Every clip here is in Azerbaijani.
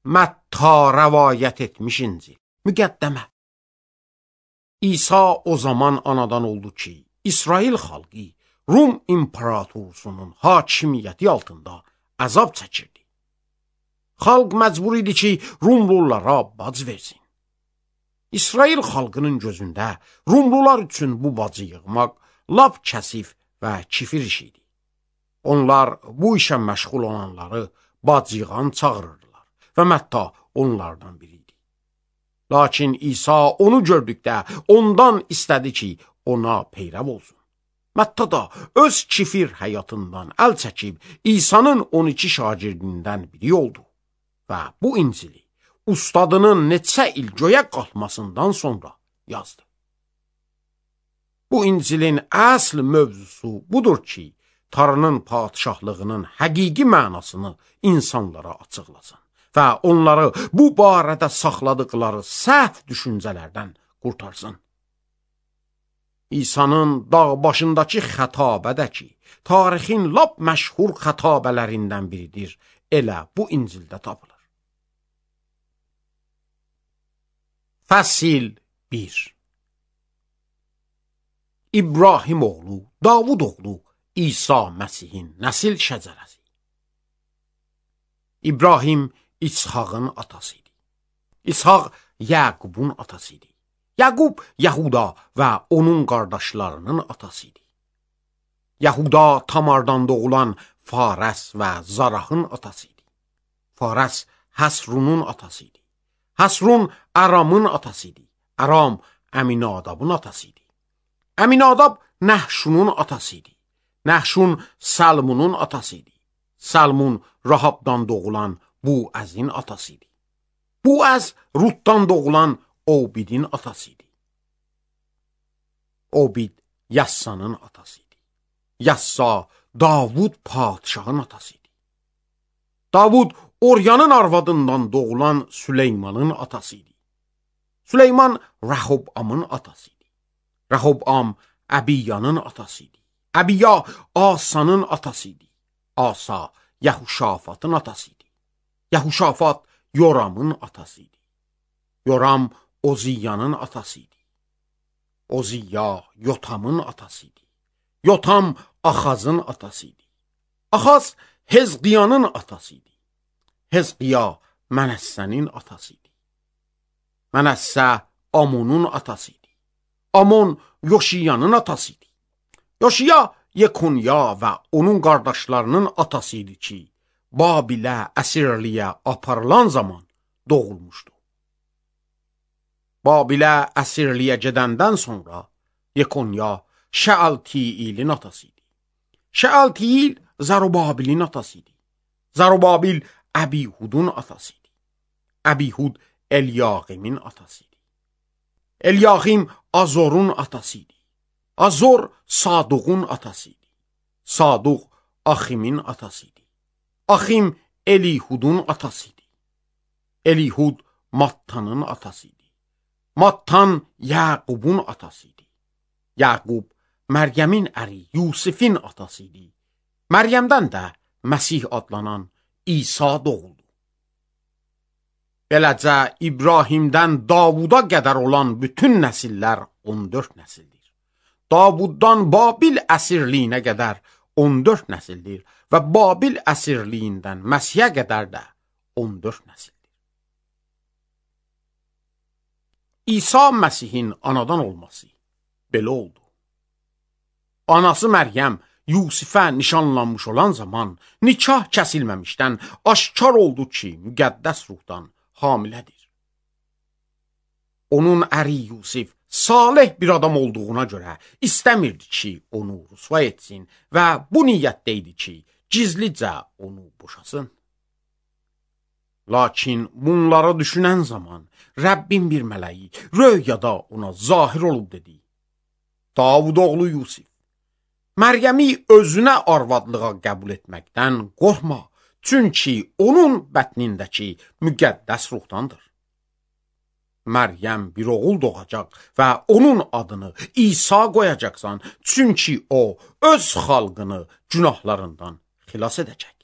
Mətta rəvayət etmiş İncil. Müqəddəmə. İsa o zaman anadan oldu ki, İsrail xalqı Rum imperatorluğunun hakimiyyəti altında əzab çəkirdi. Xalq məcbur idi ki, Rumlulara bac versin. İsrail xalqının gözündə Rumlular üçün bu bacı yığmaq lap kəsif və kifir iş idi. Onlar bu işə məşğul olanları bac yığan çağırırdılar və Mətta onlardan biri idi. Lakin İsa onu gördükdə ondan istədi ki, ona peyrəv olsun. Mətta da öz kifir həyatından əl çəkib İsa'nın 12 şagirdindən biri oldu və bu İncili ustadının neçə il göyə qalxmasından sonra yazdı. Bu İncilin əsl mövzusu budur ki, Tanrının padişahlığının həqiqi mənasını insanlara açıqlasın və onları bu barədə saxladıqları səhv düşüncələrdən qurtarsın. İsa'nın dağ başındakı xətabədə ki, tarixin lap məşhur xətabələrindən biridir, elə bu İncildə tapılır. Fəsil 1. İbrahim oğlu, Davud oğlu, İsa Məsihin nəsil şəcərəsi. İbrahim İshağın atası idi. İshaq Yaqubun atası idi. Yaqub Yahuda və onun qardaşlarının atası idi. Yahuda Tamardan doğulan Fares və Zarahın atası idi. Fares Həsrunun atası idi. Həsrun Aramın atası idi. Aram Əminadabın atası idi. Əminadab Nəhşunun atası idi. Nəhşun Salmunun atası idi. Salmun Rahabdan doğulan Buəzin atası idi. Buəz Rutdan doğulan Obidin atası idi. Obid Yassanın atası idi. Yassa Davud padişahın atası idi. Davud Oryanın arvadından doğulan Süleymanın atası idi. Süleyman Rəhobamın atası idi. Rəhobam Əbiyanın atası idi. Əbiya Asanın atası idi. Asa Yahuşafatın atası idi. Yahuşafat Yoramın atası idi. Yoram Oziyanın atası idi. Oziya Yotamın atası idi. Yotam Axazın atası idi. Axaz Hezqiyanın atası idi. Hezqiya Mənəssənin atası idi. Mənəssə Amonun atası idi. Amon Yoşiyanın atası idi. Yoşiya Yekonya və onun qardaşlarının atası idi ki, Babilə əsirliyə aparılan zaman doğulmuşdu. Babilə əsirliyə gedəndən sonra Yekonya Şəaltiilin atası idi. Şəaltiil Zərubabilin atası idi. Zərubabil Əbihudun atası idi. Əbihud Elyaqimin atası idi. Elyakim Azorun atası idi. Azor Saduqun atası idi. Saduq Aximin atası idi. Axim Elihudun atası idi. Elihud Mattanın atası idi. Mattan Yaqubun atası idi. Yaqub Məryəmin əri Yusifin atası idi. Məryəmdən də Məsih adlanan İsa doğuldu. Beləcə İbrahimdən Davuda qədər olan bütün nəsillər 14 nəsildir. Davuddan Babil əsirliyinə qədər 14 nəsildir və Babil əsirliyindən Məsihə qədər də 14 nəsildir. İsa Məsihin anadan olması belə oldu. Anası Məryəm Yusifə nişanlanmış olan zaman nikah kəsilməmişdən aşkar oldu ki, müqəddəs ruhdan hamilədir. Onun əri Yusif salih bir adam olduğuna görə istəmirdi ki, onu rüsva etsin və bu niyyətdə idi ki, gizlicə onu boşasın. Lakin bunları düşünən zaman Rəbbin bir mələyi röyada ona zahir olub dedi: Davud oğlu Yusif, Məryəmi özünə arvadlığa qəbul etməkdən qorxma, çünki onun bətnindəki müqəddəs ruhdandır. Məryəm bir oğul doğacaq və onun adını İsa qoyacaqsan, çünki o öz xalqını günahlarından xilas edəcək.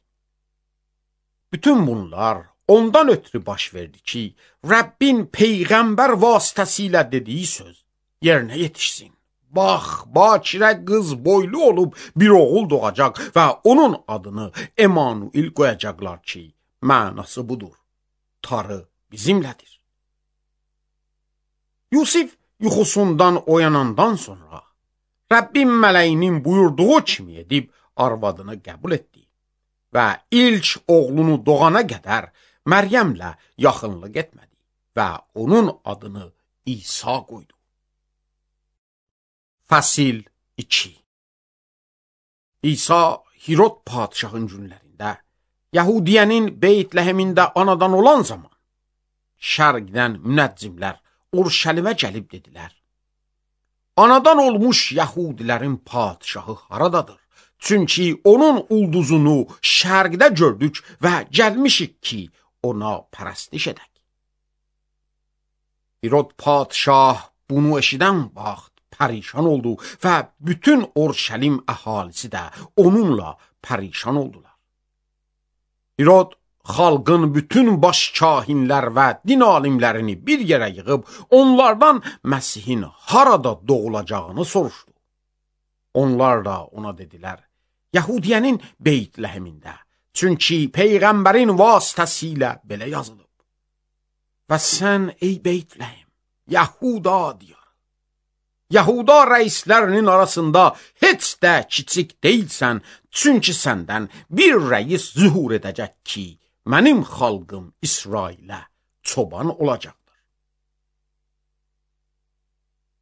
Bütün bunlar ondan ötürü baş verdi ki, Rəbbin Peyğəmbər vasitəsilə dediyi söz yerinə yetişsin. Bax, bakirə qız boylu olub bir oğul doğacaq və onun adını Emanuil qoyacaqlar ki, mənası budur. Tanrı bizimlədir. Yusif yuxusundan oyanandan sonra Rəbbin mələyinin buyurduğu kimi edib arvadını qəbul etdi və ilk oğlunu doğana qədər Məryəmlə yaxınlıq etmədi və onun adını İsa qoydu. Fəsil 2. İsa Hirod padişahın günlərində Yəhudiyənin Beytləhemində anadan olan zaman şərqdən münəccimlər Urşəlimə gəlib dedilər: Anadan olmuş Yəhudilərin padişahı haradadır? Çünki onun ulduzunu şərqdə gördük və gəlmişik ki, ona pərəstiş edək. Hirod padişah bunu eşidən vaxt pərişan oldu və bütün Urşəlim əhalisi də onunla pərişan oldular. Hirod xalqın bütün baş kahinlər və din alimlərini bir yerə yığıb onlardan Məsihin harada doğulacağını soruşdu. Onlar da ona dedilər: Yəhudiyənin Beytləhemində. Çünki Peyğəmbərin vasitəsilə belə yazılıb. Və sən ey Beytləhem, Yəhuda diyarı, Yəhuda rəislərinin arasında heç də kiçik deyilsən, çünki səndən bir rəis zühur edəcək ki, mənim xalqım İsrailə çoban olacaqdır.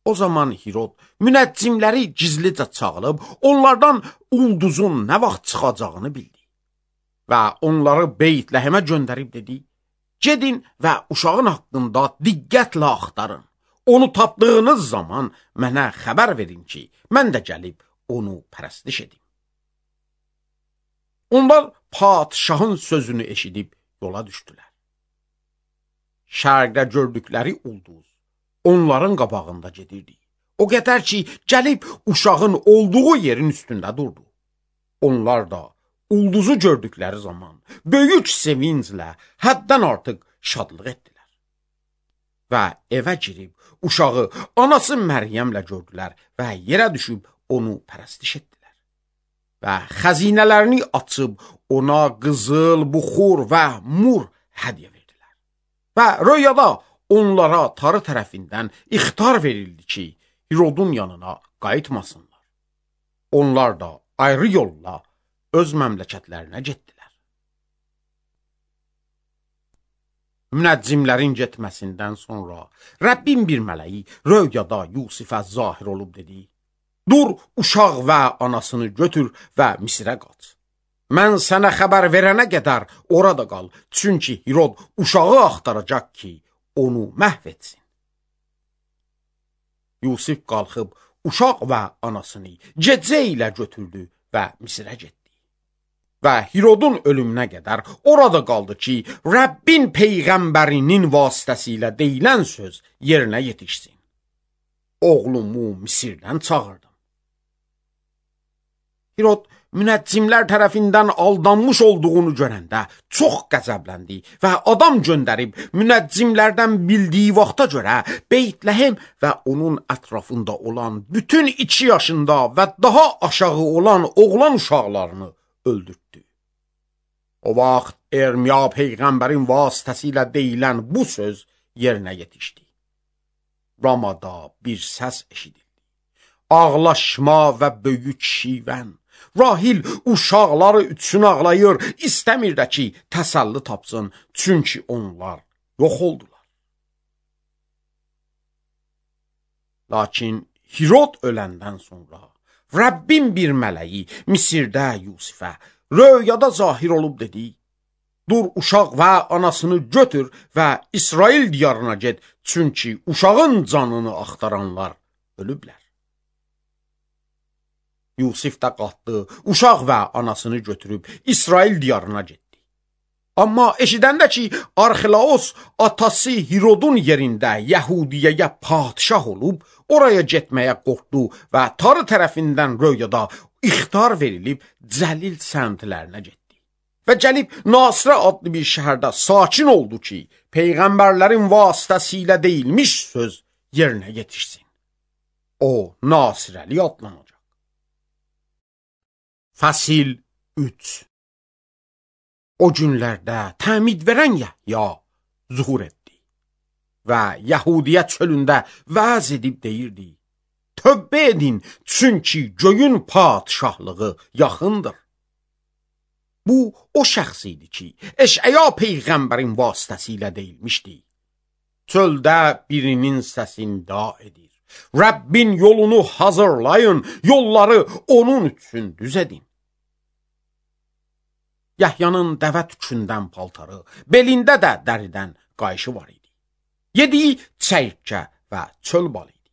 O zaman Hirod münəccimləri gizlicə çağırıb, onlardan ulduzun nə vaxt çıxacağını bildi. Və onları Beytləhemə göndərib dedi: Gedin və uşağın haqqında diqqətlə axtarın. Onu tapdığınız zaman mənə xəbər verin ki, mən də gəlib onu pərəstiş edim. Onlar padişahın sözünü eşidib yola düşdülər. Şərqdə gördükləri ulduz onların qabağında gedirdi. O qədər ki, gəlib uşağın olduğu yerin üstündə durdu. Onlar da ulduzu gördükləri zaman böyük sevinclə həddən artıq şadlıq etdilər. Və evə girib uşağı anası Məryəmlə gördülər və yerə düşüb onu pərəstiş etdilər. Və xəzinələrini açıb ona qızıl, buxur və mur hədiyyə verdilər. Və röyada onlara tarı tərəfindən ixtar verildi ki, Hirodun yanına qayıtmasınlar. Onlar da ayrı yolla öz məmləkətlərinə getdilər. Münəccimlərin getməsindən sonra Rəbbin bir mələyi röyada Yusifə zahir olub dedi: Dur, uşaq və anasını götür və Misirə qaç. Mən sənə xəbər verənə qədər orada qal, çünki Hirod uşağı axtaracaq ki, onu məhv etsin. Yusif qalxıb uşaq və anasını gecə ilə götürdü və Misirə getdi. Və Hirodun ölümünə qədər orada qaldı ki, Rəbbin Peyğəmbərinin vasitəsilə deyilən söz yerinə yetişsin. Oğlumu Misirdən çağırdım. Hirod münəccimlər tərəfindən aldanmış olduğunu görəndə çox qəzəbləndi və adam göndərib münəccimlərdən bildiyi vaxta görə Beytləhem və onun ətrafında olan bütün 2 yaşında və daha aşağı olan oğlan uşaqlarını öldürtdü. O vaxt Ermiya Peyğəmbərin vasitəsilə deyilən bu söz yerinə yetişdi. Ramada bir səs eşidildi. Ağlaşma və böyük şivən. Rahil uşaqları üçün ağlayır, istəmir də ki, təsəlli tapsın, çünki onlar yox oldular. Lakin Hirod öləndən sonra Rəbbin bir mələyi Misirdə Yusifə röyada zahir olub dedi: Dur, uşaq və anasını götür və İsrail diyarına get, çünki uşağın canını axtaranlar ölüblər. Yusif də qalxdı, uşaq və anasını götürüb İsrail diyarına getdi. Amma eşidəndə ki, Arxelaos atası Hirodun yerində Yəhudiyəyə padişah olub, oraya getməyə qorxdu və tarı tərəfindən röyada ixtar verilib Cəlil səmtlərinə getdi. və gəlib Nasirə adlı bir şəhərdə sakin oldu ki, peyğəmbərlərin vasitəsilə deyilmiş söz yerinə yetişsin. O, Nasirəli adlanacaq. Fəsil 3. O günlərdə təmid verən Yəhya zuhur etdi və Yəhudiyə çölündə vəz edib deyirdi: Tövbə edin, çünki göyün padişahlığı yaxındır. Bu, o şəxs idi ki, Eşəya peyğəmbərin vasitəsilə deyilmişdi. Çöldə birinin səsini da edir. Rəbbin yolunu hazırlayın, yolları onun üçün düz edin. Yəhyanın dəvə tükündən paltarı, belində də dəridən qayışı var idi. Yediyi çəyirkə və çöl balı idi.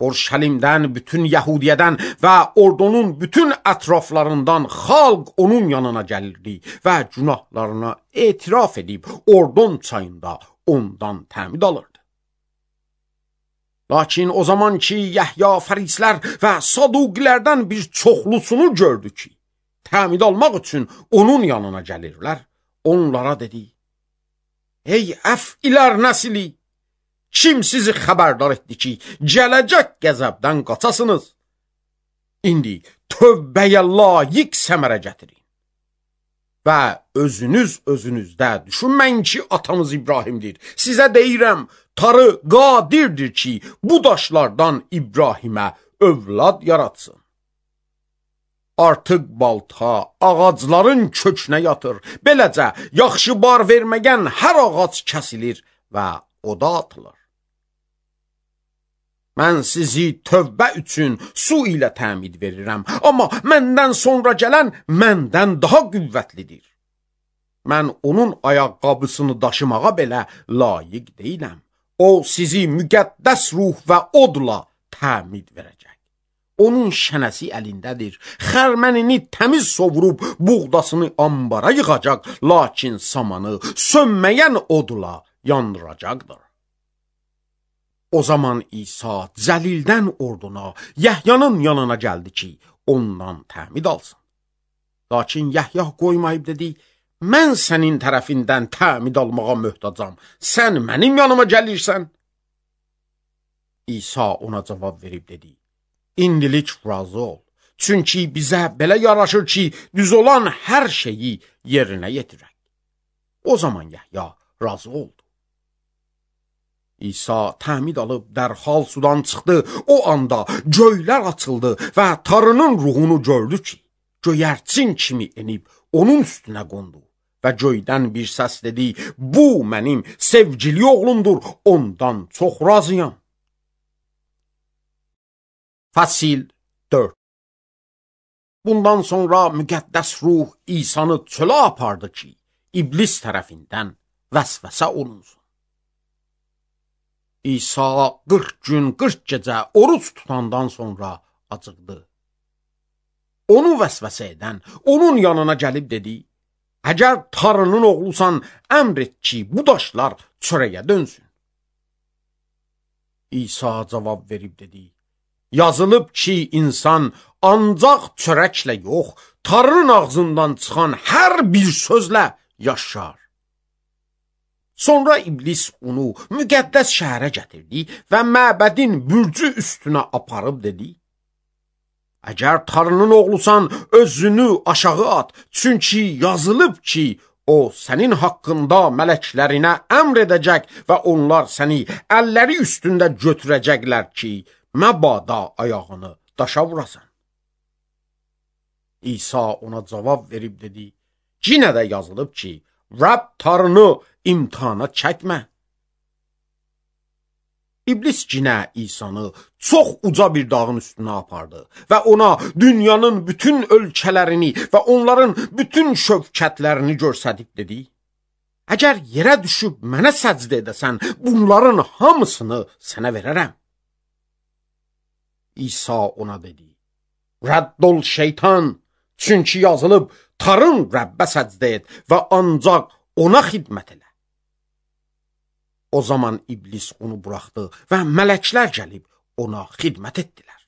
Orşəlimdən, bütün Yəhudiyədən və ordunun bütün ətraflarından xalq onun yanına gəlirdi və günahlarına etiraf edib Ordon çayında ondan təmid alırdı. Lakin o zaman ki, Yəhya fərislər və saduqilərdən bir çoxlusunu gördü ki, təmid almaq üçün onun yanına gəlirlər, onlara dedi: Ey əfilər nəsli! Kim sizi xəbərdar etdi ki, gələcək qəzəbdən qaçasınız? İndi tövbəyə layiq səmərə gətirin. Və özünüzdə düşünməyin ki, atamız İbrahimdir. Sizə deyirəm, Tanrı qadirdir ki, bu daşlardan İbrahimə övlad yaratsın. Artıq balta ağacların kökünə yatır. Beləcə, yaxşı bar verməyən hər ağac kəsilir və oda atılır. Mən sizi tövbə üçün su ilə təmid verirəm, amma məndən sonra gələn məndən daha qüvvətlidir. Mən onun ayaqqabısını daşımağa belə layiq deyiləm. O sizi müqəddəs ruh və odla təmid verəcək. Onun şənəsi əlindədir. Xərmənini təmiz sovurub buğdasını ambara yığacaq, lakin samanı sönməyən odla yandıracaqdır. O zaman İsa Cəlildən orduna, Yəhyanın yanına gəldi ki, ondan təmid alsın. Lakin Yəhya qoymayıb dedi: Mən sənin tərəfindən təmid almağa möhtacam, sən mənim yanıma gəlirsən. İsa ona cavab verib dedi: İndilik razı ol, çünki bizə belə yaraşır ki, düz olan hər şeyi yerinə yetirək. O zaman Yəhya razı oldu. İsa təmid alıb dərhal sudan çıxdı. O anda göylər açıldı və Tanrının ruhunu gördü ki, göyərçin kimi enib onun üstünə qondu. Və göydən bir səs dedi: Bu mənim sevgili oğlumdur, ondan çox razıyam. Fəsil 4. Bundan sonra müqəddəs ruh İsanı çölə apardı ki, iblis tərəfindən vəsvəsə olunsun. İsa 40 gün 40 gecə oruç tutandan sonra acıqdı. Onu vəsvəsə edən onun yanına gəlib dedi: Əgər Tanrının oğlusan, əmr et ki, bu daşlar çörəyə dönsün. İsa cavab verib dedi: Yazılıb ki, insan ancaq çörəklə yox, Tanrının ağzından çıxan hər bir sözlə yaşar. Sonra iblis onu müqəddəs şəhərə gətirdi və məbədin bürcü üstünə aparıb dedi: Əgər Tanrının oğlusan, özünü aşağı at, çünki yazılıb ki, o sənin haqqında mələklərinə əmr edəcək və onlar səni əlləri üstündə götürəcəklər ki, məbada ayağını daşa vurasan. İsa ona cavab verib dedi: Yenə də yazılıb ki, Rəbb Tanrını imtihana çəkmə. İblis yenə İsanı çox uca bir dağın üstünə apardı və ona dünyanın bütün ölkələrini və onların bütün şövkətlərini göstərib dedi: Əgər yerə düşüb mənə səcdə edəsən, bunların hamısını sənə verərəm. İsa ona dedi: Rədd ol şeytan, çünki yazılıb, Tanrın Rəbbə səcdə et və ancaq ona xidmət elə. O zaman iblis onu buraxdı və mələklər gəlib ona xidmət etdilər.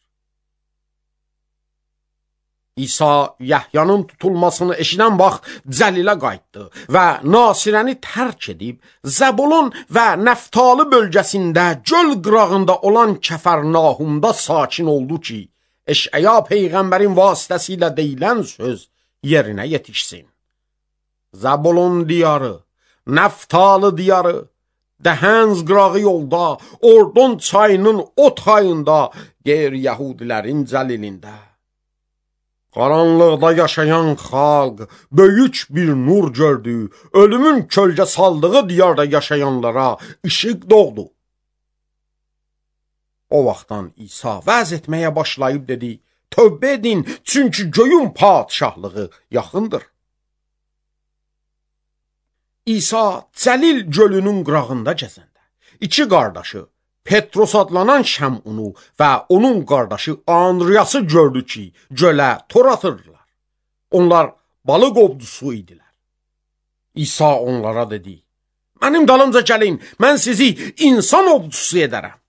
İsa Yəhyanın tutulmasını eşidən vaxt Cəlilə qayıtdı və Nasirəni tərk edib, Zəbulun və Nəftali bölgəsində göl qırağında olan Kəfərnahumda sakin oldu ki, Eşəya Peyğəmbərin vasitəsilə deyilən söz yerinə yetişsin. Zəbulun diyarı, Nəftali diyarı, Dəhənz qırağı yolda, Ordon çayının o tayında, qeyri-Yəhudilərin Cəlilində. Qaranlıqda yaşayan xalq böyük bir nur gördü, ölümün kölgə saldığı diyarda yaşayanlara işıq doğdu. O vaxtdan İsa vəz etməyə başlayıb dedi, tövbə edin, çünki göyün padişahlığı yaxındır. İsa Cəlil gölünün qırağında gəzəndə, iki qardaşı, Petros adlanan Şəmunu və onun qardaşı Andriyası gördü ki, gölə tor atırdılar. Onlar balıq ovdusu idilər. İsa onlara dedi, mənim dalımca gəlin, mən sizi insan ovdusu edərəm.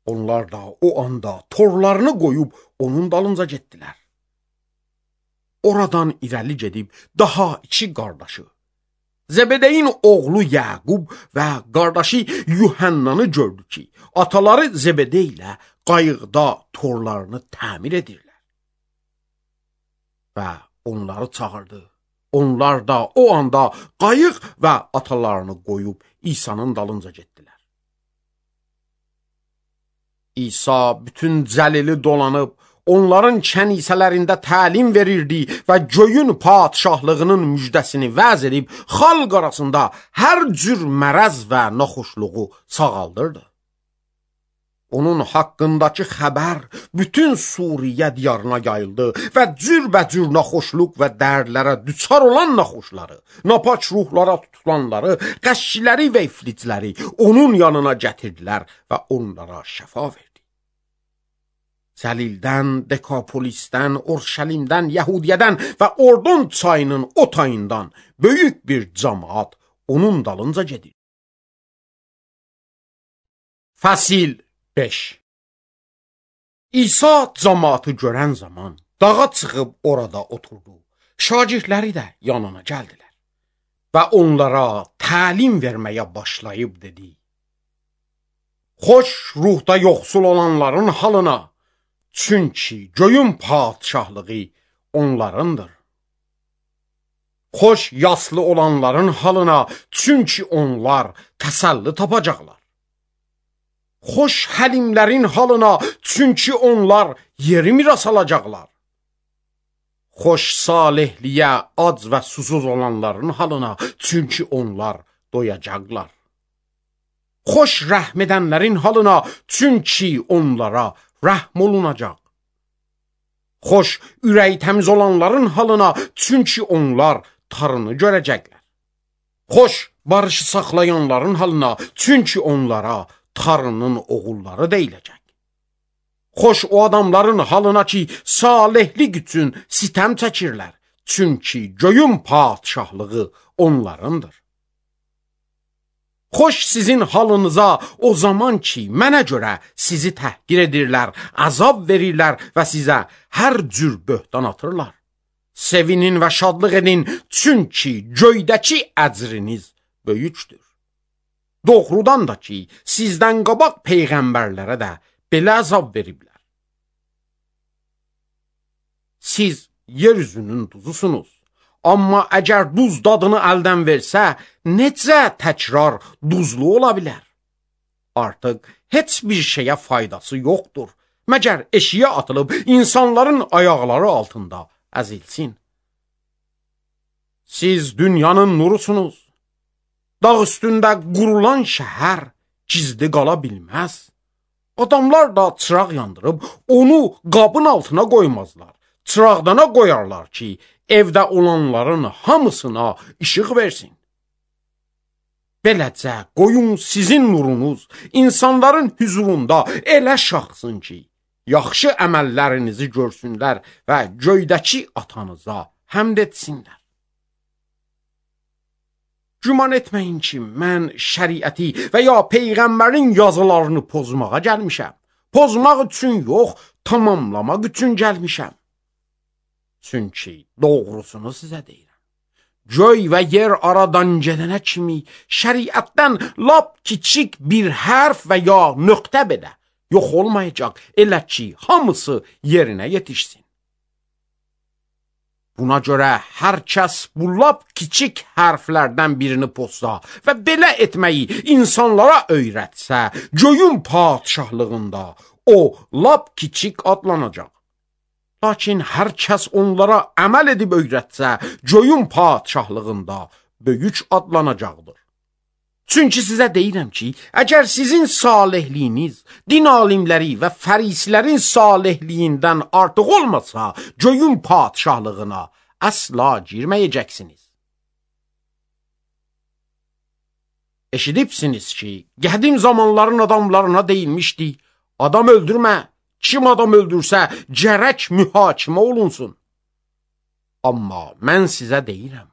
Onlar da o anda torlarını qoyub onun dalınca getdilər. Oradan irəli gedib daha iki qardaşı, Zəbədeyin oğlu Yaqub və qardaşı Yuhannanı gördü ki, ataları Zəbədə ilə qayıqda torlarını təmir edirlər. Və onları çağırdı. Onlar da o anda qayıq və atalarını qoyub İsa'nın dalınca getdilər. İsa bütün Cəlili dolanıb, onların kənisələrində təlim verirdi və göyün padişahlığının müjdəsini vəz edib, xalq arasında hər cür mərəz və naxoşluğu sağaldırdı. Onun haqqındakı xəbər bütün Suriyə diyarına yayıldı və cürbəcür naxoşluq və dərdlərə düçar olan naxoşları, napaç ruhlara tutulanları, qəşçiləri və iflicləri onun yanına gətirdilər və onlara şəfa verdi. Cəlildən, Dekapolisdən, Orşəlimdən, Yəhudiyədən və Ordon çayının o tayından böyük bir cəmaat onun dalınca gedir. Fəsil 5. İsa cəmaatı görən zaman dağa çıxıb orada oturdu. Şagirdləri də yanına gəldilər və onlara təlim verməyə başlayıb dedi. Xoş ruhda yoxsul olanların halına, çünki göyün padişahlığı onlarındır. Xoş yaslı olanların halına, çünki onlar təsəlli tapacaqlar. Xoş həlimlərin halına, çünki onlar yeri miras alacaqlar. Xoş salihliyə ac və susuz olanların halına, çünki onlar doyacaqlar. Xoş rəhm edənlərin halına, çünki onlara rəhm olunacaq. Xoş ürəyi təmiz olanların halına, çünki onlar tarını görəcəklər. Xoş barışı saxlayanların halına, çünki onlara tarının oğulları deyiləcək. Xoş o adamların halına ki, salihlik üçün sitəm çəkirlər, çünki göyün padişahlığı onlarındır. Xoş sizin halınıza o zaman ki, mənə görə sizi təhqir edirlər, əzab verirlər və sizə hər cür böhtan atırlar. Sevinin və şadlıq edin, çünki göydəki əcriniz böyükdür. Doğrudan da ki, sizdən qabaq peyğəmbərlərə də belə əzab veriblər. Siz yeryüzünün duzusunuz. Amma əgər duz dadını əldən versə, necə təkrar duzlu ola bilər? Artıq heç bir şeyə faydası yoxdur, məgər eşiyə atılıb insanların ayaqları altında əzilsin. Siz dünyanın nurusunuz. Dağ üstündə qurulan şəhər gizli qala bilməz. Adamlar da çıraq yandırıb onu qabın altına qoymazlar. Çıraqdana qoyarlar ki, evdə olanların hamısına işıq versin. Beləcə qoyun sizin nurunuz insanların hüzurunda elə şaxsın ki, yaxşı əməllərinizi görsünlər və göydəki atanıza həmd etsinlər. Güman etməyin ki, mən şəriəti və ya peyğəmbərin yazılarını pozmağa gəlmişəm. Pozmaq üçün yox, tamamlamaq üçün gəlmişəm. Çünki doğrusunu sizə deyirəm. Göy və yer aradan gedənə kimi şəriətdən lap kiçik bir hərf və ya nöqtə belə yox olmayacaq, elə ki, hamısı yerinə yetişsin. Buna görə hər kəs bu lap kiçik hərflərdən birini pozsa və belə etməyi insanlara öyrətsə, göyün padişahlığında o lap kiçik adlanacaq. Lakin hər kəs onlara əməl edib öyrətsə, göyün padişahlığında böyük adlanacaqdır. Çünki sizə deyirəm ki, əgər sizin salihliyiniz din alimləri və fərisilərin salihliyindən artıq olmasa, göyün padişahlığına əsla girməyəcəksiniz. Eşidibsiniz ki, qədim zamanların adamlarına deyilmişdi, adam öldürmə. Kim adam öldürsə, gərək mühakimə olunsun. Amma mən sizə deyirəm,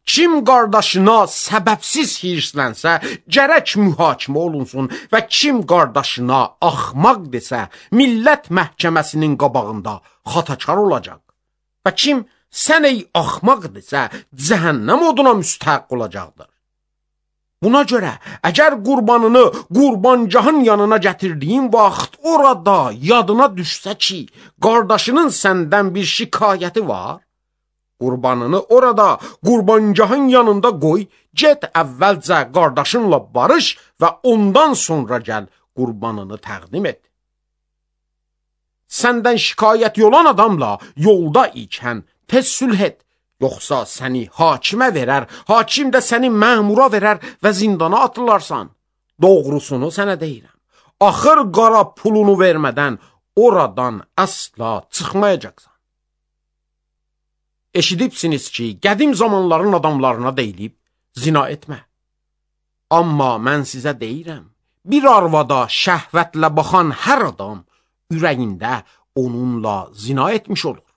kim qardaşına səbəbsiz hirslənsə, gərək mühakimə olunsun və kim qardaşına axmaq desə, millət məhkəməsinin qabağında xatakar olacaq. Və kim sən ey axmaq desə, cəhənnəm oduna müstəhq olacaqdır. Buna görə, əgər qurbanını qurbancahın yanına gətirdiyin vaxt orada yadına düşsə ki, qardaşının səndən bir şikayəti var, qurbanını orada qurbancahın yanında qoy, get əvvəlcə qardaşınla barış və ondan sonra gəl qurbanını təqdim et. Səndən şikayəti olan adamla yolda ikən tez sülh et. Yoxsa səni hakimə verər, hakim də səni məmura verər və zindana atılarsan. Doğrusunu sənə deyirəm. Axır qara pulunu vermədən oradan əsla çıxmayacaqsan. Eşidibsiniz ki, qədim zamanların adamlarına deyilib, zina etmə. Amma mən sizə deyirəm, bir arvada şəhvətlə baxan hər adam ürəyində onunla zina etmiş olur.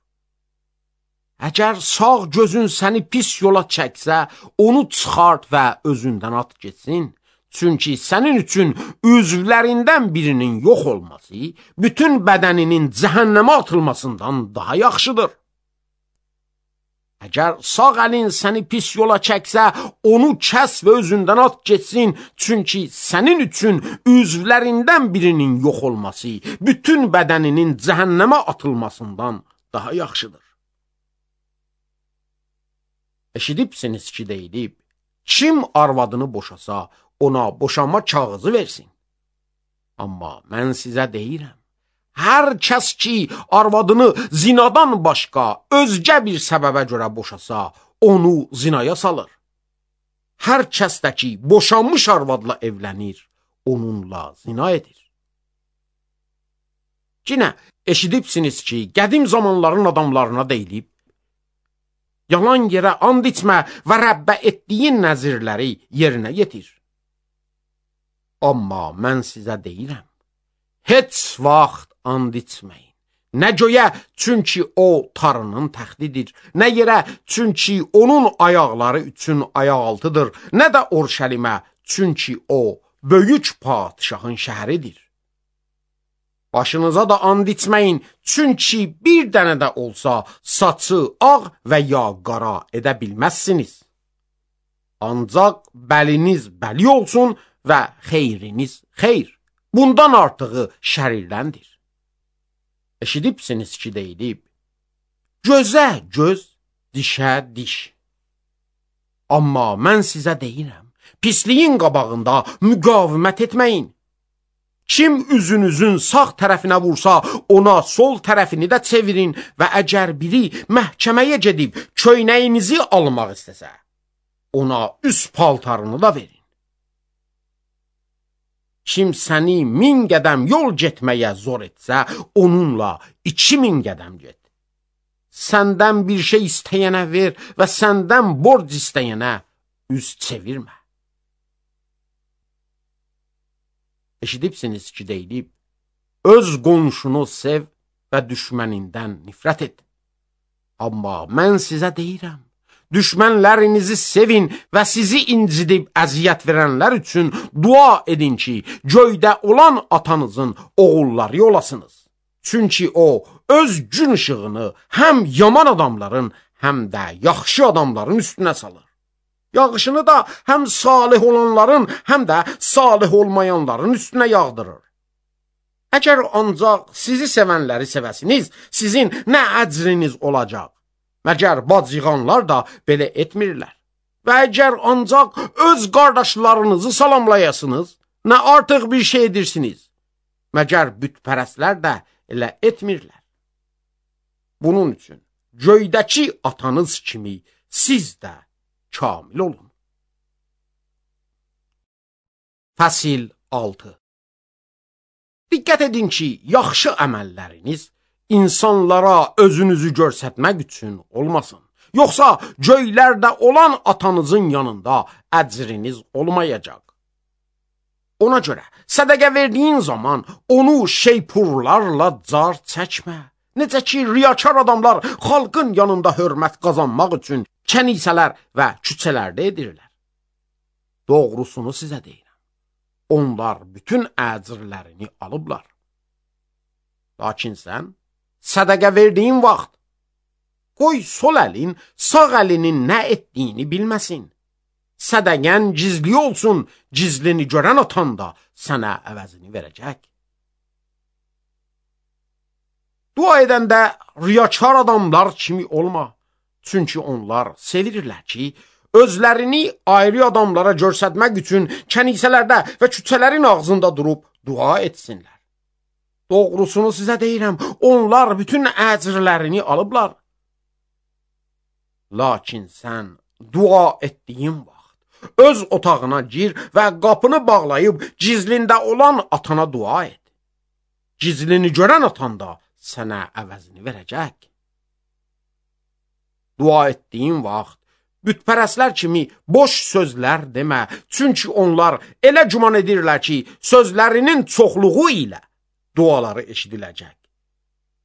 Əgər sağ gözün səni pis yola çəksə, onu çıxart və özündən at getsin. Çünki sənin üçün üzvlərindən birinin yox olması, bütün bədəninin cəhənnəmə atılmasından daha yaxşıdır. Əgər sağ əlin səni pis yola çəksə, onu kəs və özündən at getsin. Çünki sənin üçün üzvlərindən birinin yox olması, bütün bədəninin cəhənnəmə atılmasından daha yaxşıdır. Eşidibsiniz ki, deyilib, kim arvadını boşasa, ona boşanma kağızı versin. Amma mən sizə deyirəm, hər kəs ki, arvadını zinadan başqa özgə bir səbəbə görə boşasa, onu zinaya salır. Hər kəs də ki, boşanmış arvadla evlənir, onunla zina edir. Yine eşidibsiniz ki, qədim zamanların adamlarına deyilib, yalan yerə and içmə və Rəbbə etdiyin nəzirləri yerinə yetir. Amma mən sizə deyirəm, heç vaxt and içməyin. Nə göyə, çünki o tarının təxtidir, nə yerə, çünki onun ayaqları üçün ayaq altıdır, nə də Orşəlimə, çünki o böyük padişahın şəhəridir. Başınıza da and içməyin, çünki bir dənə də olsa saçı ağ və ya qara edə bilməzsiniz. Ancaq bəliniz bəli olsun və xeyriniz xeyr. Bundan artığı şərirləndir. Eşidibsiniz ki, deyilib, gözə göz, dişə diş. Amma mən sizə deyirəm, pisliyin qabağında müqavimət etməyin. Kim üzünüzün sağ tərəfinə vursa, ona sol tərəfini də çevirin və əgər biri məhkəməyə gedib köynəyinizi almaq istəsə, ona üst paltarını da verin. Kim səni 1000 qədəm yol getməyə zor etsə, onunla 2000 qədəm get. Səndən bir şey istəyənə ver və səndən borc istəyənə üz çevirmə. Eşidibsiniz ki, deyilib, öz qonşunu sev və düşmənindən nifrət et. Amma mən sizə deyirəm, düşmənlərinizi sevin və sizi incidib əziyyət verənlər üçün dua edin ki, göydə olan atanızın oğulları olasınız. Çünki o öz gün işığını həm yaman adamların, həm də yaxşı adamların üstünə salır. Yağışını da həm salih olanların, həm də salih olmayanların üstünə yağdırır. Əgər ancaq sizi sevənləri sevəsiniz, sizin nə əcriniz olacaq? Məgər bacıqanlar da belə etmirlər. Və əgər ancaq öz qardaşlarınızı salamlayasınız, nə artıq bir şey edirsiniz? Məgər bütpərəstlər də elə etmirlər. Bunun üçün göydəki atanız kimi siz də kamil olun. Fəsil 6. Diqqət edin ki, yaxşı əməlləriniz insanlara özünüzü göstərmək üçün olmasın. Yoxsa göylərdə olan atanızın yanında əcriniz olmayacaq. Ona görə sədəqə verdiyin zaman onu şeypurlarla car çəkmə. Necə ki, riyakar adamlar xalqın yanında hörmət qazanmaq üçün kənisələr və küçələrdə edirlər. Doğrusunu sizə deyirəm. Onlar bütün əcrlərini alıblar. Lakin sən sədəqə verdiyin vaxt qoy sol əlin sağ əlinin nə etdiyini bilməsin. Sədəqən gizli olsun, gizlini görən atan da sənə əvəzini verəcək. Dua edəndə riyakar adamlar kimi olma. Çünki onlar sevirlər ki, özlərini ayrı adamlara göstərmək üçün kənisələrdə və küçələrin ağzında durub dua etsinlər. Doğrusunu sizə deyirəm, onlar bütün əcrlərini alıblar. Lakin sən dua etdiyin vaxt öz otağına gir və qapını bağlayıb gizlində olan atana dua et. Gizlini görən atan da sənə əvəzini verəcək. Dua etdiyin vaxt bütpərəstlər kimi boş sözlər demə, çünki onlar elə güman edirlər ki, sözlərinin çoxluğu ilə duaları eşidiləcək.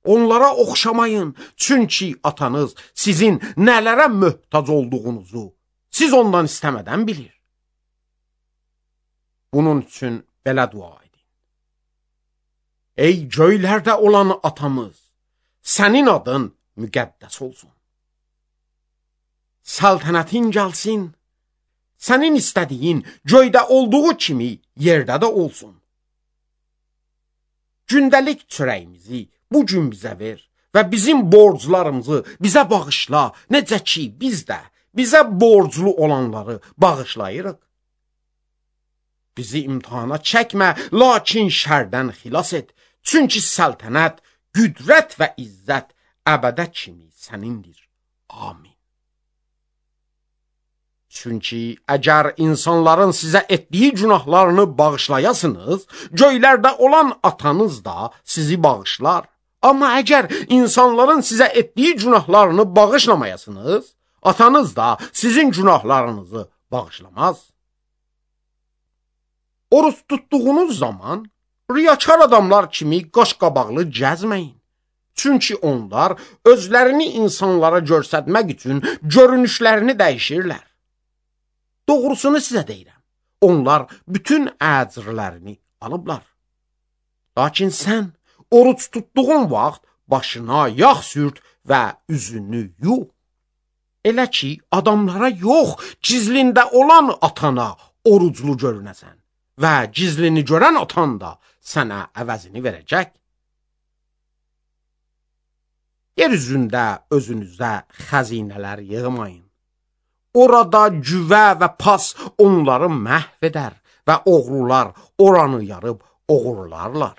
Onlara oxşamayın, çünki atanız sizin nələrə möhtac olduğunuzu siz ondan istəmədən bilir. Bunun üçün belə dua edin. Ey göylərdə olan atamız, sənin adın müqəddəs olsun. Saltanətin gəlsin, sənin istədiyin göydə olduğu kimi yerdə də olsun. Gündəlik çörəyimizi bu gün bizə ver və bizim borclarımızı bizə bağışla, necə ki biz də bizə borclu olanları bağışlayırıq. Bizi imtihana çəkmə, lakin şərdən xilas et, çünki səltənət, qüdrət və izzət əbədə kimi sənindir. Amin. Çünki əgər insanların sizə etdiyi günahlarını bağışlayasınız, göylərdə olan atanız da sizi bağışlar. Amma əgər insanların sizə etdiyi günahlarını bağışlamayasınız, atanız da sizin günahlarınızı bağışlamaz. Oruç tutduğunuz zaman riyakar adamlar kimi qaşqabaqlı gəzməyin. Çünki onlar özlərini insanlara göstərmək üçün görünüşlərini dəyişirlər. Doğrusunu sizə deyirəm, onlar bütün əcrlərini alıblar. Lakin sən oruç tutduğun vaxt başına yağ sürt və üzünü yu. Elə ki, adamlara yox, gizlində olan atana oruclu görünəsən və gizlini görən atan da sənə əvəzini verəcək. Yer üzündə özünüzə xəzinələr yığmayın. Orada güvə və pas onları məhv edər və oğrular oranı yarıb oğurlarlar.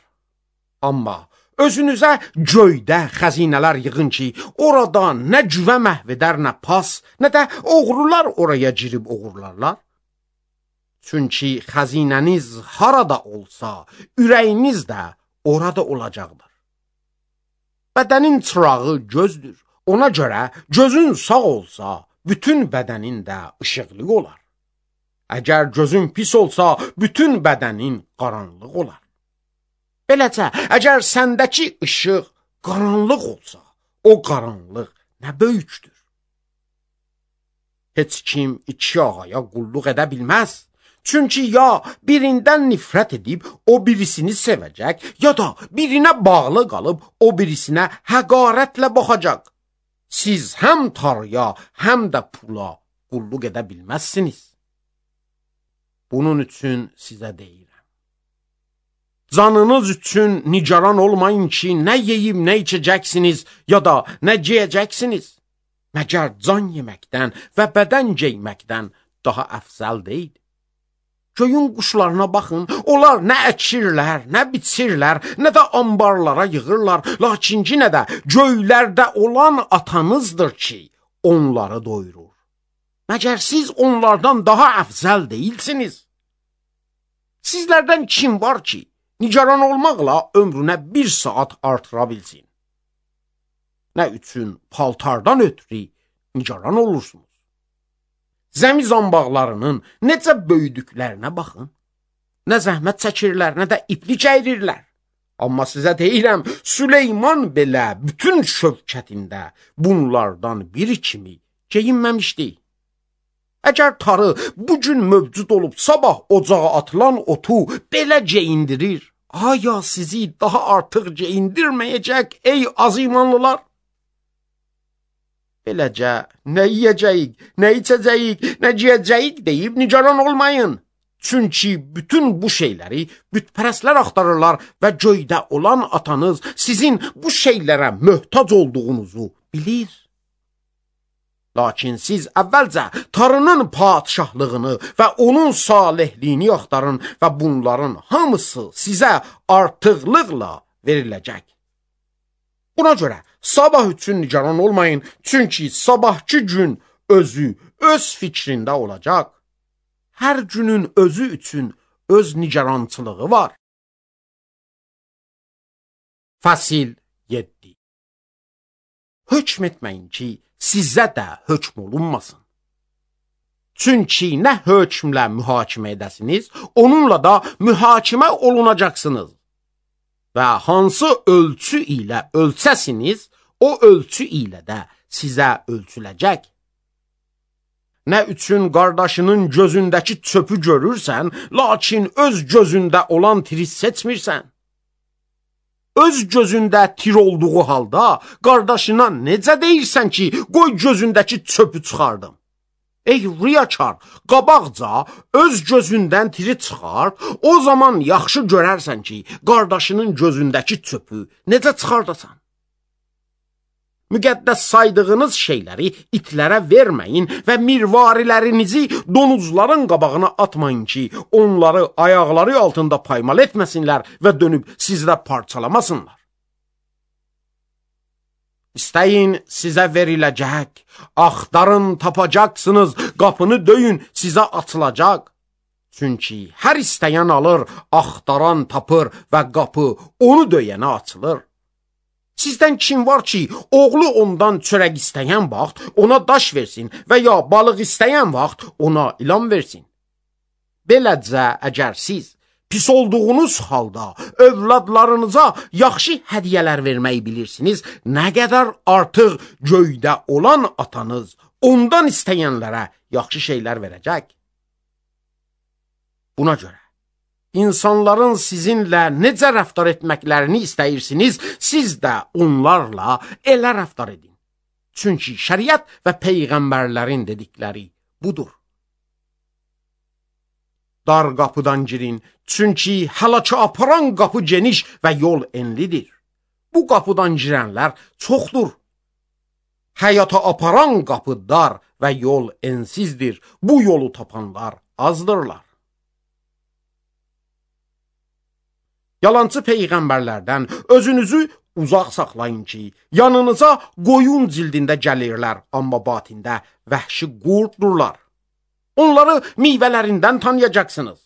Amma özünüzə göydə xəzinələr yığın ki, orada nə güvə məhv edər, nə pas, nə də oğrular oraya girib oğurlarlar. Çünki xəzinəniz harada olsa, ürəyiniz də orada olacaqdır. Bədənin çırağı gözdür. Ona görə gözün sağ olsa, bütün bədənin də işıqlı olar. Əgər gözün pis olsa, bütün bədənin qaranlıq olar. Beləcə, əgər səndəki işıq qaranlıq olsa, o qaranlıq nə böyükdür. Heç kim iki ağaya qulluq edə bilməz. Çünki ya birindən nifrət edib o birisini sevəcək, ya da birinə bağlı qalıb o birisinə həqarətlə baxacaq. Siz həm Tanrıya, həm də pula qulluq edə bilməzsiniz. Bunun üçün sizə deyirəm. Canınız üçün nigaran olmayın ki, nə yeyib nə içəcəksiniz, ya da nə geyəcəksiniz. Məgər can yeməkdən və bədən geyməkdən daha əfzəl deyil. Göyün quşlarına baxın, onlar nə əkirlər, nə biçirlər, nə də ambarlara yığırlar, lakin yenə də göylərdə olan atanızdır ki, onları doyurur. Məgər siz onlardan daha əfzəl deyilsiniz? Sizlərdən kim var ki, nigaran olmaqla ömrünə 1 saat artıra bilsin? Nə üçün paltardan ötürü nigaran olursunuz? Zəmi zambaqlarının necə böyüdüklərinə baxın. Nə zəhmət çəkirlər, nə də iplik əyrirlər. Amma sizə deyirəm, Süleyman belə bütün şövkətində bunlardan biri kimi geyinməmişdi. Əgər tarı bugün mövcud olub sabah ocağa atılan otu belə geyindirir, aya sizi daha artıq geyindirməyəcək ey az imanlılar? Beləcə, nə yiyəcəyik, nə içəcəyik, nə giyəcəyik deyib nigaran olmayın. Çünki bütün bu şeyləri bütpərəstlər axtarırlar və göydə olan atanız sizin bu şeylərə möhtac olduğunuzu bilir. Lakin siz əvvəlcə Tanrının padşahlığını və onun salihliyini axtarın və bunların hamısı sizə artıqlıqla veriləcək. Buna görə sabah üçün nigaran olmayın, çünki sabahki gün özü öz fikrində olacaq. Hər günün özü üçün öz nigarançılığı var. Fəsil 7. Hökm etməyin ki, sizə də hökm olunmasın. Çünki nə hökmlə mühakimə edəsiniz, onunla da mühakimə olunacaqsınız. Və hansı ölçü ilə ölçəsiniz, o ölçü ilə də sizə ölçüləcək. Nə üçün qardaşının gözündəki çöpü görürsən, lakin öz gözündə olan tiri seçmirsən? Öz gözündə tir olduğu halda qardaşına necə deyirsən ki, qoy gözündəki çöpü çıxardım? Ey riyakar, qabaqca öz gözündən tiri çıxar, o zaman yaxşı görərsən ki, qardaşının gözündəki çöpü necə çıxardasan? Müqəddəs saydığınız şeyləri itlərə verməyin və mirvarilərinizi donuzların qabağına atmayın ki, onları ayaqları altında paymal etməsinlər və dönüb sizdə parçalamasınlar. İstəyin, sizə veriləcək, axtarın, tapacaqsınız, qapını döyün, sizə açılacaq. Çünki hər istəyən alır, axtaran tapır və qapı onu döyənə açılır. Sizdən kim var ki, oğlu ondan çörək istəyən vaxt ona daş versin və ya balıq istəyən vaxt ona ilan versin? Beləcə, əgər siz pis olduğunuz halda övladlarınıza yaxşı hədiyyələr verməyi bilirsiniz, nə qədər artıq göydə olan atanız ondan istəyənlərə yaxşı şeylər verəcək. Buna görə İnsanların sizinlə necə rəftar etməklərini istəyirsiniz, siz də onlarla elə rəftar edin. Çünki şəriət və peyğəmbərlərin dedikləri budur. Dar qapıdan girin, çünki həlaka aparan qapı geniş və yol enlidir. Bu qapıdan girənlər çoxdur. Həyata aparan qapı dar və yol ensizdir. Bu yolu tapanlar azdırlar. Yalancı peyğəmbərlərdən özünüzü uzaq saxlayın ki, yanınıza qoyun cildində gəlirlər, amma batində vəhşi qurdurlar. Onları meyvələrindən tanıyacaqsınız.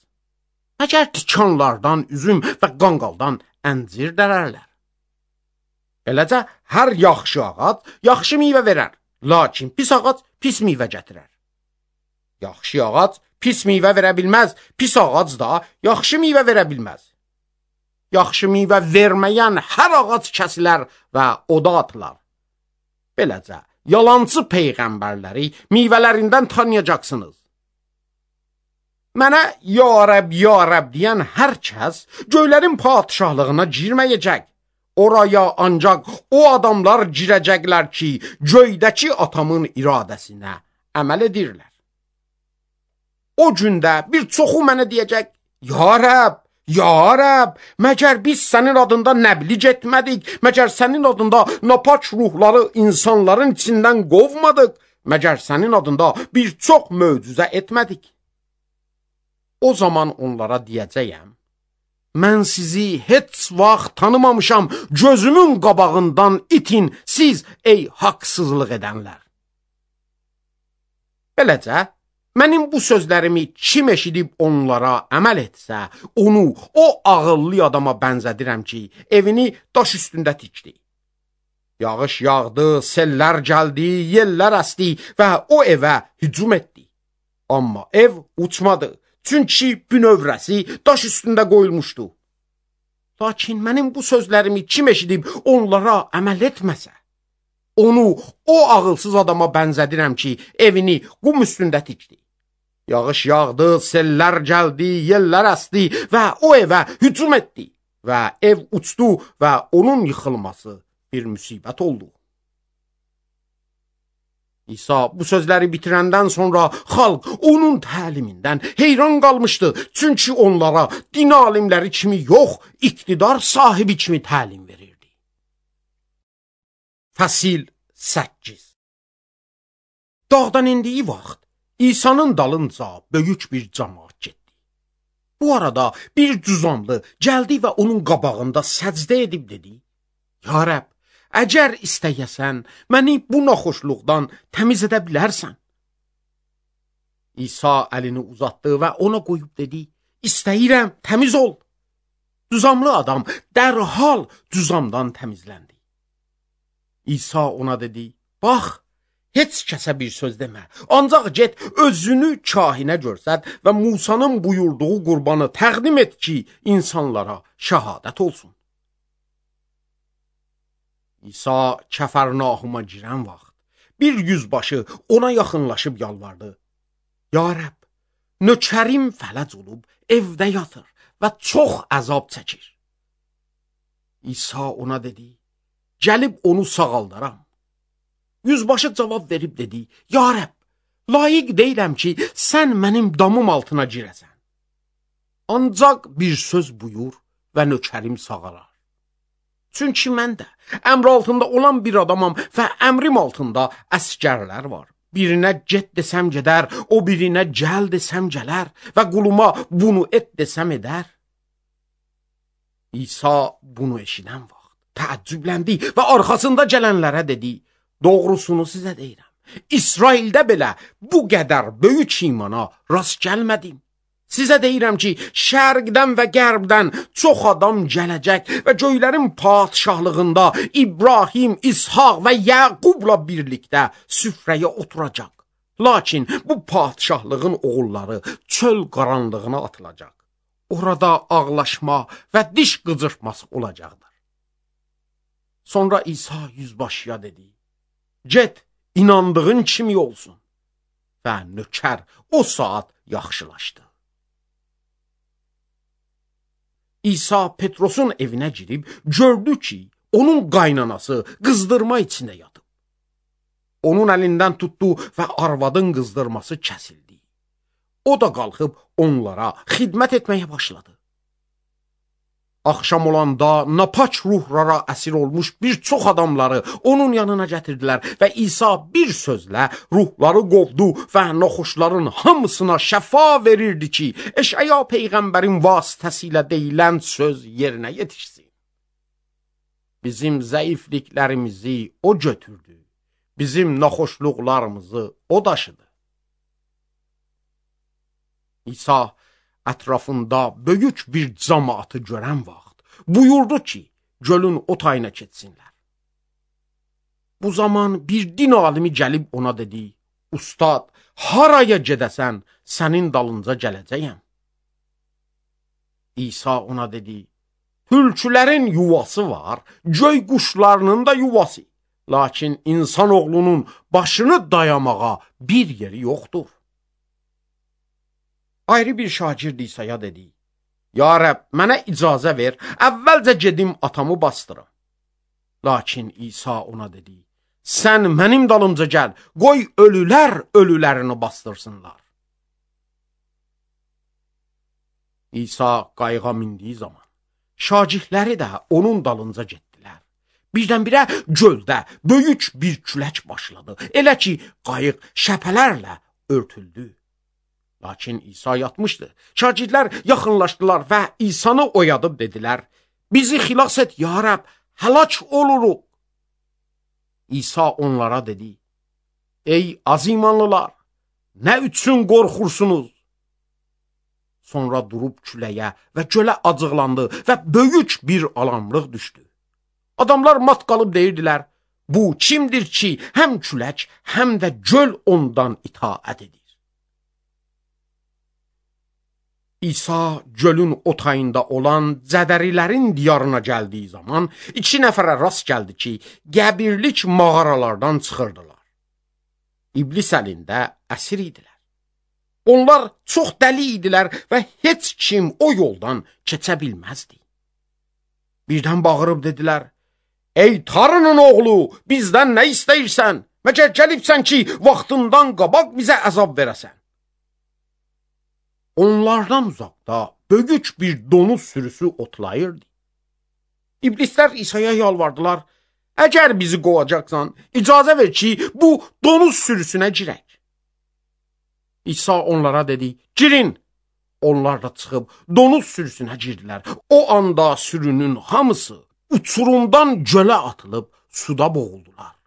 Məgər tikanlardan üzüm və qanqaldan əncir dərərlər. Beləcə, hər yaxşı ağac yaxşı meyvə verər, lakin pis ağac pis meyvə gətirər. Yaxşı ağac pis meyvə verə bilməz, pis ağac da yaxşı meyvə verə bilməz. Yaxşı meyvə verməyən hər ağac kəsilər və oda atılar. Beləcə, yalancı peyğəmbərləri meyvələrindən tanıyacaqsınız. Mənə ya Rəb deyən hər kəs göylərin padişahlığına girməyəcək. Oraya ancaq o adamlar girəcəklər ki, göydəki atamın iradəsinə əməl edirlər. O gündə bir çoxu mənə deyəcək, ya Rəb, məgər biz sənin adında nəbliğ etmədik, məgər sənin adında napaç ruhları insanların içindən qovmadıq, məgər sənin adında bir çox möcüzə etmədik. O zaman onlara deyəcəyəm, mən sizi heç vaxt tanımamışam, gözümün qabağından itin siz ey haqsızlıq edənlər. Beləcə, mənim bu sözlərimi kim eşidib onlara əməl etsə, onu o ağıllı adama bənzədirəm ki, evini daş üstündə tikdi. Yağış yağdı, sellər gəldi, yellər əsdi və o evə hücum etdi. Amma ev uçmadı. Çünki bünövrəsi daş üstündə qoyulmuşdu. Lakin mənim bu sözlərimi kim eşidib onlara əməl etməsə, onu o ağılsız adama bənzədirəm ki, evini qum üstündə tikdi. Yağış yağdı, sellər gəldi, yellər əsdi və o evə hücum etdi və ev uçdu və onun yıxılması bir müsibət oldu. İsa bu sözləri bitirəndən sonra xalq onun təlimindən heyran qalmışdı. Çünki onlara din alimləri kimi yox, iqtidar sahibi kimi təlim verirdi. Fəsil 8. Dağdan indiyi vaxt İsa'nın dalınca böyük bir cəmaət getdi. Bu arada bir cüzamlı gəldi və onun qabağında səcdə edib dedi, ya Rəb, əgər istəyəsən, məni bu naxoşluqdan təmiz edə bilərsən. İsa əlini uzatdı və ona qoyub dedi, istəyirəm, təmiz ol. Cüzamlı adam dərhal cüzamdan təmizləndi. İsa ona dedi, bax, heç kəsə bir söz demə, ancaq get özünü kahinə görsət və Musanın buyurduğu qurbanı təqdim et ki, insanlara şəhadət olsun. İsa Kəfərnahuma girən vaxt bir yüzbaşı ona yaxınlaşıb yalvardı. Ya Rəbb, nökərim fələc olub evdə yatır və çox əzab çəkir. İsa ona dedi, gəlib onu sağaldaram. Yüzbaşı cavab verib dedi, ya Rəbb, layiq deyiləm ki, sən mənim damım altına girəsən. Ancaq bir söz buyur və nökərim sağalar. Çünki mən də əmr altında olan bir adamam və əmrim altında əsgərlər var. Birinə get desəm gedər, o birinə gəl desəm gələr və quluma bunu et desəm edər. İsa bunu eşidən vaxt təəccübləndi və arxasında gələnlərə dedi, doğrusunu sizə deyirəm, İsraildə belə bu qədər böyük imana rast gəlmədim. Sizə deyirəm ki, şərqdən və qərbdən çox adam gələcək və göylərin padişahlığında İbrahim, İshaq və Yaqubla birlikdə süfrəyə oturacaq. Lakin bu padişahlığın oğulları çöl qaranlığına atılacaq. Orada ağlaşma və diş qıcırtması olacaqdır. Sonra İsa yüzbaşıya dedi, get, inandığın kimi olsun. Və nökər o saat yaxşılaşdı. İsa Petrosun evinə girib gördü ki, onun qaynanası qızdırma içində yatıb. Onun əlindən tutdu və arvadın qızdırması kəsildi. O da qalxıb onlara xidmət etməyə başladı. Axşam olanda napaç ruhlara əsir olmuş bir çox adamları onun yanına gətirdilər və İsa bir sözlə ruhları qovdu və naxoşların hamısına şəfa verirdi ki, Eşaya peyğəmbərin vasitəsilə deyilən söz yerinə yetişsin. Bizim zəifliklərimizi o götürdü, bizim naxoşluqlarımızı o daşıdı. İsa ətrafında böyük bir cəmaatı görən vaxt buyurdu ki, gölün o tayına keçsinlər. Bu zaman bir din alimi gəlib ona dedi, Ustad, haraya gedəsən, sənin dalınca gələcəyəm. İsa ona dedi, tülkülərin yuvası var, göy quşlarının da yuvası, lakin insanoğlunun başını dayamağa bir yeri yoxdur. Ayrı bir şagird İsa'ya dedi: Ya Rəbb, mənə icazə ver, əvvəlcə gedim atamı bastırım. Lakin İsa ona dedi: Sən mənim dalımca gəl, qoy ölülər ölülərini bastırsınlar. İsa qayığa mindiyi zaman şagirdləri də onun dalınca getdilər. Birdən-birə göldə böyük bir külək başladı. Elə ki, qayıq şəpələrlə örtüldü. Lakin İsa yatmışdı. Şagirdlər yaxınlaşdılar və İsanı oyadıb dedilər: Bizi xilas et, ya Rəbb, həlak oluruq. İsa onlara dedi: Ey az imanlılar, nə üçün qorxursunuz? Sonra durub küləyə və gölə acıqlandı və böyük bir alanlıq düşdü. Adamlar mat qalıb deyirdilər: Bu kimdir ki, həm külək, həm də göl ondan itaət edir? İsa gölün o tayında olan Cədərilərin diyarına gəldiyi zaman 2 nəfərə rast gəldi ki, qəbirlik mağaralardan çıxırdılar. İblis əlində əsir idilər. Onlar çox dəli idilər və heç kim o yoldan keçə bilməzdi. Birdən bağırıb dedilər: Ey Tanrının oğlu, bizdən nə istəyirsən? Məgər gəlibsən ki, vaxtından qabaq bizə əzab verəsən? Onlardan uzaqda böyük bir donuz sürüsü otlayırdı. İblislər İsa'ya yalvardılar: Əgər bizi qovacaqsan, icazə ver ki, bu donuz sürüsünə girək. İsa onlara dedi: Girin. Onlar da çıxıb donuz sürüsünə girdilər. O anda sürünün hamısı uçurumdan gölə atılıb suda boğuldular.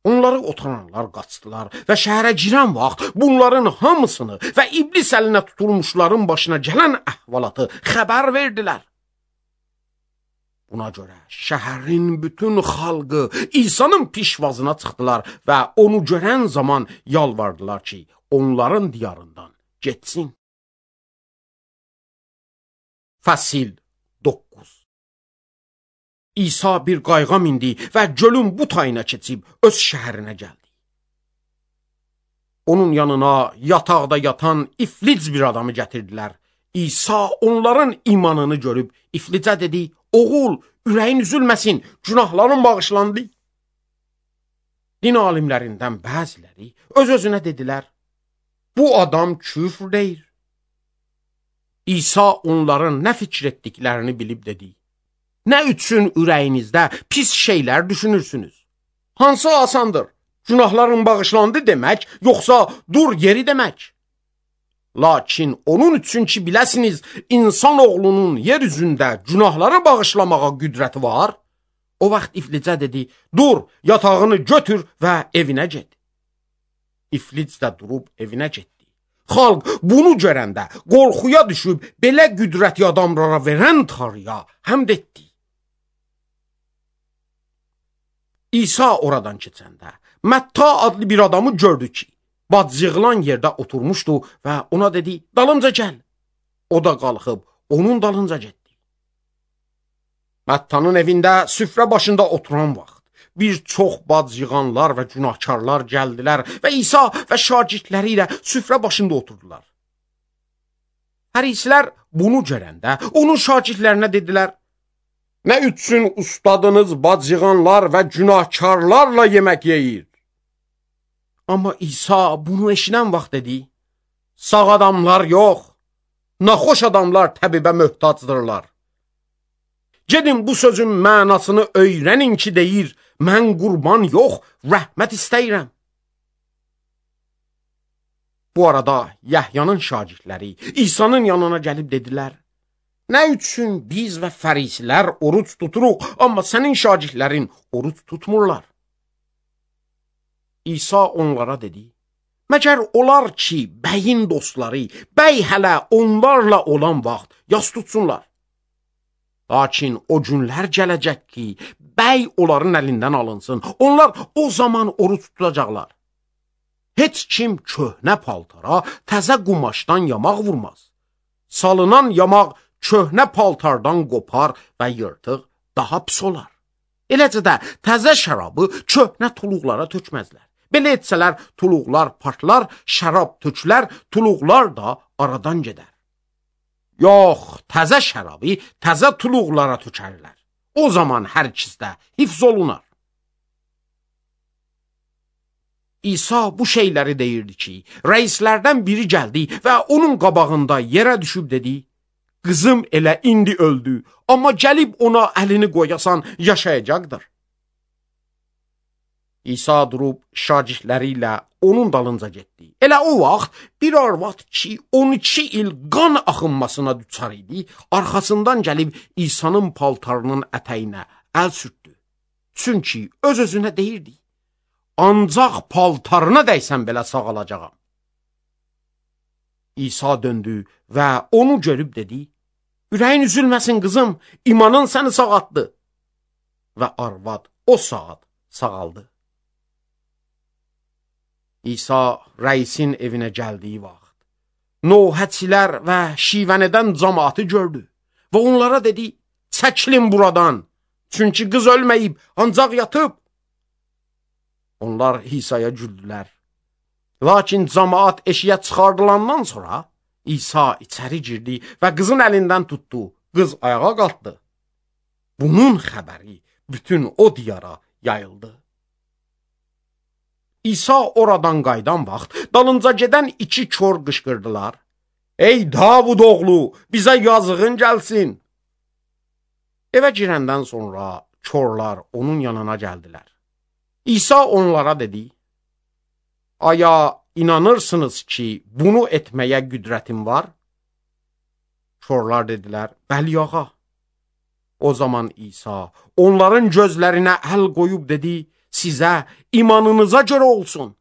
Onları otaranlar qaçdılar və şəhərə girən vaxt bunların hamısını və iblis əlinə tutulmuşların başına gələn əhvalatı xəbər verdilər. Buna görə şəhərin bütün xalqı İsa'nın pişvazına çıxdılar və onu görən zaman yalvardılar ki, onların diyarından getsin. Fəsil 9. İsa bir qayığa mindi və gölün bu tayına keçib öz şəhərinə gəldi. Onun yanına yataqda yatan iflic bir adamı gətirdilər. İsa onların imanını görüb iflicə dedi: Oğul, ürəyin üzülməsin, günahların bağışlandı. Din alimlərindən bəziləri öz-özünə dedilər: Bu adam küfr deyir. İsa onların nə fikir etdiklərini bilib dedi: Nə üçün ürəyinizdə pis şeylər düşünürsünüz? Hansı asandır? Günahların bağışlandı demək, yoxsa dur yeri demək? Lakin onun üçün ki biləsiniz, insan oğlunun yer üzündə günahları bağışlamağa qüdrəti var. O vaxt iflicə dedi: Dur, yatağını götür və evinə get. İflic də durub evinə getdi. Xalq bunu görəndə qorxuya düşüb belə qüdrəti adamlara verən Tanrıya həmd etdi. İsa oradan keçəndə Mətta adlı bir adamı gördü ki, bacıqlan yerdə oturmuşdu və ona dedi: Dalımca gəl. O da qalxıb onun dalınca getdi. Məttanın evində süfrə başında oturan vaxt bir çox bacıqanlar və günahkarlar gəldilər və İsa və şagirdləri ilə süfrə başında oturdular. Hərislər bunu görəndə onun şagirdlərinə dedilər: Nə üçün ustadınız bacıqanlar və günahkarlarla yemək yeyir? Amma İsa bunu eşidən vaxt dedi: Sağ adamlar yox, naxoş adamlar təbibə möhtacdırlar. Gedin bu sözün mənasını öyrənin ki deyir: Mən qurban yox, rəhmət istəyirəm. Bu arada Yəhyanın şagirdləri İsa'nın yanına gəlib dedilər: Nə üçün biz və fərisilər oruç tuturuq, amma sənin şagirdlərin oruç tutmurlar? İsa onlara dedi: Məgər olar ki, bəyin dostları, bəy hələ onlarla olan vaxt yas tutsunlar. Lakin o günlər gələcək ki, bəy onların əlindən alınsın, onlar o zaman oruç tutacaqlar. Heç kim köhnə paltara təzə qumaşdan yamaq vurmaz. Salınan yamaq köhnə paltardan qopar və yırtıq daha pis olar. Eləcə də təzə şərabı köhnə tuluqlara tökməzlər. Belə etsələr, tuluqlar partlar, şərab tökülər, tuluqlar da aradan gedər. Yox, təzə şərabı təzə tuluqlara tökərlər. O zaman hər ikisdə hifz olunar. İsa bu şeyləri deyirdi ki, rəislərdən biri gəldi və onun qabağında yerə düşüb dedi, qızım elə indi öldü, amma gəlib ona əlini qoyasan yaşayacaqdır. İsa durub şagirdləri ilə onun dalınca getdi. Elə o vaxt bir arvad ki, 12 il qan axınmasına düçar idi, arxasından gəlib İsa'nın paltarının ətəyinə əl sürtdü. Çünki öz-özünə deyirdi, ancaq paltarına dəysən belə sağalacağam. İsa döndü və onu görüb dedi, ürəyin üzülməsin qızım, imanın səni sağaltdı. Və arvad o saat sağaldı. İsa rəisin evinə gəldiyi vaxt, nohəçilər və şivənədən cəmaatı gördü və onlara dedi, çəkilin buradan, çünki qız ölməyib, ancaq yatıb. Onlar İsa'ya güldülər. Lakin cəmaat eşiyə çıxardılandan sonra İsa içəri girdi və qızın əlindən tutdu. Qız ayağa qalxdı. Bunun xəbəri bütün o diyara yayıldı. İsa oradan qaydan vaxt dalınca gedən 2 kor qışqırdılar. Ey Davud oğlu, bizə yazığın gəlsin. Evə girəndən sonra korlar onun yanına gəldilər. İsa onlara dedi, aya inanırsınız ki, bunu etməyə qüdrətim var? Korlar dedilər, bəli ağa. O zaman İsa onların gözlərinə əl qoyub dedi, sizə imanınıza görə olsun.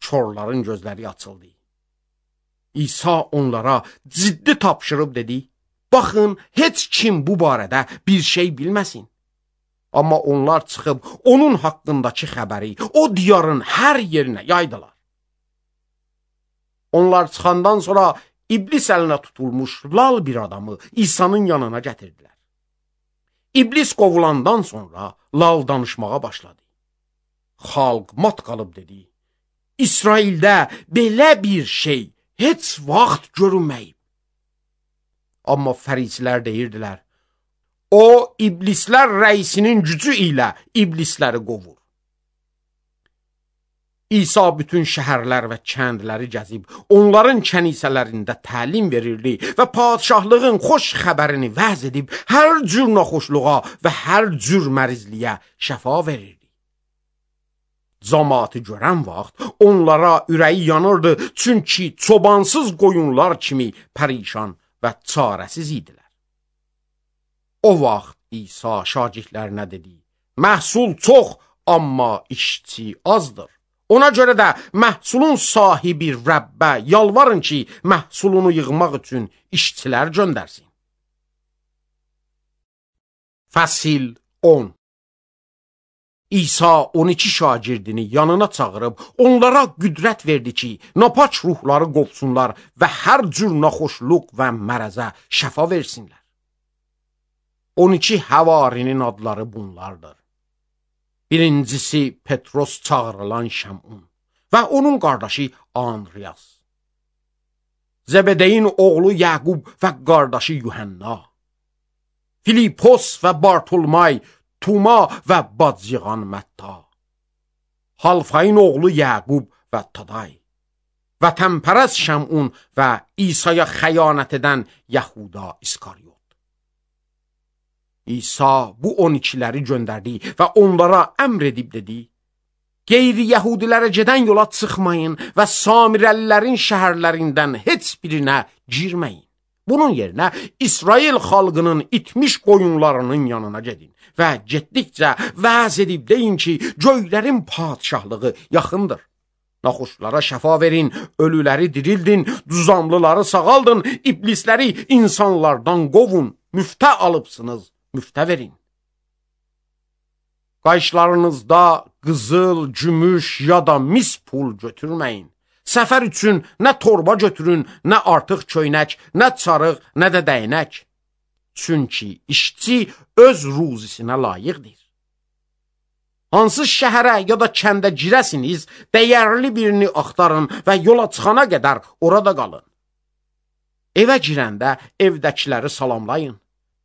Korların gözləri açıldı. İsa onlara ciddi tapşırıb dedi, baxın, heç kim bu barədə bir şey bilməsin. Amma onlar çıxıb onun haqqındakı xəbəri o diyarın hər yerinə yaydılar. Onlar çıxandan sonra İblis əlinə tutulmuş lal bir adamı İsa'nın yanına gətirdilər. İblis qovulandan sonra lal danışmağa başladı. Xalq mat qalıb dedi, İsraildə belə bir şey heç vaxt görünməyib. Amma fərisilər deyirdilər, o iblislər rəisinin gücü ilə iblisləri qovur. İsa bütün şəhərlər və kəndləri gəzib, onların kənisələrində təlim verirdi və padşahlığın xoş xəbərini vəz edib, hər cür naxoşluğa və hər cür mərizliyə şəfa verirdi. Cəmaatı görən vaxt onlara ürəyi yanırdı, çünki çobansız qoyunlar kimi pərişan və çarəsiz idilər. O vaxt İsa şagirdlərinə dedi, məhsul çox, amma işçi azdır. Ona görə də məhsulun sahibi Rəbbə yalvarın ki, məhsulunu yığmaq üçün işçilər göndərsin. Fəsil 10. İsa 12 şagirdini yanına çağırıb, onlara qüdrət verdi ki, napaç ruhları qovsunlar və hər cür naxoşluq və mərəzə şəfa versinlər. 12 həvarinin adları bunlardır. Birincisi Petros çağırılan Şəmun və onun qardaşı Andreas. Zəbədeyin oğlu Yaqub və qardaşı Yuhanna. Filipos və Bartolmay, Tuma və bacıqan Mətta. Halfayın oğlu Yaqub və Taday. Və təmpərəz Şəmun və İsa'ya xəyanət edən Yahuda İskaryot. İsa bu 12'ləri göndərdi və onlara əmr edib dedi, qeyri-yəhudilərə gedən yola çıxmayın və Samirəlilərin şəhərlərindən heç birinə girməyin. Bunun yerinə İsrail xalqının itmiş qoyunlarının yanına gedin və getdikcə vəz edib deyin ki, göylərin padşahlığı yaxındır. Naxoşlara şəfa verin, ölüləri dirildin, düzamlıları sağaldın, iblisləri insanlardan qovun, müftə alıbsınız. Müftə verin. Qayışlarınızda qızıl, gümüş ya da mis pul götürməyin. Səfər üçün nə torba götürün, nə artıq köynək, nə çarıq, nə də dəynək. Çünki işçi öz ruzisinə layiqdir. Hansı şəhərə ya da kəndə girəsiniz, dəyərli birini axtarın və yola çıxana qədər orada qalın. Evə girəndə evdəkiləri salamlayın.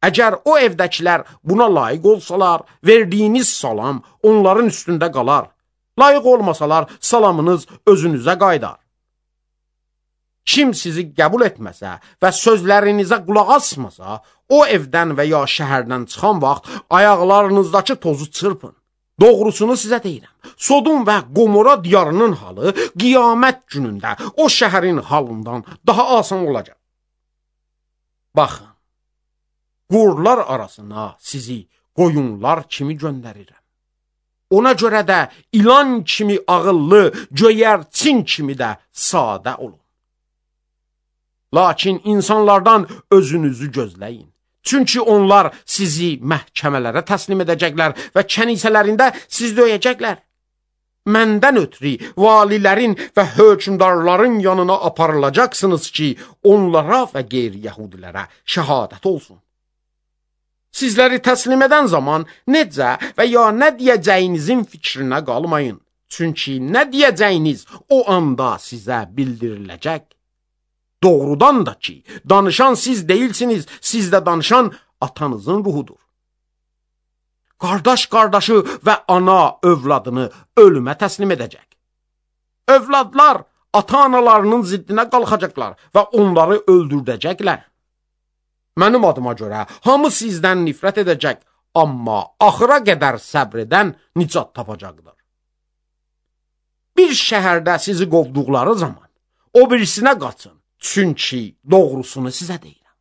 Əgər o evdəkilər buna layiq olsalar, verdiyiniz salam onların üstündə qalar. Layiq olmasalar, salamınız özünüzə qaydar. Kim sizi qəbul etməsə və sözlərinizə qulaq asmasa, o evdən və ya şəhərdən çıxan vaxt ayaqlarınızdakı tozu çırpın. Doğrusunu sizə deyirəm. Sodom və Gomora diyarının halı qiyamət günündə o şəhərin halından daha asan olacaq. Baxın, qurlar arasına sizi qoyunlar kimi göndərirəm. Ona görə də ilan kimi ağıllı, göyərçin kimi də sadə olun. Lakin insanlardan özünüzü gözləyin. Çünki onlar sizi məhkəmələrə təslim edəcəklər və kənisələrində sizi döyəcəklər. Məndən ötürü valilərin və hökümdarların yanına aparılacaqsınız ki, onlara və qeyri-yəhudilərə şəhadət olsun. Sizləri təslim edən zaman necə və ya nə deyəcəyinizin fikrinə qalmayın. Çünki nə deyəcəyiniz o anda sizə bildiriləcək. Doğrudan da ki, danışan siz değilsiniz, sizdə danışan atanızın ruhudur. Qardaş qardaşı və ana övladını ölümə təslim edəcək. Övladlar ata-analarının ziddinə qalxacaqlar və onları öldürdəcəklər. Mənim adıma görə hamı sizdən nifrət edəcək, amma axıra qədər səbr edən nicat tapacaqdır. Bir şəhərdə sizi qovduqları zaman o birisinə qaçın, çünki doğrusunu sizə deyirəm.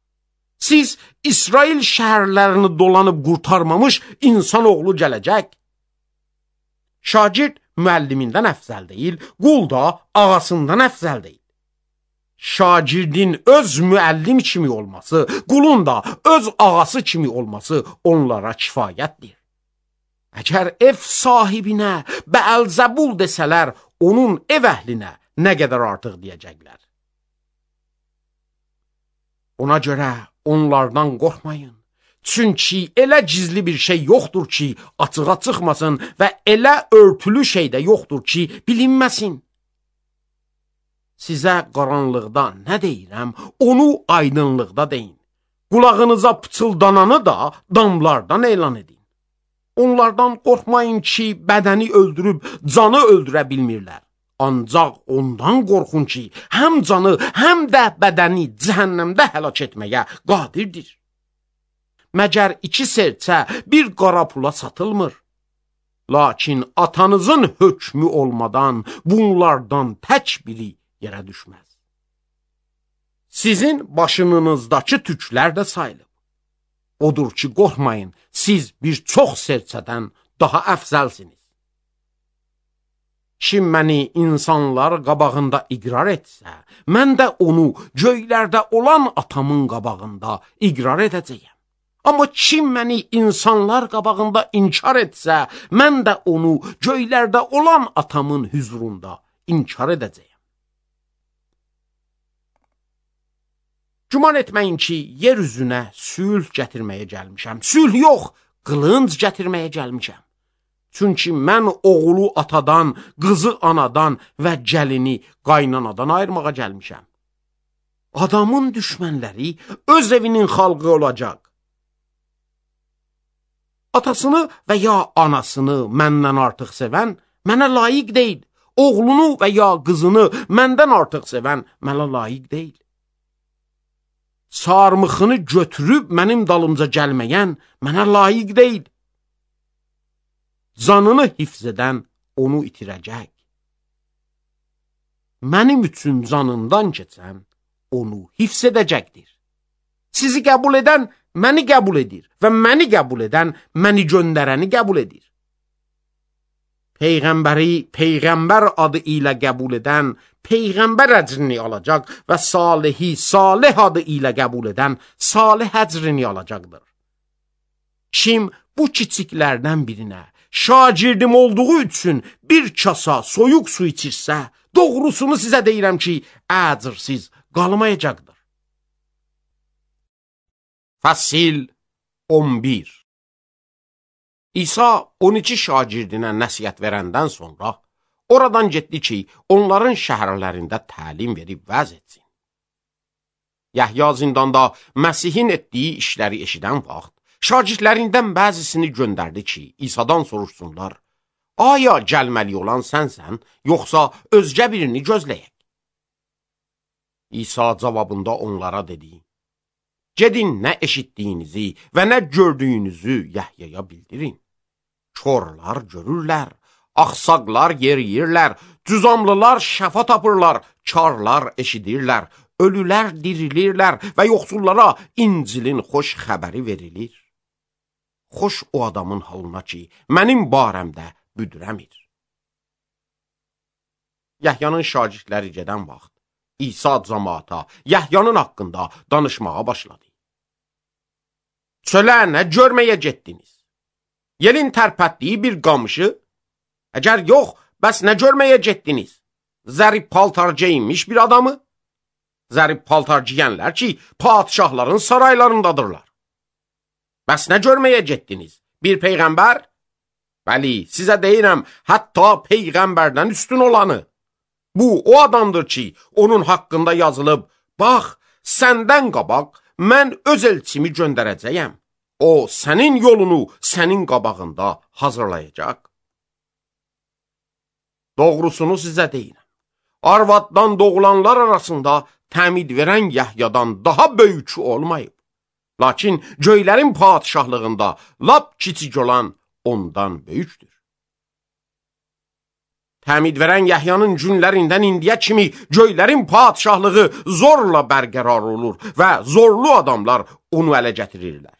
Siz İsrail şəhərlərini dolanıb qurtarmamış insanoğlu gələcək. Şagird müəllimindən əfzəl deyil, qul da ağasından əfzəl deyil. Şagirdin öz müəllim kimi olması, qulun da öz ağası kimi olması onlara kifayətdir. Əgər ev sahibinə Bəəlzəbul desələr, onun ev əhlinə nə qədər artıq deyəcəklər. Ona görə onlardan qorxmayın. Çünki elə gizli bir şey yoxdur ki, açığa çıxmasın və elə örtülü şey də yoxdur ki, bilinməsin. Sizə qaranlıqda nə deyirəm, onu aydınlıqda deyin. Qulağınıza pıçıldananı da damlardan elan edin. Onlardan qorxmayın ki, bədəni öldürüb canı öldürə bilmirlər. Ancaq ondan qorxun ki, həm canı, həm də bədəni cəhənnəmdə həlak etməyə qadirdir. Məgər 2 serçə bir qara pula satılmır. Lakin atanızın hökmü olmadan bunlardan tək biri yerə düşməz. Sizin başınızdakı tüklər də sayılıb. Odur ki, qorxmayın, siz bir çox serçədən daha əfzəlsiniz. Kim məni insanlar qabağında iqrar etsə, mən də onu göylərdə olan atamın qabağında iqrar edəcəyəm. Amma kim məni insanlar qabağında inkar etsə, mən də onu göylərdə olan atamın hüzurunda inkar edəcəyəm. Güman etməyin ki, yer üzünə sülh gətirməyə gəlmişəm. Sülh yox, qılınc gətirməyə gəlmişəm. Çünki mən oğlu atadan, qızı anadan və gəlini qaynanadan ayırmağa gəlmişəm. Adamın düşmənləri öz evinin xalqı olacaq. Atasını və ya anasını məndən artıq sevən mənə layiq deyil. Oğlunu və ya qızını məndən artıq sevən mənə layiq deyil. Sarmıxını götürüb mənim dalımca gəlməyən mənə layiq deyil. Canını hifz edən onu itirəcək. Mənim üçün canından keçən onu hifz edəcəkdir. Sizi qəbul edən məni qəbul edir və məni qəbul edən məni göndərəni qəbul edir. Peyğəmbəri Peyğəmbər adı ilə qəbul edən Peyğəmbər əcrini alacaq və Salihi Salih adı ilə qəbul edən Salih əcrini alacaqdır. Kim bu kiçiklərdən birinə şagirdim olduğu üçün bir kasa soyuq su içirsə, doğrusunu sizə deyirəm ki, əcrsiz qalmayacaqdır. Fəsil 11. İsa 12 şagirdinə nəsihət verəndən sonra oradan getdi ki, onların şəhərlərində təlim verib vəz etsin. Yəhya zindanda Məsihin etdiyi işləri eşidən vaxt, şagirdlərindən bəzisini göndərdi ki, İsa'dan soruşsunlar, aya gəlməli olan sənsən, yoxsa özgə birini gözləyək? İsa cavabında onlara dedi, gedin nə eşitdiyinizi və nə gördüyünüzü Yəhyaya bildirin. Korlar görürlər, axsaqlar yeriyirlər, cüzamlılar şəfa tapırlar, karlar eşidirlər, ölülər dirilirlər və yoxsullara İncilin xoş xəbəri verilir. Xoş o adamın halına ki, mənim barəmdə büdrəmir. Yəhyanın şagirdləri gedən vaxt, İsa cəmaata Yəhyanın haqqında danışmağa başladı. Çölə nə görməyə getdiniz? Yelin tərpətdiyi bir qamışı? Əgər yox, bəs nə görməyə getdiniz? Zərif paltar geyinmiş bir adamı? Zərif paltar giyənlər ki, padişahların saraylarındadırlar. Bəs nə görməyə getdiniz? Bir peyğəmbər? Bəli, sizə deyirəm, hətta peyğəmbərdən üstün olanı. Bu, o adamdır ki, onun haqqında yazılıb, bax, səndən qabaq, mən öz elçimi göndərəcəyəm. O, sənin yolunu sənin qabağında hazırlayacaq. Doğrusunu sizə deyirəm. Arvaddan doğulanlar arasında təmid verən Yəhyadan daha böyük olmayıb. Lakin göylərin padişahlığında lap kiçik olan ondan böyükdür. Təmid verən Yəhyanın günlərindən indiyə kimi göylərin padişahlığı zorla bərqərar olur və zorlu adamlar onu ələ gətirirlər.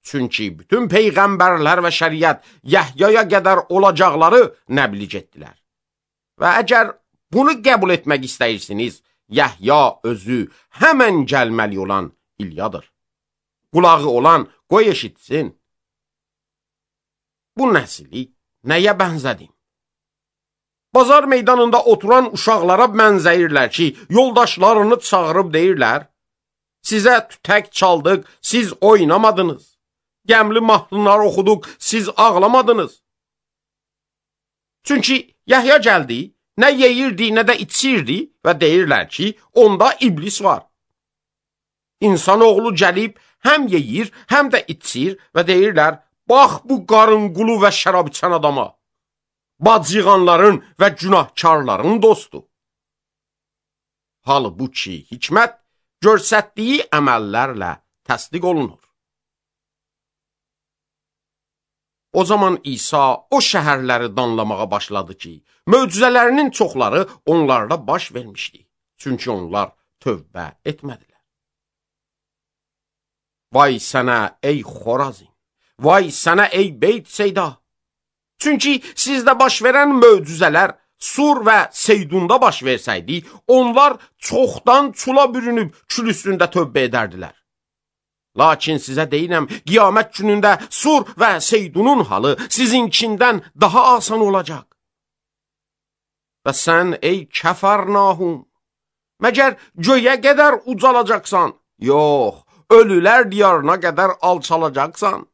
Çünki bütün peyğəmbərlər və şəriət Yəhyaya qədər olacaqları nəbliğ etdilər. Və əgər bunu qəbul etmək istəyirsiniz, Yəhya özü həmən gəlməli olan İlyadır. Qulağı olan qoy eşitsin. Bu nəsli nəyə bənzədim? Bazar meydanında oturan uşaqlara bənzəyirlər ki, yoldaşlarını çağırıb deyirlər, sizə tütək çaldıq, siz oynamadınız. Gəmli mahnılar oxuduq, siz ağlamadınız. Çünki Yəhya gəldi, nə yeyirdi, nə də içirdi və deyirlər ki, onda iblis var. İnsanoğlu gəlib, həm yeyir, həm də içir və deyirlər, bax bu qarınqulu və şərab içən adama. Bacıqanların və günahkarların dostu. Halbuki hikmət görsətdiyi əməllərlə təsdiq olunur. O zaman İsa o şəhərləri danlamağa başladı ki, möcüzələrinin çoxları onlarda baş vermişdi. Çünki onlar tövbə etmədilər. Vay sənə ey Xorazin, vay sənə ey Beyt Seyda. Çünki sizdə baş verən möcüzələr Sur və Seydunda baş versəydi, onlar çoxdan çula bürünüb kül üstündə tövbə edərdilər. Lakin sizə deyirəm, qiyamət günündə Sur və Seydunun halı sizinkindən daha asan olacaq. Və sən ey Kəfərnahum, məgər göyə qədər ucalacaqsan? Yox, ölülər diyarına qədər alçalacaqsan.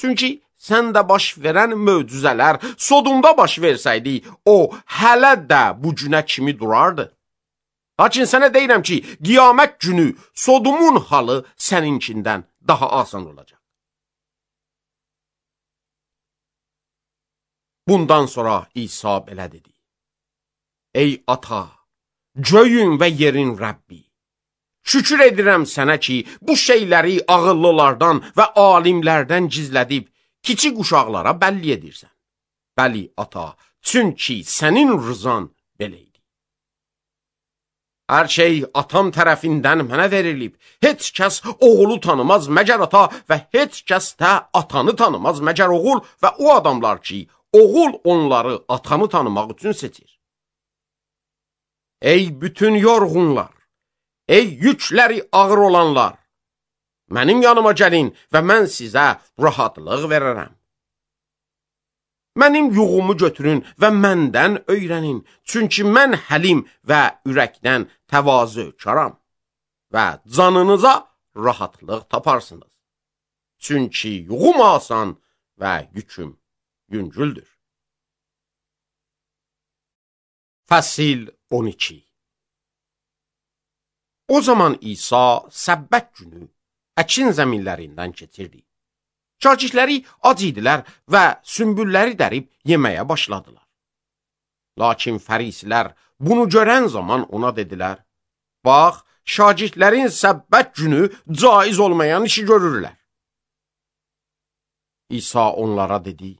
Çünki səndə baş verən möcüzələr Sodumda baş versəydi, o hələ də bu günə kimi durardı. Lakin sənə deyirəm ki, qiyamət günü Sodumun halı səninkindən daha asan olacaq. Bundan sonra İsa belə dedi. Ey ata, göyün və yerin Rəbbi, şükür edirəm sənə ki, bu şeyləri ağıllılardan və alimlərdən gizlədib, kiçik uşaqlara bəlli edirsən. Bəli, ata, çünki sənin rızan belə idi. Hər şey atam tərəfindən mənə verilib. Heç kəs oğulu tanımaz məgər ata və heç kəs də atanı tanımaz məgər oğul və o adamlar ki, oğul onları atanı tanımaq üçün seçir. Ey bütün yorğunlar, ey yükləri ağır olanlar, mənim yanıma gəlin və mən sizə rahatlıq verərəm. Mənim yuğumu götürün və məndən öyrənin, çünki mən həlim və ürəkdən təvazökaram və canınıza rahatlıq taparsınız. Çünki yuğum asan, və yüküm yüngüldür. Fəsil 12. O zaman İsa səbbət günü əkin zəminlərindən keçirdi. Şagirdləri ac idilər və sümbülləri dərib yeməyə başladılar. Lakin fərisilər bunu görən zaman ona dedilər, bax, şagirdlərin səbbət günü caiz olmayan işi görürlər. İsa onlara dedi,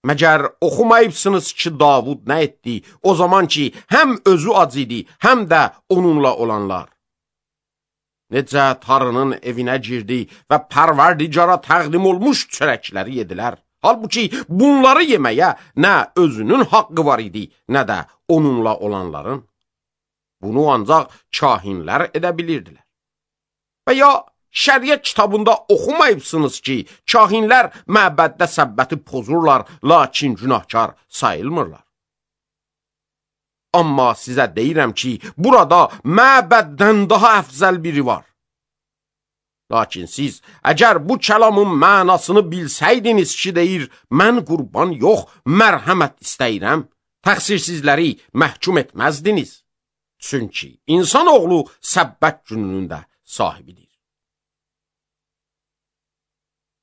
məgər oxumayıbsınız ki, Davud nə etdi, o zaman ki, həm özü ac idi, həm də onunla olanlar. Necə tarının evinə girdi və pərverdigara təqdim olmuş çörəkləri yedilər. Halbuki bunları yeməyə nə özünün haqqı var idi, nə də onunla olanların. Bunu ancaq kahinlər edə bilirdilər. Və ya şəriət kitabında oxumayıbsınız ki, kahinlər məbəddə səbbəti pozurlar, lakin günahkar sayılmırlar. Amma sizə deyirəm ki, burada məbəddən daha əfzəl biri var. Lakin siz, əgər bu kəlamın mənasını bilsəydiniz ki, deyir, mən qurban yox, mərhəmət istəyirəm, təqsirsizləri məhkum etməzdiniz. Çünki insanoğlu səbbət gününün də sahibidir.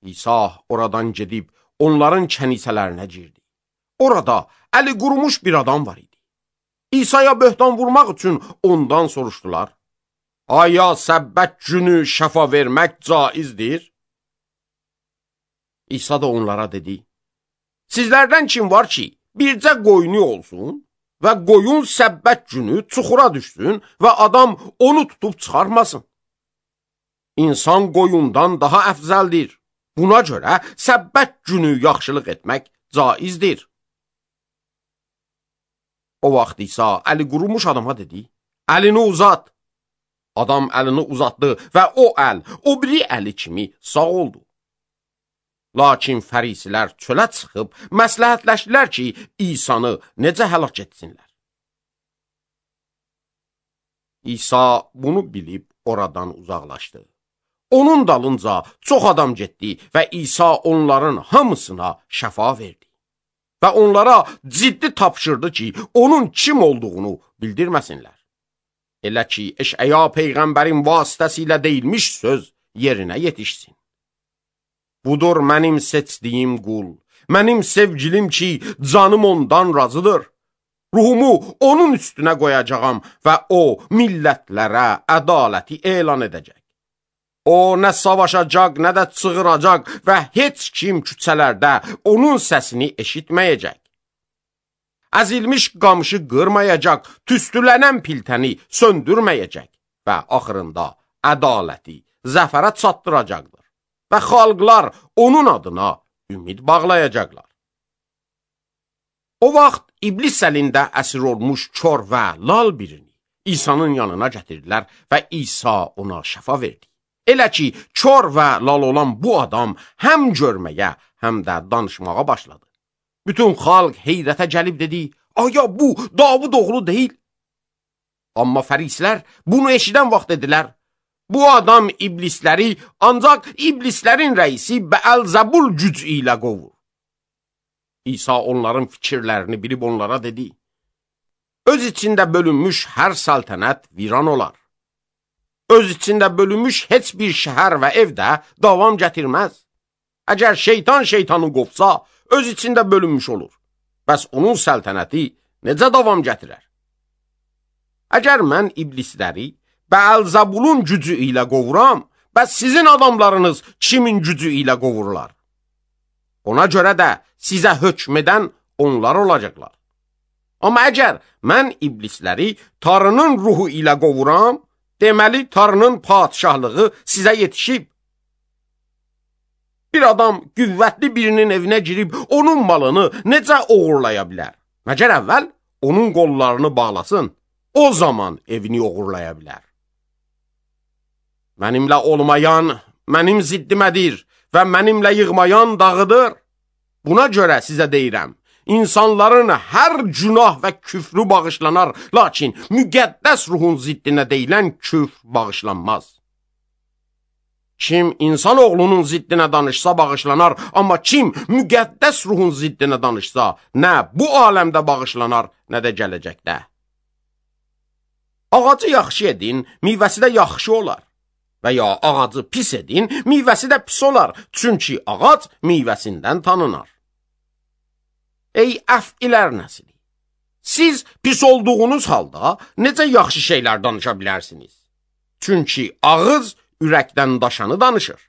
İsa oradan gedib onların kənisələrinə girdi. Orada əli qurumuş bir adam var idi. İsa'ya böhtan vurmaq üçün ondan soruşdular. Aya səbbət günü şəfa vermək caizdir? İsa da onlara dedi. Sizlərdən kim var ki, bircə qoyunu olsun və qoyun səbbət günü çuxura düşsün və adam onu tutub çıxarmasın? İnsan qoyundan daha əfzəldir. Buna görə səbbət günü yaxşılıq etmək caizdir. O vaxt İsa əli qurumuş adama dedi, əlini uzat. Adam əlini uzatdı və o əl, o biri əli kimi sağ oldu. Lakin fərisilər çölə çıxıb məsləhətləşdilər ki, İsanı necə həlak etsinlər. İsa bunu bilib oradan uzaqlaşdı. Onun dalınca çox adam getdi və İsa onların hamısına şəfa verdi. Və onlara ciddi tapşırdı ki, onun kim olduğunu bildirməsinlər. Elə ki, Eşaya peyğəmbərin vasitəsilə deyilmiş söz yerinə yetişsin. Budur mənim seçdiyim qul, mənim sevgilim ki, canım ondan razıdır. Ruhumu onun üstünə qoyacağam və o millətlərə ədaləti elan edəcək. O nə savaşacaq, nə də çığıracaq və heç kim küçələrdə onun səsini eşitməyəcək. Əzilmiş qamışı qırmayacaq, tüstülənən piltəni söndürməyəcək və axırında ədaləti zəfərə çatdıracaqdır və xalqlar onun adına ümid bağlayacaqlar. O vaxt iblis əlində əsir olmuş kör və lal birini İsa'nın yanına gətirdilər və İsa ona şəfa verdi. Elə ki, kör və lal olan bu adam həm görməyə, həm də danışmağa başladı. Bütün xalq heyrətə gəlib dedi, aya bu Davud oğlu deyil. Amma fərisilər bunu eşidən vaxt dedilər, bu adam iblisləri ancaq iblislərin rəisi Bəəlzəbul gücü ilə qovur. İsa onların fikirlərini bilib onlara dedi, öz içində bölünmüş hər səltənət viran olar. Öz içində bölünmüş heç bir şəhər və evdə davam gətirməz. Əgər şeytanı qovsa, öz içində bölünmüş olur. Bəs onun səltənəti necə davam gətirər? Əgər mən iblisləri Bəəlzəbulun gücü ilə qovuram, bəs sizin adamlarınız kimin gücü ilə qovurlar? Ona görə də sizə hökm edən onlar olacaqlar. Amma əgər mən iblisləri Tanrının ruhu ilə qovuram, deməli Tanrının padişahlığı sizə yetişib. Bir adam qüvvətli birinin evinə girib onun malını necə oğurlaya bilər? Məgər əvvəl onun qollarını bağlasın, o zaman evini oğurlaya bilər. Mənimlə olmayan mənim ziddimədir və mənimlə yığmayan dağıdır. Buna görə sizə deyirəm, İnsanların hər günah və küfrü bağışlanar, lakin müqəddəs ruhun ziddinə deyilən küfr bağışlanmaz. Kim insanoğlunun ziddinə danışsa bağışlanar, amma kim müqəddəs ruhun ziddinə danışsa, nə bu aləmdə bağışlanar, nə də gələcəkdə. Ağacı yaxşı edin, meyvəsi də yaxşı olar. Və ya ağacı pis edin, meyvəsi də pis olar. Çünki ağac meyvəsindən tanınar. Ey əfilər nəsli! Siz pis olduğunuz halda necə yaxşı şeylər danışa bilərsiniz? Çünki ağız ürəkdən daşanı danışır.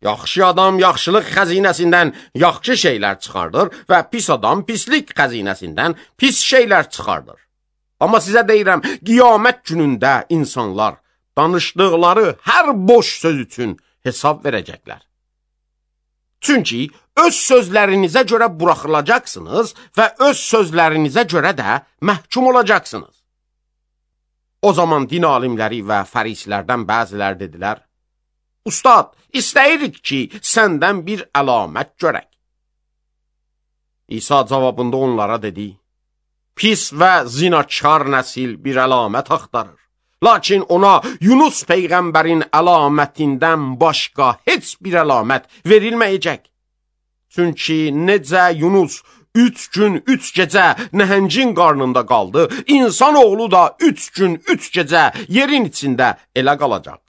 Yaxşı adam yaxşılıq xəzinəsindən yaxşı şeylər çıxardır və pis adam pislik xəzinəsindən pis şeylər çıxardır. Amma sizə deyirəm, qiyamət günündə insanlar danışdıqları hər boş söz üçün hesab verəcəklər. Çünki öz sözlərinizə görə buraxılacaqsınız və öz sözlərinizə görə də məhkum olacaqsınız. O zaman din alimləri və fərislərdən bəzilər dedilər, Ustad, istəyirik ki, səndən bir əlamət görək. İsa cavabında onlara dedi, Pis və zinakar nəsil bir əlamət axtarır. Lakin ona Yunus peyğəmbərin əlamətindən başqa heç bir əlamət verilməyəcək. Çünki necə Yunus 3 gün 3 gecə nəhəngin qarnında qaldı, insanoğlu da 3 gün 3 gecə yerin içində elə qalacaq.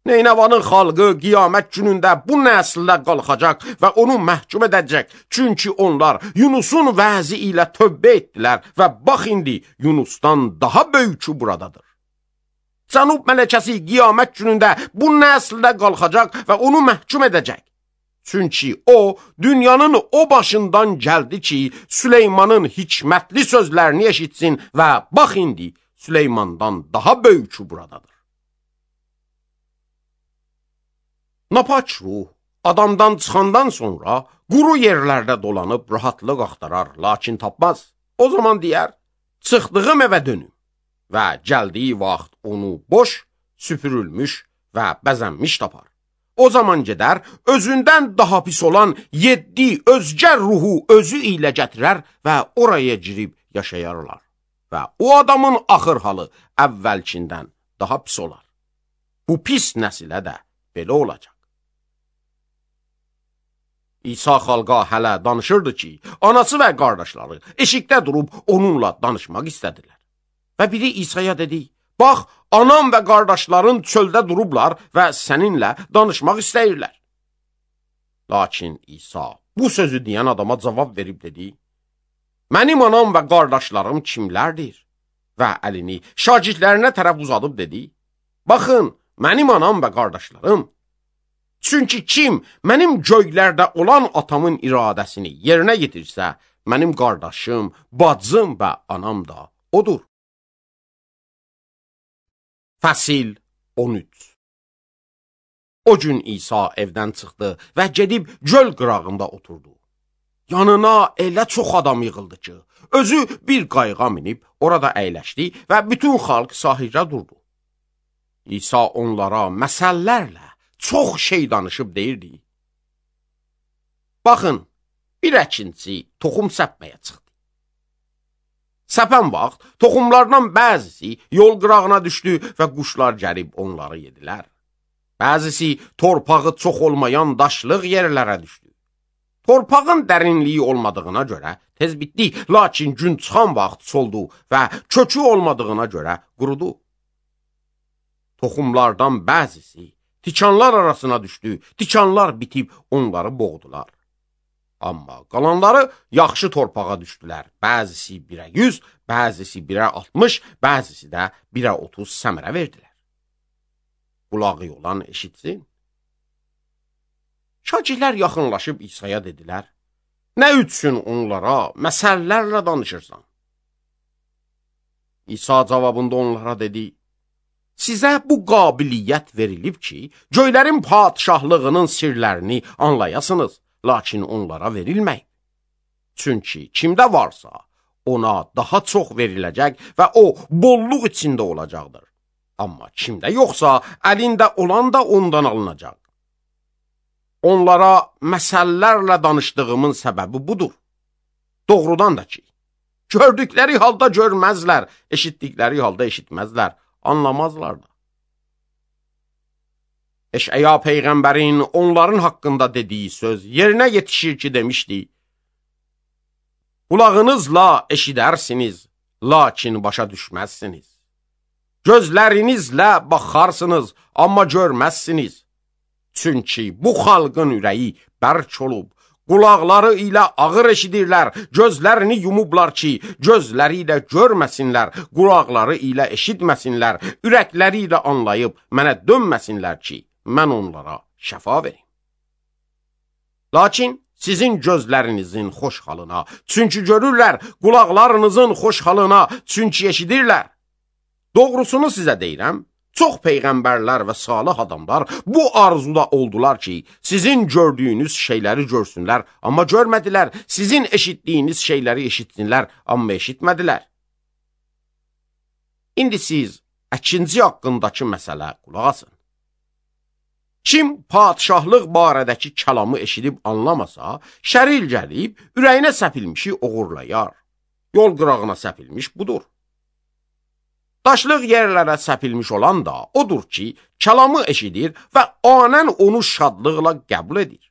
Neynəvanın xalqı qiyamət günündə bu nəsildə qalxacaq və onu məhkum edəcək. Çünki onlar Yunusun vəzi ilə tövbə etdilər və bax indi Yunusdan daha böyükü buradadır. Cənub mələkəsi qiyamət günündə bu nəsildə qalxacaq və onu məhkum edəcək. Çünki o, dünyanın o başından gəldi ki, Süleymanın hikmətli sözlərini eşitsin və bax indi Süleymandan daha böyükü buradadır. Napaç ruh adamdan çıxandan sonra quru yerlərdə dolanıb rahatlıq axtarar, lakin tapmaz. O zaman deyər, çıxdığım evə dönüm və gəldiyi vaxt onu boş, süpürülmüş və bəzənmiş tapar. O zaman gedər, özündən daha pis olan 7 özgə ruhu özü ilə gətirər və oraya girib yaşayarlar. Və o adamın axır halı əvvəlkindən daha pis olar. Bu pis nəsilə də belə olacaq. İsa xalqa hələ danışırdı ki, anası və qardaşları eşikdə durub onunla danışmaq istədilər. Və biri İsa'ya dedi, bax, anam və qardaşların çöldə durublar və səninlə danışmaq istəyirlər. Lakin İsa bu sözü deyən adama cavab verib dedi, mənim anam və qardaşlarım kimlərdir? Və əlini şagirdlərinə tərəf uzadıb dedi, baxın, mənim anam və qardaşlarım, çünki kim mənim göylərdə olan atamın iradəsini yerinə yetirsə, mənim qardaşım, bacım və anam da odur. Fəsil 13. O gün İsa evdən çıxdı və gedib göl qırağında oturdu. Yanına elə çox adam yığıldı ki, özü bir qayığa minib orada əyləşdi və bütün xalq sahildə durdu. İsa onlara məsəllərlə çox şey danışıb deyirdi. Baxın, bir əkinçi toxum səpməyə çıxdı. Səpən vaxt toxumlardan bəzisi yol qırağına düşdü və quşlar gəlib onları yedilər. Bəzisi torpağı çox olmayan daşlıq yerlərə düşdü. Torpağın dərinliyi olmadığına görə tez bitdi, lakin gün çıxan vaxt soldu və kökü olmadığına görə qurudu. Toxumlardan bəzisi tikanlar arasına düşdü, tikanlar bitib onları boğdular. Amma qalanları yaxşı torpağa düşdülər. Bəzisi 1'ə 100, bəzisi 1'ə 60, bəzisi də 1'ə 30 səmərə verdilər. Qulağı olan eşitsin. Şagirdlər yaxınlaşıb İsa'ya dedilər, nə üçün onlara məsəllərlə danışırsan? İsa cavabında onlara dedi, sizə bu qabiliyyət verilib ki, göylərin padişahlığının sirlərini anlayasınız, lakin onlara verilməyib. Çünki kimdə varsa, ona daha çox veriləcək və o, bolluq içində olacaqdır. Amma kimdə yoxsa, əlində olan da ondan alınacaq. Onlara məsəllərlə danışdığımın səbəbi budur. Doğrudan da ki, gördükləri halda görməzlər, eşitdikləri halda eşitməzlər, anlamazlar da. Eşəya peyğəmbərin onların haqqında dediyi söz yerinə yetişir ki, demişdi: Qulağınızla eşidərsiniz, lakin başa düşməzsiniz. Gözlərinizlə baxarsınız, amma görməzsiniz. Çünki bu xalqın ürəyi bərk olub, qulaqları ilə ağır eşidirlər, gözlərini yumublar ki, gözləri ilə görməsinlər, qulaqları ilə eşitməsinlər, ürəkləri ilə anlayıb mənə dönməsinlər ki, mən onlara şəfa verim. Lakin sizin gözlərinizin xoş halına, çünki görürlər, qulaqlarınızın xoş halına, çünki eşidirlər. Doğrusunu sizə deyirəm, çox peyğəmbərlər və salih adamlar bu arzuda oldular ki, sizin gördüyünüz şeyləri görsünlər, amma görmədilər, sizin eşitdiyiniz şeyləri eşitsinlər, amma eşitmədilər. İndi siz əkinci haqqındakı məsələ qulaq asın. Kim padişahlıq barədəki kəlamı eşidib anlamasa, şəril gəlib, ürəyinə səpilmişi oğurlayar. Yol qırağına səpilmiş budur. Daşlıq yerlərə səpilmiş olan da odur ki, kəlamı eşidir və anən onu şadlıqla qəbul edir.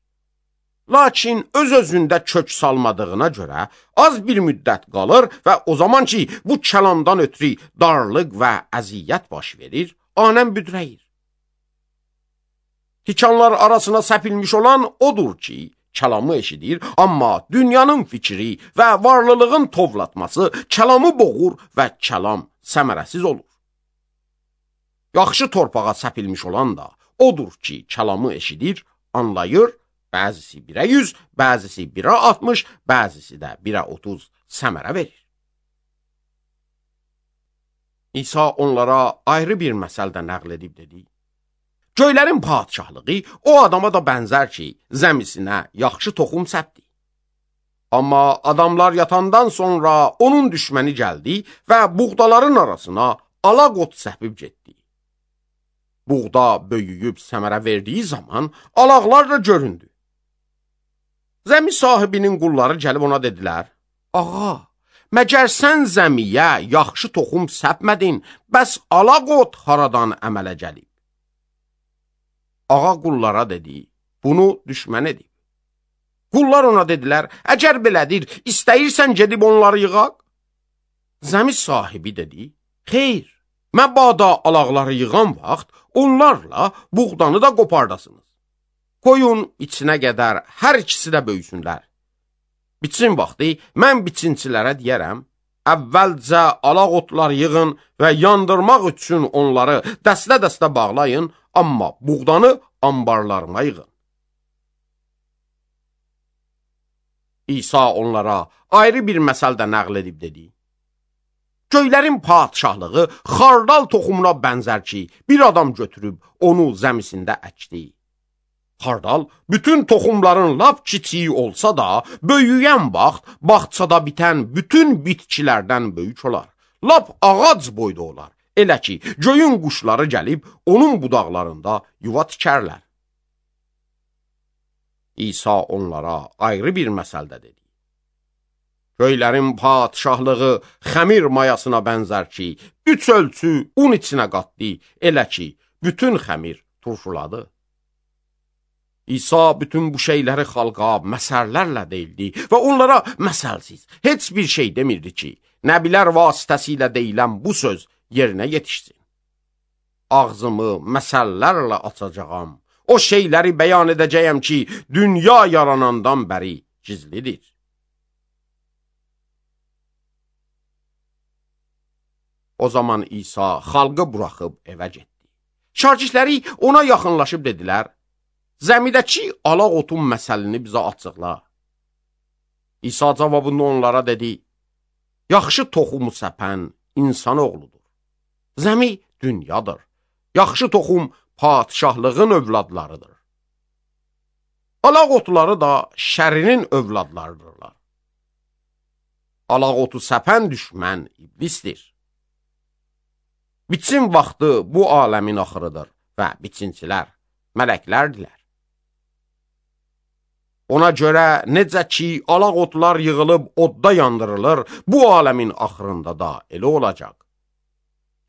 Lakin öz-özündə kök salmadığına görə az bir müddət qalır və o zaman ki, bu kəlamdan ötürü darlıq və əziyyət baş verir, anən büdrəyir. Tikanlar arasına səpilmiş olan odur ki, kəlamı eşidir, amma dünyanın fikri və varlılığın tovlatması kəlamı boğur və kəlam səmərəsiz olur. Yaxşı torpağa səpilmiş olan da odur ki, kəlamı eşidir, anlayır, bəzisi 1'ə 100, bəzisi 1'ə 60, bəzisi də 1'ə 30 səmərə verir. İsa onlara ayrı bir məsəldə nəql edib dedi: Göylərin padişahlığı o adama da bənzər ki, zəmisinə yaxşı toxum səpdi. Amma adamlar yatandan sonra onun düşməni gəldi və buğdaların arasına alaq ot səpib getdi. Buğda böyüyüb səmərə verdiyi zaman alaqlar da göründü. Zəmi sahibinin qulları gəlib ona dedilər: Ağa, məgər sən zəmiyə yaxşı toxum səpmədin, bəs alaq ot haradan əmələ gəlib? Ağa qullara dedi: Bunu düşmən edib. Qullar ona dedilər: Əgər belədir, istəyirsən gedib onları yığaq? Zəmi sahibi dedi: Xeyr, məbada alaqları yığan vaxt onlarla buğdanı da qopardasınız. Qoyun içinə qədər hər ikisi də böyüsünlər. Biçin vaxtı mən biçinçilərə deyərəm: Əvvəlcə alaq otlar yığın və yandırmaq üçün onları dəstə-dəstə bağlayın, amma buğdanı ambarlarına yığın. İsa onlara ayrı bir məsəldə nəql edib dedi: Göylərin padişahlığı xardal toxumuna bənzər ki, bir adam götürüb onu zəmisində əkdi. Xardal bütün toxumların lap kiçiyi olsa da, böyüyən vaxt bağçada bitən bütün bitkilərdən böyük olar. Lap ağac boyda olar. Elə ki, göyün quşları gəlib onun budaqlarında yuva tikərlər. İsa onlara ayrı bir məsəldə dedi: Göylərin padişahlığı xəmir mayasına bənzər ki, 3 ölçü un içinə qatdı, elə ki, bütün xəmir turşuladı. İsa bütün bu şeyləri xalqa məsəllərlə deyildi və onlara məsəlsiz heç bir şey demirdi ki, nəbilər vasitəsilə deyilən bu söz yerinə yetişsin. Ağzımı məsəllərlə açacağam, o şeyləri bəyan edəcəyəm ki, dünya yaranandan bəri gizlidir. O zaman İsa xalqı buraxıb evə getdi. Şagirdləri ona yaxınlaşıb dedilər: Zəmidəki alaq otun məsəlini bizə açıqla. İsa cavabında onlara dedi: Yaxşı toxumu səpən insan oğludur. Zəmi dünyadır. Yaxşı toxum padişahlığın övladlarıdır. Alaq otları da şərinin övladlarıdırlar. Alaq otu səpən düşmən iblisdir. Biçin vaxtı bu aləmin axırıdır və biçincilər mələklərdilər. Ona görə necə ki, alaq otlar yığılıb odda yandırılır, bu aləmin axırında da elə olacaq.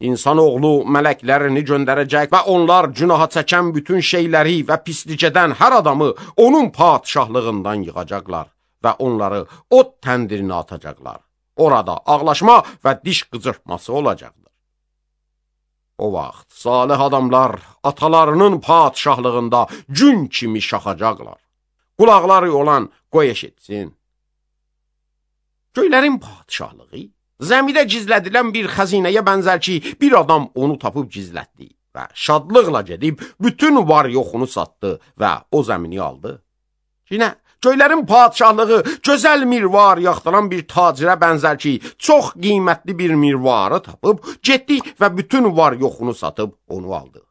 İnsanoğlu mələklərini göndərəcək və onlar günaha çəkən bütün şeyləri və pislicədən hər adamı onun padişahlığından yığacaqlar və onları od təndirinə atacaqlar. Orada ağlaşma və diş qıcırtması olacaqdır. O vaxt salih adamlar atalarının padişahlığında gün kimi şaxacaqlar. Qulaqları olan qoy eşitsin. Göylərin padişahlığı zəmidə gizlədilən bir xəzinəyə bənzər ki, bir adam onu tapıb gizlətdi və şadlıqla gedib bütün var yoxunu satdı və o zəmini aldı. Yine göylərin padişahlığı gözəl mirvar yaxdıran bir tacirə bənzər ki, çox qiymətli bir mirvarı tapıb, getdi və bütün var yoxunu satıb onu aldı.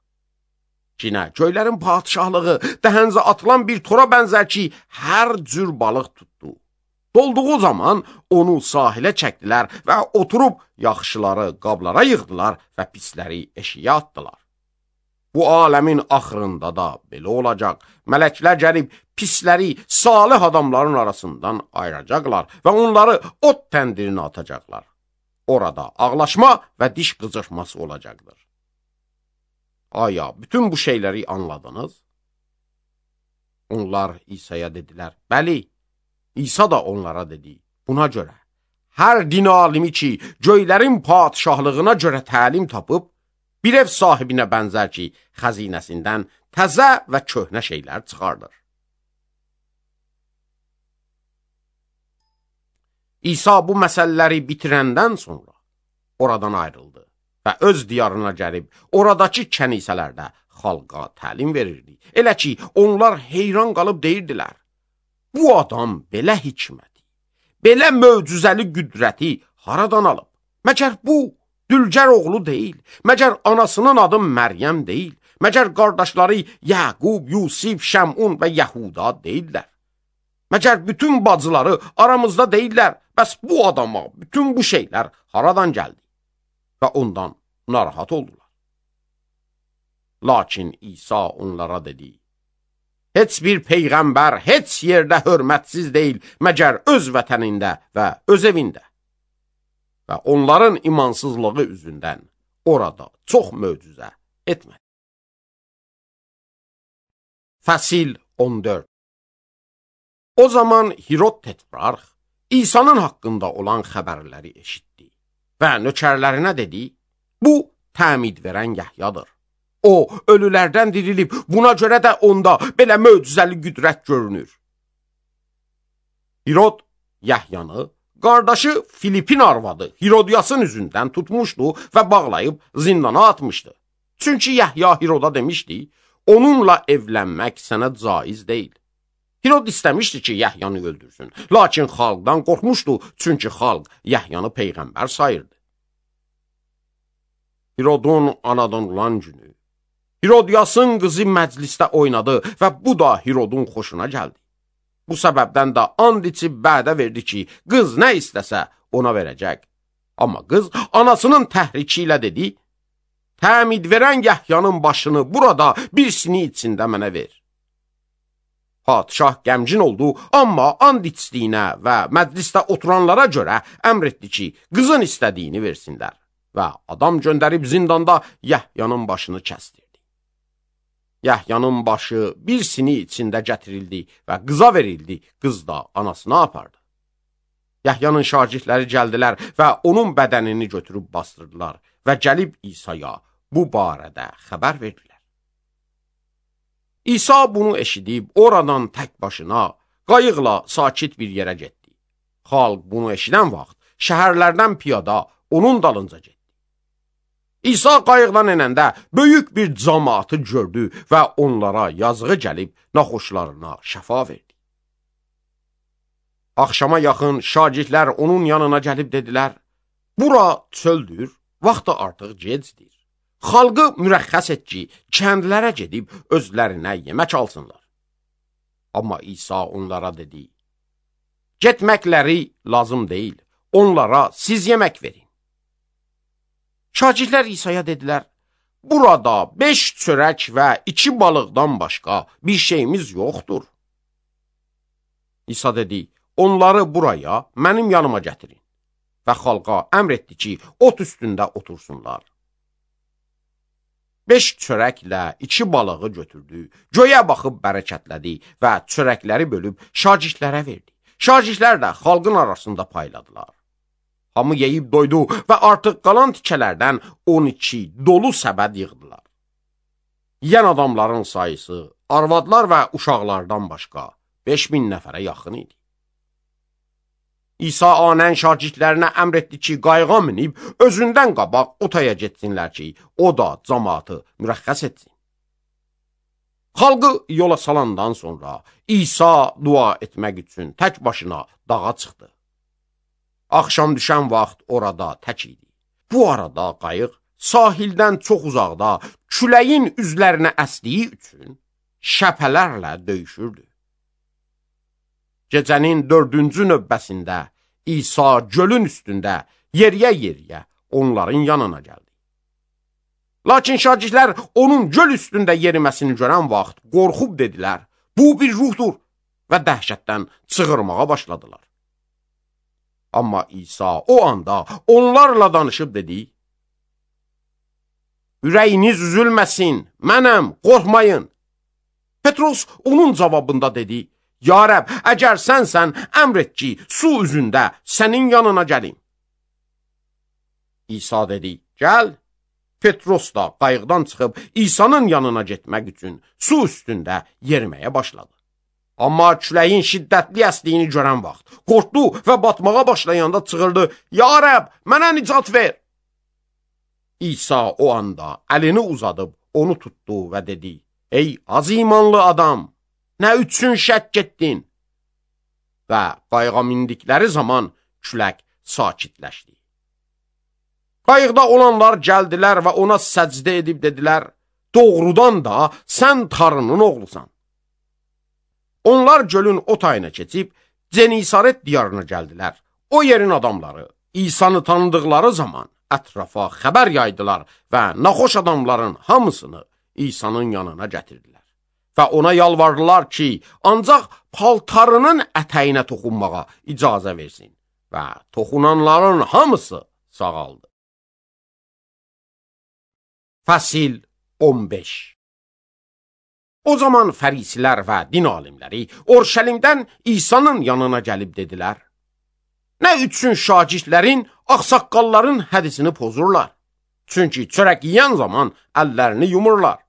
Yine göylərin padişahlığı dəhəncə atılan bir tora bənzər ki, hər cür balıq tutdu. Dolduğu zaman onu sahilə çəkdilər və oturub yaxşıları qablara yığdılar və pisləri eşiyə atdılar. Bu aləmin axırında da belə olacaq. Mələklər gəlib pisləri salih adamların arasından ayıracaqlar və onları od təndirinə atacaqlar. Orada ağlaşma və diş qıcırtması olacaqdır. Aya, bütün bu şeyləri anladınız? Onlar İsa'ya dedilər, bəli. İsa da onlara dedi, buna görə, hər din alimi ki, göylərin padişahlığına görə təlim tapıb, bir ev sahibinə bənzər ki, xəzinəsindən təzə və köhnə şeylər çıxardır. İsa bu məsələləri bitirəndən sonra oradan ayrıldı və öz diyarına gəlib, oradakı kənisələrdə xalqa təlim verirdi. Elə ki, onlar heyran qalıb deyirdilər, bu adam belə hikməti, belə möcüzəli qüdrəti haradan alıb? Məcər bu Dülgər oğlu deyil, məcər anasının adı Məryəm deyil, məcər qardaşları Yaqub, Yusif, Şəmun və Yahuda deyirlər. Məcər bütün bacıları aramızda deyirlər, bəs bu adama bütün bu şeylər haradan gəldi? Və ondan narahat oldular. Lakin İsa onlara dedi, heç bir peyğəmbər heç yerdə hörmətsiz deyil, məcər öz vətənində və öz evində. Və onların imansızlığı üzündən orada çox möcüzə etmədi. Fəsil 14. O zaman Hirod Tetrarx İsa'nın haqqında olan xəbərləri eşitdi və nökərlərinə dedi, bu təmid verən Yahyadır. O, ölülərdən dirilib, buna görə də onda belə möcüzəli qüdrət görünür. Hirod Yahyanı, qardaşı Filipin arvadı Hirodiyasın üzündən tutmuşdu və bağlayıb zindana atmışdı. Çünki Yahya Hiroda demişdi, onunla evlənmək sənə caiz deyil. Hirod istəmişdi ki, Yahyanı öldürsün, lakin xalqdan qorxmuşdu, çünki xalq Yahyanı peyğəmbər sayırdı. Hirodun anadan olan günü, Hirodiyasın qızı məclisdə oynadı və bu da Hirodun xoşuna gəldi. Bu səbəbdən də and içib bədə verdi ki, qız nə istəsə ona verəcək. Amma qız anasının təhriki ilə dedi, təmid verən Yahyanın başını burada bir sini içində mənə ver. Padişah qəmgin oldu, amma and içdiyinə və məclisdə oturanlara görə əmr etdi ki, qızın istədiyini versinlər və adam göndərib zindanda Yahyanın başını kəsdirdi. Yahyanın başı bir sini içində gətirildi və qıza verildi, qız da anasına apardı. Yahyanın şagirdləri gəldilər və onun bədənini götürüb bastırdılar və gəlib İsa'ya bu barədə xəbər verdilər. İsa bunu eşidib oradan tək başına qayıqla sakit bir yerə getdi. Xalq bunu eşidən vaxt şəhərlərdən piyada onun dalınca getdi. İsa qayıqdan enəndə böyük bir cəmaatı gördü və onlara yazığı gəlib naxoşlarına şəfa verdi. Axşama yaxın şagirdlər onun yanına gəlib dedilər, bura çöldür, vaxtı artıq gecdir. Xalqı mürəxxəs et ki, kəndlərə gedib özlərinə yemək alsınlar. Amma İsa onlara dedi, getməkləri lazım deyil, onlara siz yemək verin. Şagirdlər İsa'ya dedilər, burada 5 çörək və 2 balıqdan başqa bir şeyimiz yoxdur. İsa dedi, onları buraya, mənim yanıma gətirin və xalqa əmr etdi ki, ot üstündə otursunlar. 5 çörəklə 2 balığı götürdü, göyə baxıb bərəkətlədi və çörəkləri bölüb şagirdlərə verdi. Şagirdlər də xalqın arasında payladılar. Hamı yeyib doydu və artıq qalan tikələrdən 12 dolu səbəd yığdılar. Yiyən adamların sayısı arvadlar və uşaqlardan başqa 5000 nəfərə yaxın idi. İsa anən şagirdlərinə əmr etdi ki, qayığa minib özündən qabaq otaya getsinlər ki, o da cəmaatı mürəxxəs etsin. Xalqı yola salandan sonra İsa dua etmək üçün tək başına dağa çıxdı. Axşam düşən vaxt orada tək idi. Bu arada qayıq sahildən çox uzaqda küləyin üzlərinə əsdiyi üçün şəpələrlə döyüşürdü. Gecənin 4-cü növbəsində İsa gölün üstündə yeriyə-yeriyə onların yanına gəldi. Lakin şagirdlər onun göl üstündə yeriməsini görən vaxt qorxub dedilər, bu bir ruhdur və dəhşətdən çığırmağa başladılar. Amma İsa o anda onlarla danışıb dedi, ürəyiniz üzülməsin, mənəm, qorxmayın. Petros onun cavabında dedi, ya Rəbb, əgər sənsən, əmr et ki, su üzündə sənin yanına gəlim. İsa dedi, gəl. Petros da qayıqdan çıxıb İsa'nın yanına getmək üçün su üstündə yeriməyə başladı. Amma küləyin şiddətli əsdiyini görən vaxt qorxdu və batmağa başlayanda çığırdı, ya Rəbb, mənə nicat ver. İsa o anda əlini uzadıb onu tutdu və dedi, ey az imanlı adam, nə üçün şəkk etdin? Və qayığa mindikləri zaman külək sakitləşdi. Qayıqda olanlar gəldilər və ona səcdə edib dedilər, doğrudan da sən Tanrının oğlusan. Onlar gölün o tayına keçib Cenisaret diyarına gəldilər. O yerin adamları İsa'nı tanıdıqları zaman ətrafa xəbər yaydılar və naxoş adamların hamısını İsa'nın yanına gətirdilər. Və ona yalvardılar ki, ancaq paltarının ətəyinə toxunmağa icazə versin və toxunanların hamısı sağaldı. Fəsil 15. O zaman fərisilər və din alimləri Orşəlimdən İsa'nın yanına gəlib dedilər, nə üçün şagirdlərin, ağsaqqalların hədisini pozurlar? Çünki çörək yeyən zaman əllərini yumurlar.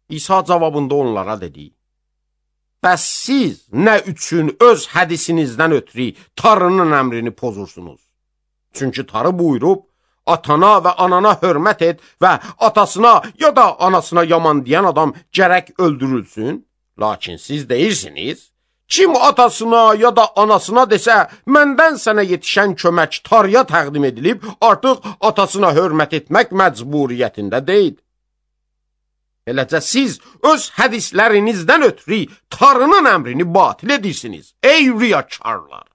İsa cavabında onlara dedi, bəs siz nə üçün öz hədisinizdən ötürü Tanrının əmrini pozursunuz? Çünki Tanrı buyurub, atana və anana hörmət et və atasına ya da anasına yaman deyən adam gərək öldürülsün. Lakin siz deyirsiniz, kim atasına ya da anasına desə, məndən sənə yetişən kömək Tanrıya təqdim edilib, artıq atasına hörmət etmək məcburiyyətində deyil. Eləcə siz öz hədislərinizdən ötürü Tanrının əmrini batil edirsiniz. Ey riyakarlar!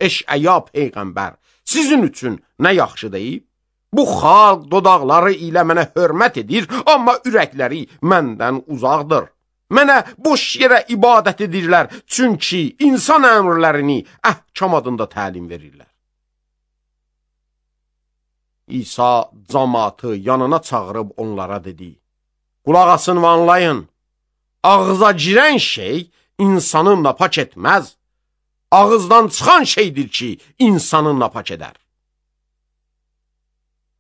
Eşəya peyğəmbər sizin üçün nə yaxşı deyib? Bu xalq dodaqları ilə mənə hörmət edir, amma ürəkləri məndən uzaqdır. Mənə boş yerə ibadət edirlər, çünki insan əmrlərini əhkam adında təlim verirlər. İsa cəmaatı yanına çağırıb onlara dedi, qulaq asın və anlayın, ağıza girən şey insanı napak etməz, ağızdan çıxan şeydir ki, insanı napak edər.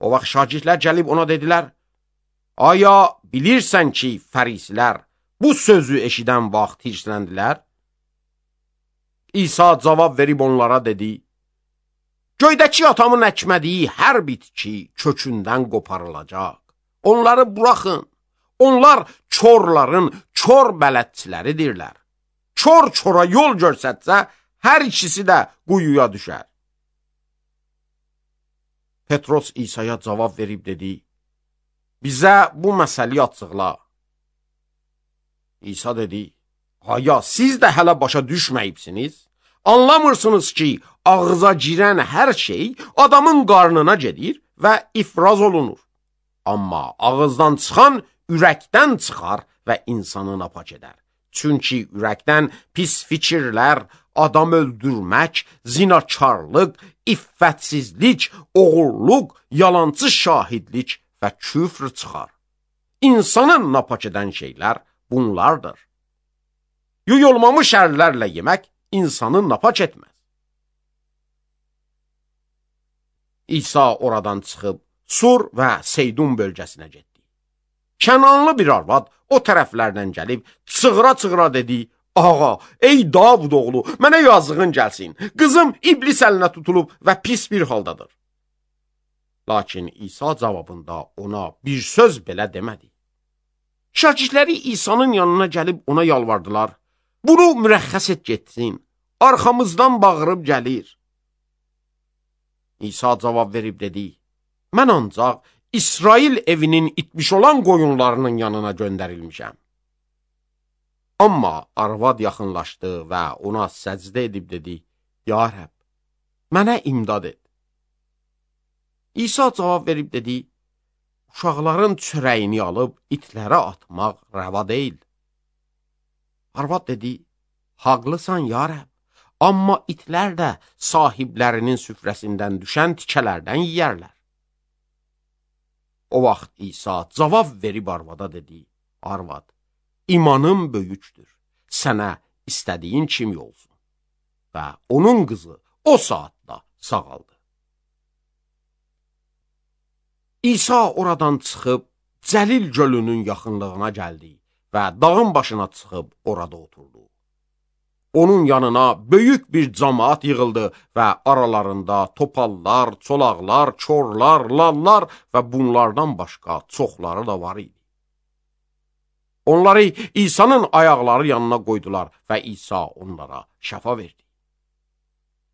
O vaxt şagirdlər gəlib ona dedilər, aya bilirsən ki, fərisilər bu sözü eşidən vaxt hirsləndilər? İsa cavab verib onlara dedi, göydəki atamın əkmədiyi hər bitki kökündən qoparılacaq. Onları buraxın, onlar korların kor bələdçiləridirlər. Kor çora yol görsətsə, hər ikisi də quyuya düşər. Petros İsa'ya cavab verib dedi, bizə bu məsəli açıqla. İsa dedi, aya siz də hələ başa düşməyibsiniz? Anlamırsınız ki, ağıza girən hər şey adamın qarnına gedir və ifraz olunur. Amma ağızdan çıxan ürəkdən çıxar və insanı napak edər. Çünki ürəkdən pis fikirlər, adam öldürmək, zinakarlıq, iffətsizlik, oğurluq, yalancı şahidlik və küfr çıxar. İnsanın napak edən şeylər bunlardır. Yuyulmamış ərlərlə yemək insanı napak etməz. İsa oradan çıxıb Sur və Seydun bölgəsinə getdi. Kənanlı bir arvad o tərəflərdən gəlib çığıra-çığıra dedi: "Ağa, ey Davud oğlu, mənə yazığın gəlsin. Qızım iblis əlinə tutulub və pis bir haldadır." Lakin İsa cavabında ona bir söz belə demədi. Şagirdləri İsa'nın yanına gəlib ona yalvardılar: "Bunu mürəxxəs et getsin. Arxamızdan bağırıb gəlir." İsa cavab verib dedi: "Mən ancaq İsrail evinin itmiş olan qoyunlarının yanına göndərilmişəm." Amma arvad yaxınlaşdı və ona səcdə edib dedi: "Ya Rəbb, mənə imdad et." İsa cavab verib dedi: "Uşaqların çörəyini alıb itlərə atmaq rəva deyil." Arvad dedi: "Haqlısan ya Rəbb, amma itlər də sahiblərinin süfrəsindən düşən tikələrdən yeyərlər." O vaxt İsa cavab verib arvada dedi: "Arvad, imanım böyükdür, sənə istədiyin kimi olsun." Və onun qızı o saatda sağaldı. İsa oradan çıxıb Cəlil gölünün yaxınlığına gəldi və dağın başına çıxıb orada oturdu. Onun yanına böyük bir camaat yığıldı və aralarında topallar, çolaqlar, korlar, lallar və bunlardan başqa çoxları da var idi. Onları İsa'nın ayaqları yanına qoydular və İsa onlara şəfa verdi.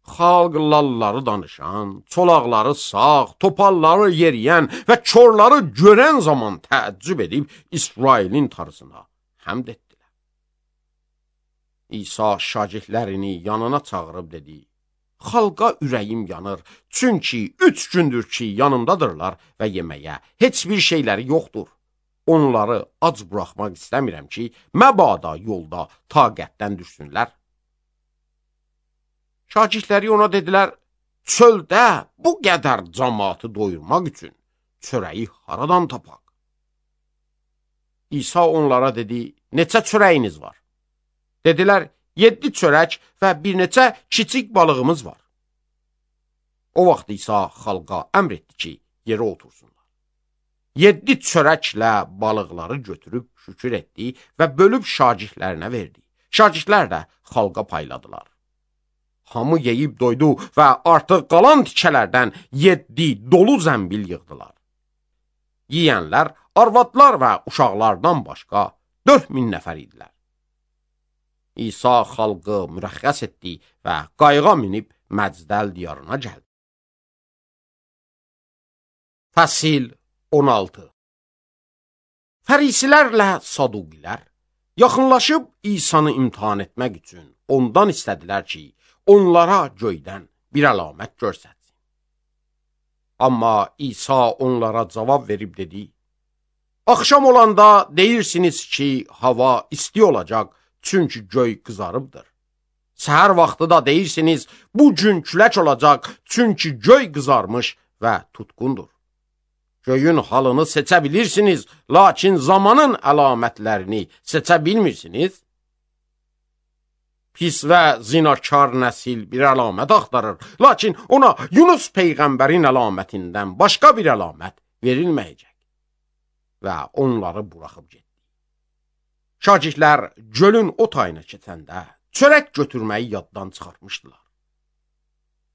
Xalq lalları danışan, çolaqları sağ, topalları yeriyən və korları görən zaman təəccüb edib İsrailin tarısına həmd etdilər. İsa şagirdlərini yanına çağırıb dedi: "Xalqa ürəyim yanır, çünki 3 gündür ki yanımdadırlar və yeməyə heç bir şeyləri yoxdur. Onları ac buraxmaq istəmirəm ki, məbada yolda taqətdən düşsünlər." Şagirdləri ona dedilər: "Çöldə bu qədər cəmaatı doyurmaq üçün çörəyi haradan tapaq?" İsa onlara dedi: "Neçə çörəyiniz var?" Dedilər: 7 çörək və bir neçə kiçik balığımız var. O vaxt İsa xalqa əmr etdi ki, yerə otursunlar. 7 çörəklə balıqları götürüb şükür etdi və bölüb şagirdlərinə verdi. Şagirdlər də xalqa payladılar. Hamı yeyib doydu və artıq qalan tikələrdən 7 dolu zəmbil yığdılar. Yiyənlər, arvadlar və uşaqlardan başqa 4000 nəfər idilər. İsa xalqı mürəxxəs etdi və qayığa minib Məcdəl diyarına gəldi. Fəsil 16. Fərisilərlə Saduqilər yaxınlaşıb İsa'nı imtihan etmək üçün ondan istədilər ki, onlara göydən bir əlamət görsətsin. Amma İsa onlara cavab verib dedi: "Axşam olanda deyirsiniz ki, hava isti olacaq, çünki göy qızarıbdır. Səhər vaxtı da deyirsiniz, bu gün külək olacaq, çünki göy qızarmış və tutqundur. Göyün halını seçə bilirsiniz, lakin zamanın əlamətlərini seçə bilmirsiniz. Pis və zinakar nəsil bir əlamət axtarır, lakin ona Yunus peyğəmbərin əlamətindən başqa bir əlamət verilməyəcək." Və onları buraxıb getdi. Şagirdlər gölün o tayına keçəndə çörək götürməyi yaddan çıxartmışdılar.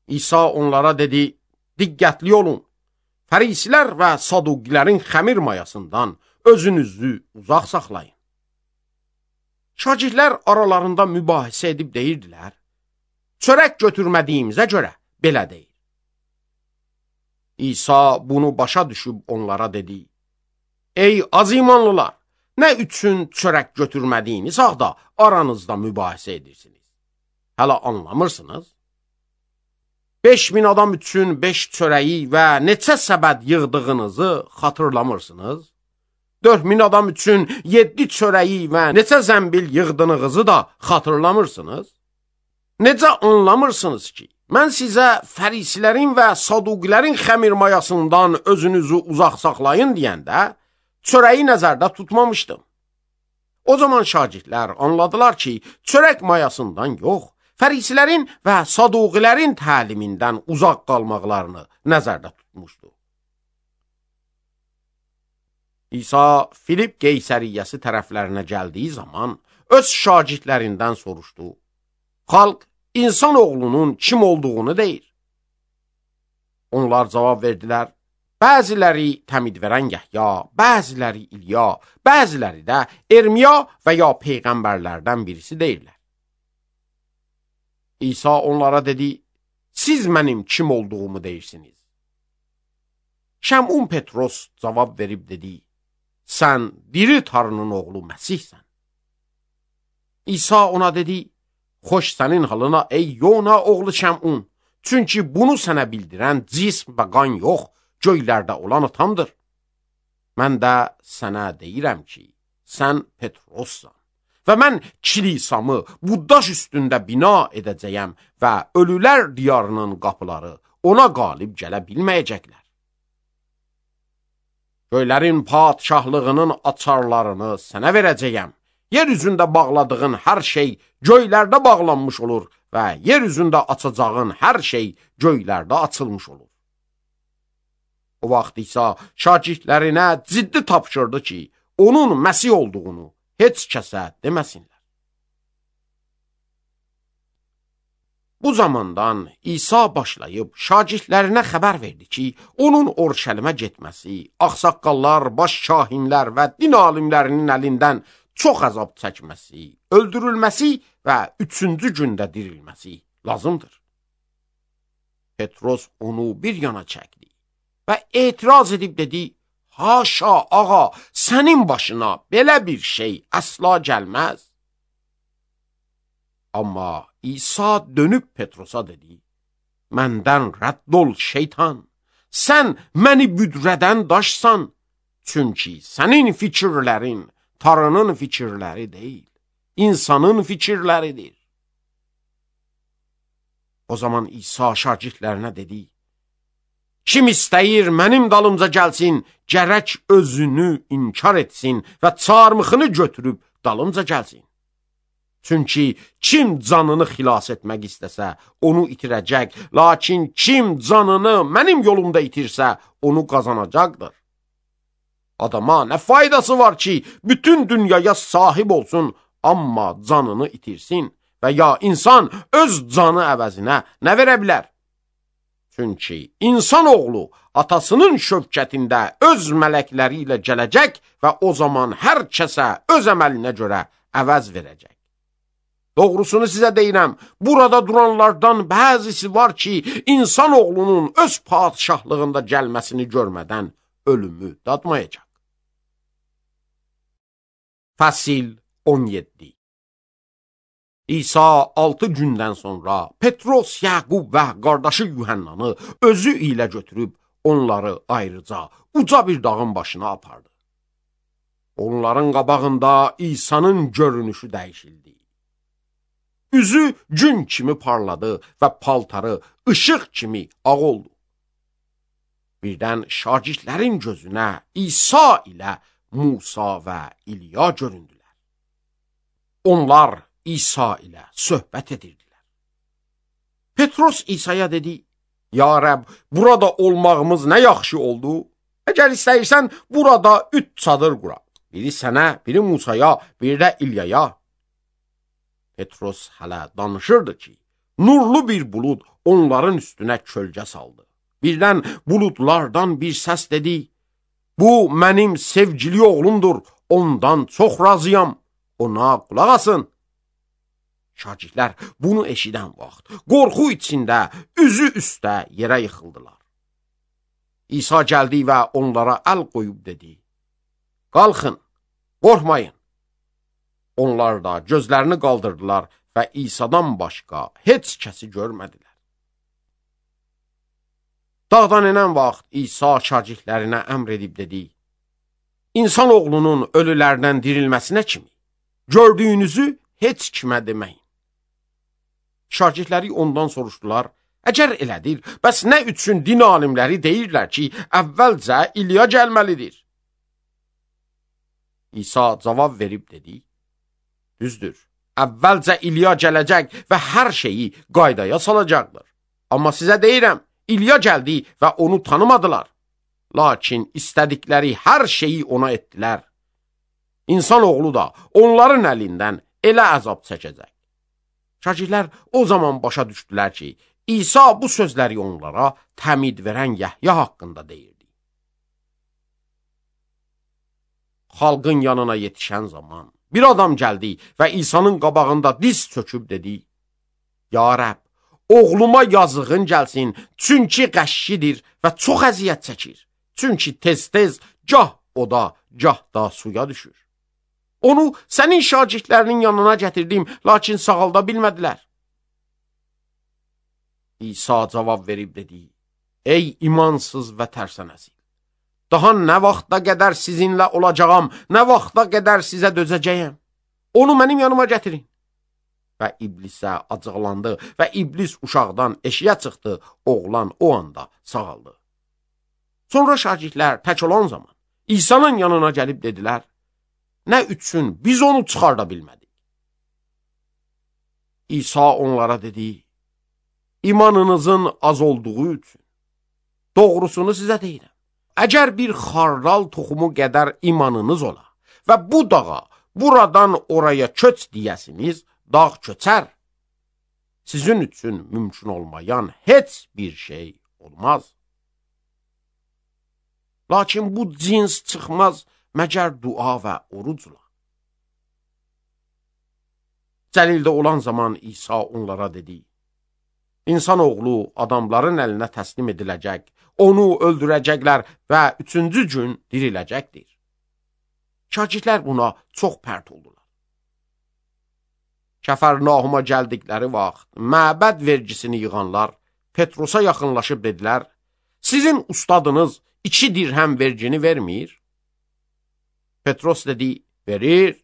İsa onlara dedi: "Diqqətli olun, Fərisilər və Saduqilərin xəmir mayasından özünüzü uzaq saxlayın." Şagirdlər aralarında mübahisə edib deyirdilər: "Çörək götürmədiyimizə görə belə deyil." İsa bunu başa düşüb onlara dedi: "Ey az imanlılar, nə üçün çörək götürmədiyiniz halda aranızda mübahisə edirsiniz? Hələ anlamırsınız? 5000 adam üçün 5 çörəyi və neçə səbəd yığdığınızı xatırlamırsınız? 4000 adam üçün 7 çörəyi və neçə zəmbil yığdığınızı da xatırlamırsınız? Necə anlamırsınız ki, mən sizə fərisilərin və saduqilərin xəmir mayasından özünüzü uzaq saxlayın deyəndə, çörəyi nəzərdə tutmamışdım. O zaman şagirdlər anladılar ki, çörək mayasından yox, fərisilərin və saduqilərin təlimindən uzaq qalmaqlarını nəzərdə tutmuşdu. İsa Filip Qeysəriyyəsi tərəflərinə gəldiyi zaman öz şagirdlərindən soruşdu. Xalq insan oğlunun kim olduğunu deyir. Onlar cavab verdilər. Bəziləri təmid verən Yəhya, bəziləri İlya, bəziləri də Ermiya və ya peyğəmbərlərdən birisi deyirlər. İsa onlara dedi, siz mənim kim olduğumu deyirsiniz. Şəmun Petros cavab verib dedi, sən diri Tanrının oğlu Məsihsən. İsa ona dedi, xoş sənin halına ey Yona oğlu Şəmun, çünki bunu sənə bildirən cism və qan yox, göylərdə olan atamdır. Mən də sənə deyirəm ki, sən Petrossan və mən kilisamı bu daş üstündə bina edəcəyəm və ölülər diyarının qapıları ona qalib gələ bilməyəcəklər. Göylərin padşahlığının açarlarını sənə verəcəyəm. Yer üzündə bağladığın hər şey göylərdə bağlanmış olur və yer üzündə açacağın hər şey göylərdə açılmış olur. O vaxt İsa şagirdlərinə ciddi tapşırdı ki, onun Məsih olduğunu heç kəsə deməsinlər. Bu zamandan İsa başlayıb şagirdlərinə xəbər verdi ki, onun Orşəlimə getməsi, ağsaqqallar, baş kahinlər və din alimlərinin əlindən çox əzab çəkməsi, öldürülməsi və 3-cü gündə dirilməsi lazımdır. Petros onu bir yana çəkdi və etiraz edib dedi, haşa ağa, sənin başına belə bir şey əsla gəlməz. Amma İsa dönüb Petrosa dedi, məndən rədd ol şeytan, sən məni büdrədən daşsan, çünki sənin fikirlərin Tanrının fikirləri deyil, insanın fikirləridir. O zaman İsa şagirdlərinə dedi, kim istəyir mənim dalımca gəlsin, gərək özünü inkar etsin və çarmıxını götürüb dalımca gəlsin. Çünki kim canını xilas etmək istəsə, onu itirəcək, lakin kim canını mənim yolumda itirsə, onu qazanacaqdır. Adama nə faydası var ki, bütün dünyaya sahib olsun, amma canını itirsin və ya insan öz canı əvəzinə nə verə bilər? Çünki insan oğlu atasının şövkətində öz mələkləri ilə gələcək və o zaman hər kəsə öz əməlinə görə əvəz verəcək. Doğrusunu sizə deyirəm, burada duranlardan bəzisi var ki, insan oğlunun öz padşahlığında gəlməsini görmədən ölümü dadmayacaq. Fəsil 17. İsa 6 gündən sonra Petros, Yaqub və qardaşı Yuhannanı özü ilə götürüb onları ayrıca uca bir dağın başına apardı. Onların qabağında İsa'nın görünüşü dəyişildi. Üzü gün kimi parladı və paltarı ışıq kimi ağ oldu. Birdən şagirdlərin gözünə İsa ilə Musa və İlya göründülər. Onlar İsa ilə söhbət edirdilər. Petros İsa'ya dedi, ya Rəbb, burada olmağımız nə yaxşı oldu. Əgər istəyirsən, burada 3 çadır quraq. Biri sənə, biri Musaya, biri də İlyaya. Petros hələ danışırdı ki, nurlu bir bulud onların üstünə kölgə saldı. Birdən buludlardan bir səs dedi, bu mənim sevgili oğlumdur, ondan çox razıyam, ona qulaq asın. Şagirdlər bunu eşidən vaxt, qorxu içində üzü üstə yerə yıxıldılar. İsa gəldi və onlara əl qoyub dedi, qalxın, qorxmayın. Onlar da gözlərini qaldırdılar və İsa'dan başqa heç kəsi görmədilər. Dağdan enən vaxt İsa şagirdlərinə əmr edib dedi, İnsan oğlunun ölülərdən dirilməsinə kimi, gördüyünüzü heç kimə deməyin. Şagirdləri ondan soruşdular, Əgər elədir, bəs nə üçün din alimləri deyirlər ki, əvvəlcə İlya gəlməlidir? İsa cavab verib dedi, düzdür, əvvəlcə İlya gələcək və hər şeyi qaydaya salacaqdır. Amma sizə deyirəm, İlya gəldi və onu tanımadılar. Lakin istədikləri hər şeyi ona etdilər. İnsan oğlu da onların əlindən elə əzab çəkəcək. Şagirdlər o zaman başa düşdülər ki, İsa bu sözləri onlara təmid verən Yəhya haqqında deyirdi. Xalqın yanına yetişən zaman bir adam gəldi və İsa'nın qabağında diz çöküb dedi, Ya Rəbb, oğluma yazığın gəlsin, çünki qəşşidir və çox əziyyət çəkir. Çünki tez-tez gah oda, gah da suya düşür. Onu sənin şagirdlərinin yanına gətirdim, lakin sağalda bilmədilər. İsa cavab verib dedi, Ey imansız və tərsinəsil, daha nə vaxta qədər sizinlə olacağam, nə vaxta qədər sizə dözəcəyəm? Onu mənim yanıma gətirin. Və iblisə acıqlandı və iblis uşaqdan eşiyə çıxdı, oğlan o anda sağaldı. Sonra şagirdlər tək olan zaman İsa'nın yanına gəlib dedilər, nə üçün biz onu çıxarda bilmədik? İsa onlara dedi, İmanınızın az olduğu üçün. Doğrusunu sizə deyirəm. Əgər bir xardal toxumu qədər imanınız ola və bu dağa buradan oraya köç deyəsiniz, dağ köçər. Sizin üçün mümkün olmayan heç bir şey olmaz. Lakin bu cins çıxmaz məgər dua və orucla. Cəlildə olan zaman İsa onlara dedi, İnsan oğlu adamların əlinə təslim ediləcək, onu öldürəcəklər və 3-cü gün diriləcəkdir. Şagirdlər buna çox pərt oldular. Kəfərnahuma gəldikləri vaxt məbəd vergisini yığanlar Petrosa yaxınlaşıb dedilər, sizin ustadınız 2 dirhəm vergini vermir? Petros dedi, verir.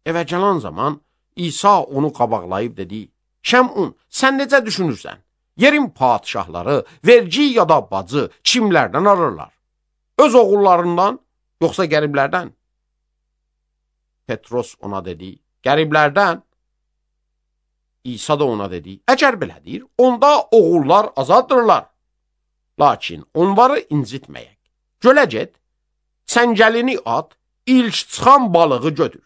Evə gələn zaman İsa onu qabaqlayıb dedi, Şəmun, sən necə düşünürsən? Yerin padişahları vergi ya da bacı kimlərdən alırlar? Öz oğullarından, yoxsa qəriblərdən? Petros ona dedi, qəriblərdən. İsa da ona dedi, əgər belədir, onda oğullar azaddırlar. Lakin onları incitməyək. Gölə get, səngəlini at, ilk çıxan balığı götür.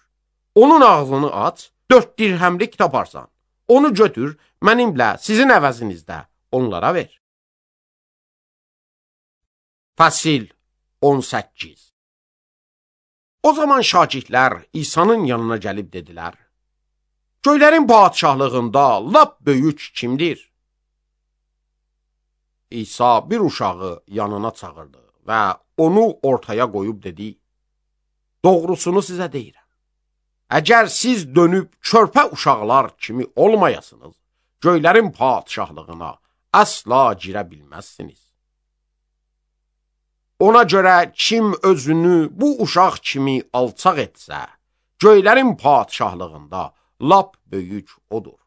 Onun ağzını aç, 4 dirhəmlik taparsan. Onu götür, mənimlə sizin əvəzinizdə onlara ver. Fəsil 18. O zaman şagirdlər İsa'nın yanına gəlib dedilər, Göylərin padişahlığında lap böyük kimdir? İsa bir uşağı yanına çağırdı və onu ortaya qoyub dedi, Doğrusunu sizə deyirəm. Əgər siz dönüb körpə uşaqlar kimi olmayasınız, göylərin padişahlığına əsla girə bilməzsiniz. Ona görə kim özünü bu uşaq kimi alçaq etsə, göylərin padişahlığında lap böyük odur.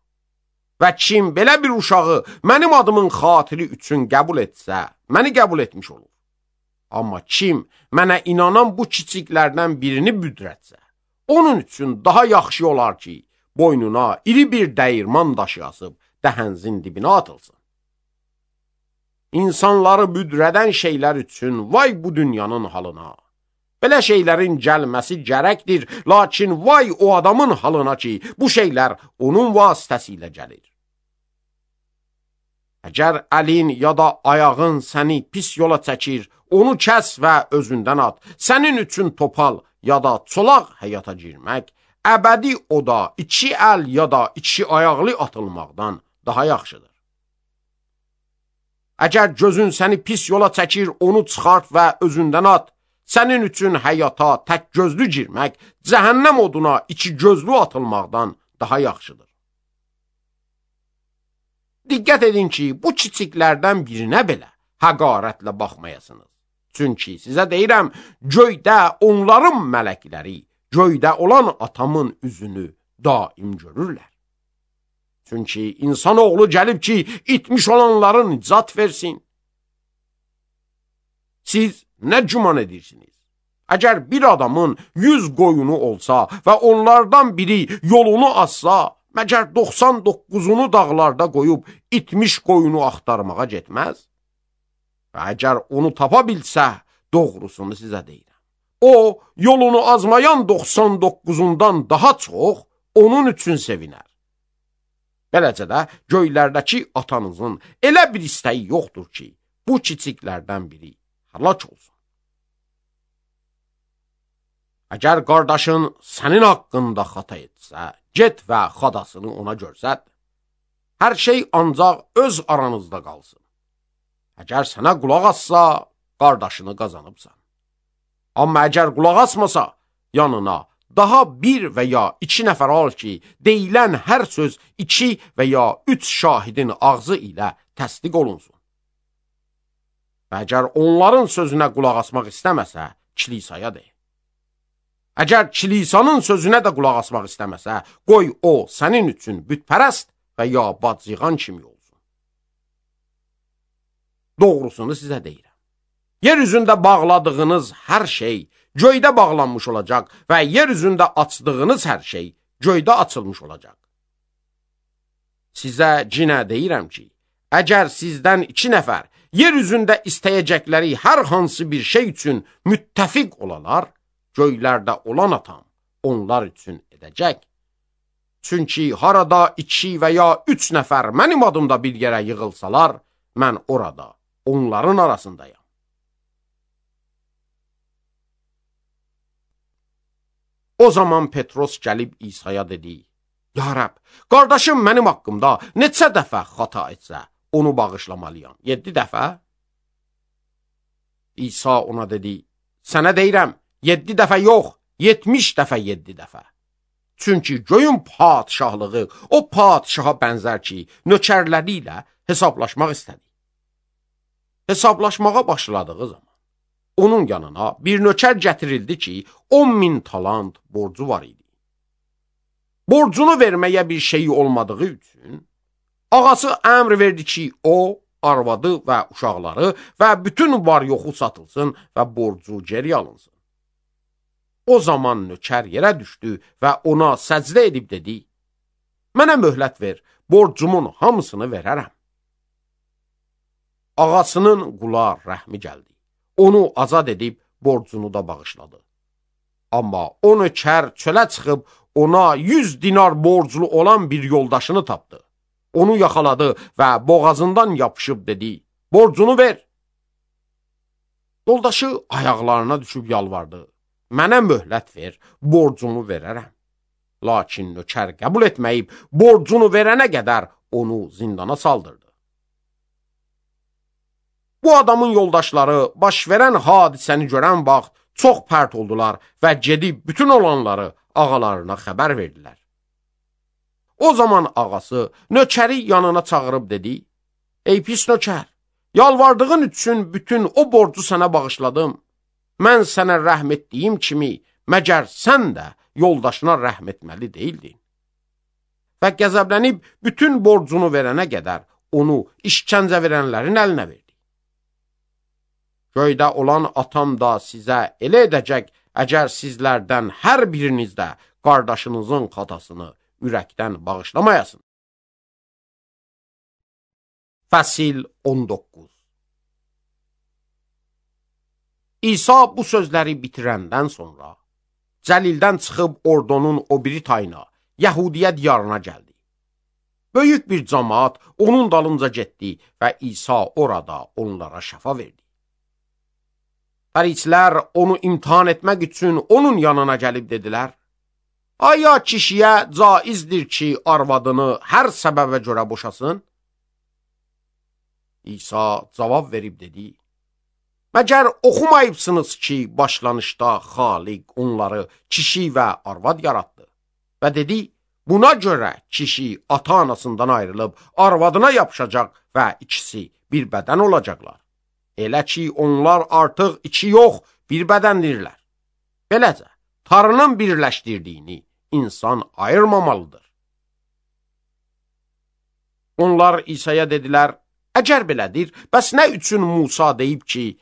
Və kim belə bir uşağı mənim adımın xatiri üçün qəbul etsə, məni qəbul etmiş olur. Amma kim mənə inanan bu kiçiklərdən birini büdrətsə, onun üçün daha yaxşı olar ki, boynuna iri bir dəyirman daşı asıb dəhənzin dibinə atılsın. İnsanları büdrədən şeylər üçün vay bu dünyanın halına. Belə şeylərin gəlməsi gərəkdir, lakin vay o adamın halına ki, bu şeylər onun vasitəsilə gəlir. Əgər əlin ya da ayağın səni pis yola çəkir, onu kəs və özündən at. Sənin üçün topal ya da çolaq həyata girmək, əbədi oda 2 əl ya da 2 ayaqlı atılmaqdan daha yaxşıdır. Əgər gözün səni pis yola çəkir, onu çıxart və özündən at. Sənin üçün həyata tək gözlü girmək, cəhənnəm oduna 2 gözlü atılmaqdan daha yaxşıdır. Diqqət edin ki, bu kiçiklərdən birinə belə həqarətlə baxmayasınız. Çünki sizə deyirəm, göydə onların mələkləri, göydə olan atamın üzünü daim görürlər. Çünki insanoğlu gəlib ki, itmiş olanların nicat versin. Siz nə güman edirsiniz? Əgər bir adamın 100 qoyunu olsa və onlardan biri yolunu azsa, məgər 99'unu dağlarda qoyub itmiş qoyunu axtarmağa getməz? Və əgər onu tapa bilsə, doğrusunu sizə deyirəm. O, yolunu azmayan 99'undan daha çox onun üçün sevinər. Beləcə də göylərdəki atanızın elə bir istəyi yoxdur ki, bu kiçiklərdən biri həlak olsun. Əgər qardaşın sənin haqqında xata etsə, get və xadasını ona görsət. Hər şey ancaq öz aranızda qalsın. Əgər sənə qulaq assa, qardaşını qazanıbsan. Amma əgər qulaq asmasa, yanına daha bir və ya 2 nəfər al ki, deyilən hər söz 2 və ya 3 şahidin ağzı ilə təsdiq olunsun. Və əgər onların sözünə qulaq asmaq istəməsə, kilisaya de. Əgər kilisanın sözünə də qulaq asmaq istəməsə, qoy o sənin üçün bütpərəst və ya bacıyğan kimi olsun. Doğrusunu sizə deyirəm. Yer üzündə bağladığınız hər şey göydə bağlanmış olacaq və yer üzündə açdığınız hər şey göydə açılmış olacaq. Sizə cinə deyirəm ki, əgər sizdən 2 nəfər yer üzündə istəyəcəkləri hər hansı bir şey üçün müttəfiq olalar, göylərdə olan atam onlar üçün edəcək. Çünki harada 2 və ya 3 nəfər mənim adımda bir yerə yığılsalar, mən orada onların arasındayam. O zaman Petros gəlib İsa'ya dedi, Ya Rəbb, qardaşım mənim haqqımda neçə dəfə xata etsə, onu bağışlamalıyam. 7 dəfə? İsa ona dedi, sənə deyirəm, 7 dəfə yox, 70 dəfə 7 dəfə. Çünki göyün padişahlığı o padişaha bənzər ki, nökərləri ilə hesablaşmaq istədi. Hesablaşmağa başladığı zaman onun yanına bir nökər gətirildi ki, 10.000 talant borcu var idi. Borcunu verməyə bir şeyi olmadığı üçün, ağası əmr verdi ki, o, arvadı və uşaqları və bütün var yoxu satılsın və borcu geri alınsın. O zaman nökər yerə düşdü və ona səcdə edib dedi, mənə möhlət ver, borcumun hamısını verərəm. Ağasının qula rəhmi gəldi. Onu azad edib borcunu da bağışladı. Amma o nökər çölə çıxıb ona 100 dinar borclu olan bir yoldaşını tapdı. Onu yaxaladı və boğazından yapışıb dedi, borcunu ver. Yoldaşı ayaqlarına düşüb yalvardı, mənə möhlət ver, borcumu verərəm. Lakin nökər qəbul etməyib, borcunu verənə qədər onu zindana saldırdı. Bu adamın yoldaşları baş verən hadisəni görən vaxt çox pərt oldular və gedib bütün olanları ağalarına xəbər verdilər. O zaman ağası nökəri yanına çağırıb dedi, ey pis nökər, yalvardığın üçün bütün o borcu sənə bağışladım. Mən sənə rəhm etdiyim kimi, məgər sən də yoldaşına rəhm etməli deyildin. Və qəzəblənib bütün borcunu verənə qədər onu işkəncə verənlərin əlinə verdi. Göydə olan atam da sizə elə edəcək, əgər sizlərdən hər biriniz də qardaşınızın xatasını ürəkdən bağışlamayasın. Fəsil 19. İsa bu sözləri bitirəndən sonra Cəlildən çıxıb ordonun o biri tayına, Yəhudiyə diyarına gəldi. Böyük bir cəmaat onun dalınca getdi və İsa orada onlara şəfa verdi. Fərisilər onu imtihan etmək üçün onun yanına gəlib dedilər, aya kişiyə caizdir ki, arvadını hər səbəbə görə boşasın? İsa cavab verib dedi, məgər oxumayıbsınız ki, başlanışda Xaliq onları kişi və arvad yaratdı və dedi, buna görə kişi ata-anasından ayrılıb arvadına yapışacaq və ikisi bir bədən olacaqlar. Elə ki, onlar artıq 2 yox, bir bədəndirlər. Beləcə, Tanrının birləşdirdiyini insan ayırmamalıdır. Onlar İsa'ya dedilər, əgər belədir, bəs nə üçün Musa deyib ki,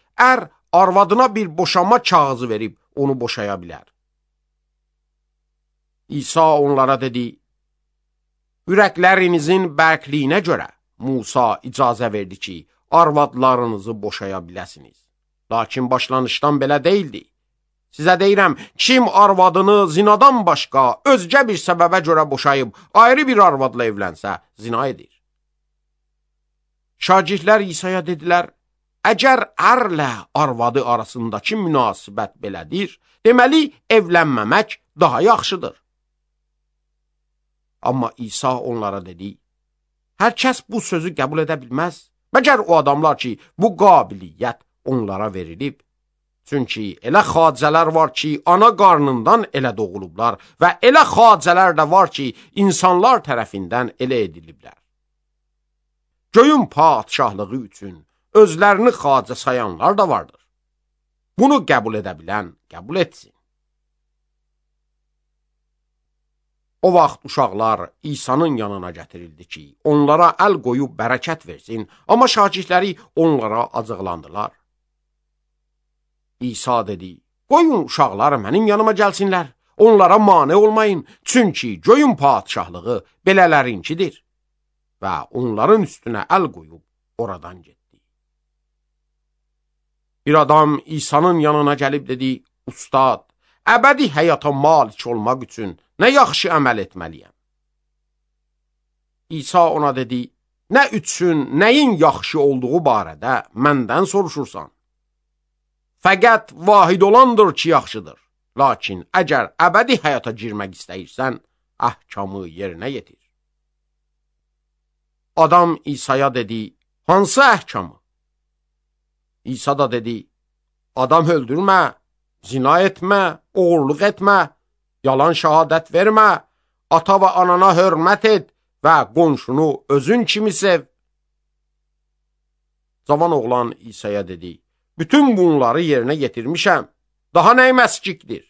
arvadına bir boşanma kağızı verib onu boşaya bilər? İsa onlara dedi, ürəklərinizin bərkliyinə görə Musa icazə verdi ki, arvadlarınızı boşaya biləsiniz. Lakin başlanışdan belə deyildi. Sizə deyirəm, kim arvadını zinadan başqa özgə bir səbəbə görə boşayıb, ayrı bir arvadla evlənsə, zina edir. Şagirdlər İsa'ya dedilər, əgər ərlə arvadı arasındakı münasibət belədir, deməli, evlənməmək daha yaxşıdır. Amma İsa onlara dedi, hər kəs bu sözü qəbul edə bilməz, məgər o adamlar ki, bu qabiliyyət onlara verilib. Çünki elə xacələr var ki, ana qarnından elə doğulublar və elə xacələr də var ki, insanlar tərəfindən elə ediliblər. Göyün padşahlığı üçün özlərini xacə sayanlar da vardır. Bunu qəbul edə bilən qəbul etsin. O vaxt uşaqlar İsa'nın yanına gətirildi ki, onlara əl qoyub bərəkət versin, amma şagirdləri onlara acıqlandılar. İsa dedi, qoyun uşaqlar mənim yanıma gəlsinlər, onlara mane olmayın, çünki göyün padşahlığı belələrinkidir. Və onların üstünə əl qoyub oradan getdi. Bir adam İsa'nın yanına gəlib dedi, Ustad, əbədi həyata malik olmaq üçün nə yaxşı əməl etməliyəm? İsa ona dedi, nə üçün, nəyin yaxşı olduğu barədə məndən soruşursan? Fəqət vahid olandır ki, yaxşıdır. Lakin əgər əbədi həyata girmək istəyirsən, əhkamı yerinə yetir. Adam İsa'ya dedi, hansı əhkamı? İsa da dedi, adam öldürmə, zina etmə, oğurluq etmə, yalan şəhadət vermə, ata və anana hörmət et və qonşunu özün kimi sev. Cavan oğlan İsa'ya dedi, bütün bunları yerinə yetirmişəm, daha nəy məskikdir?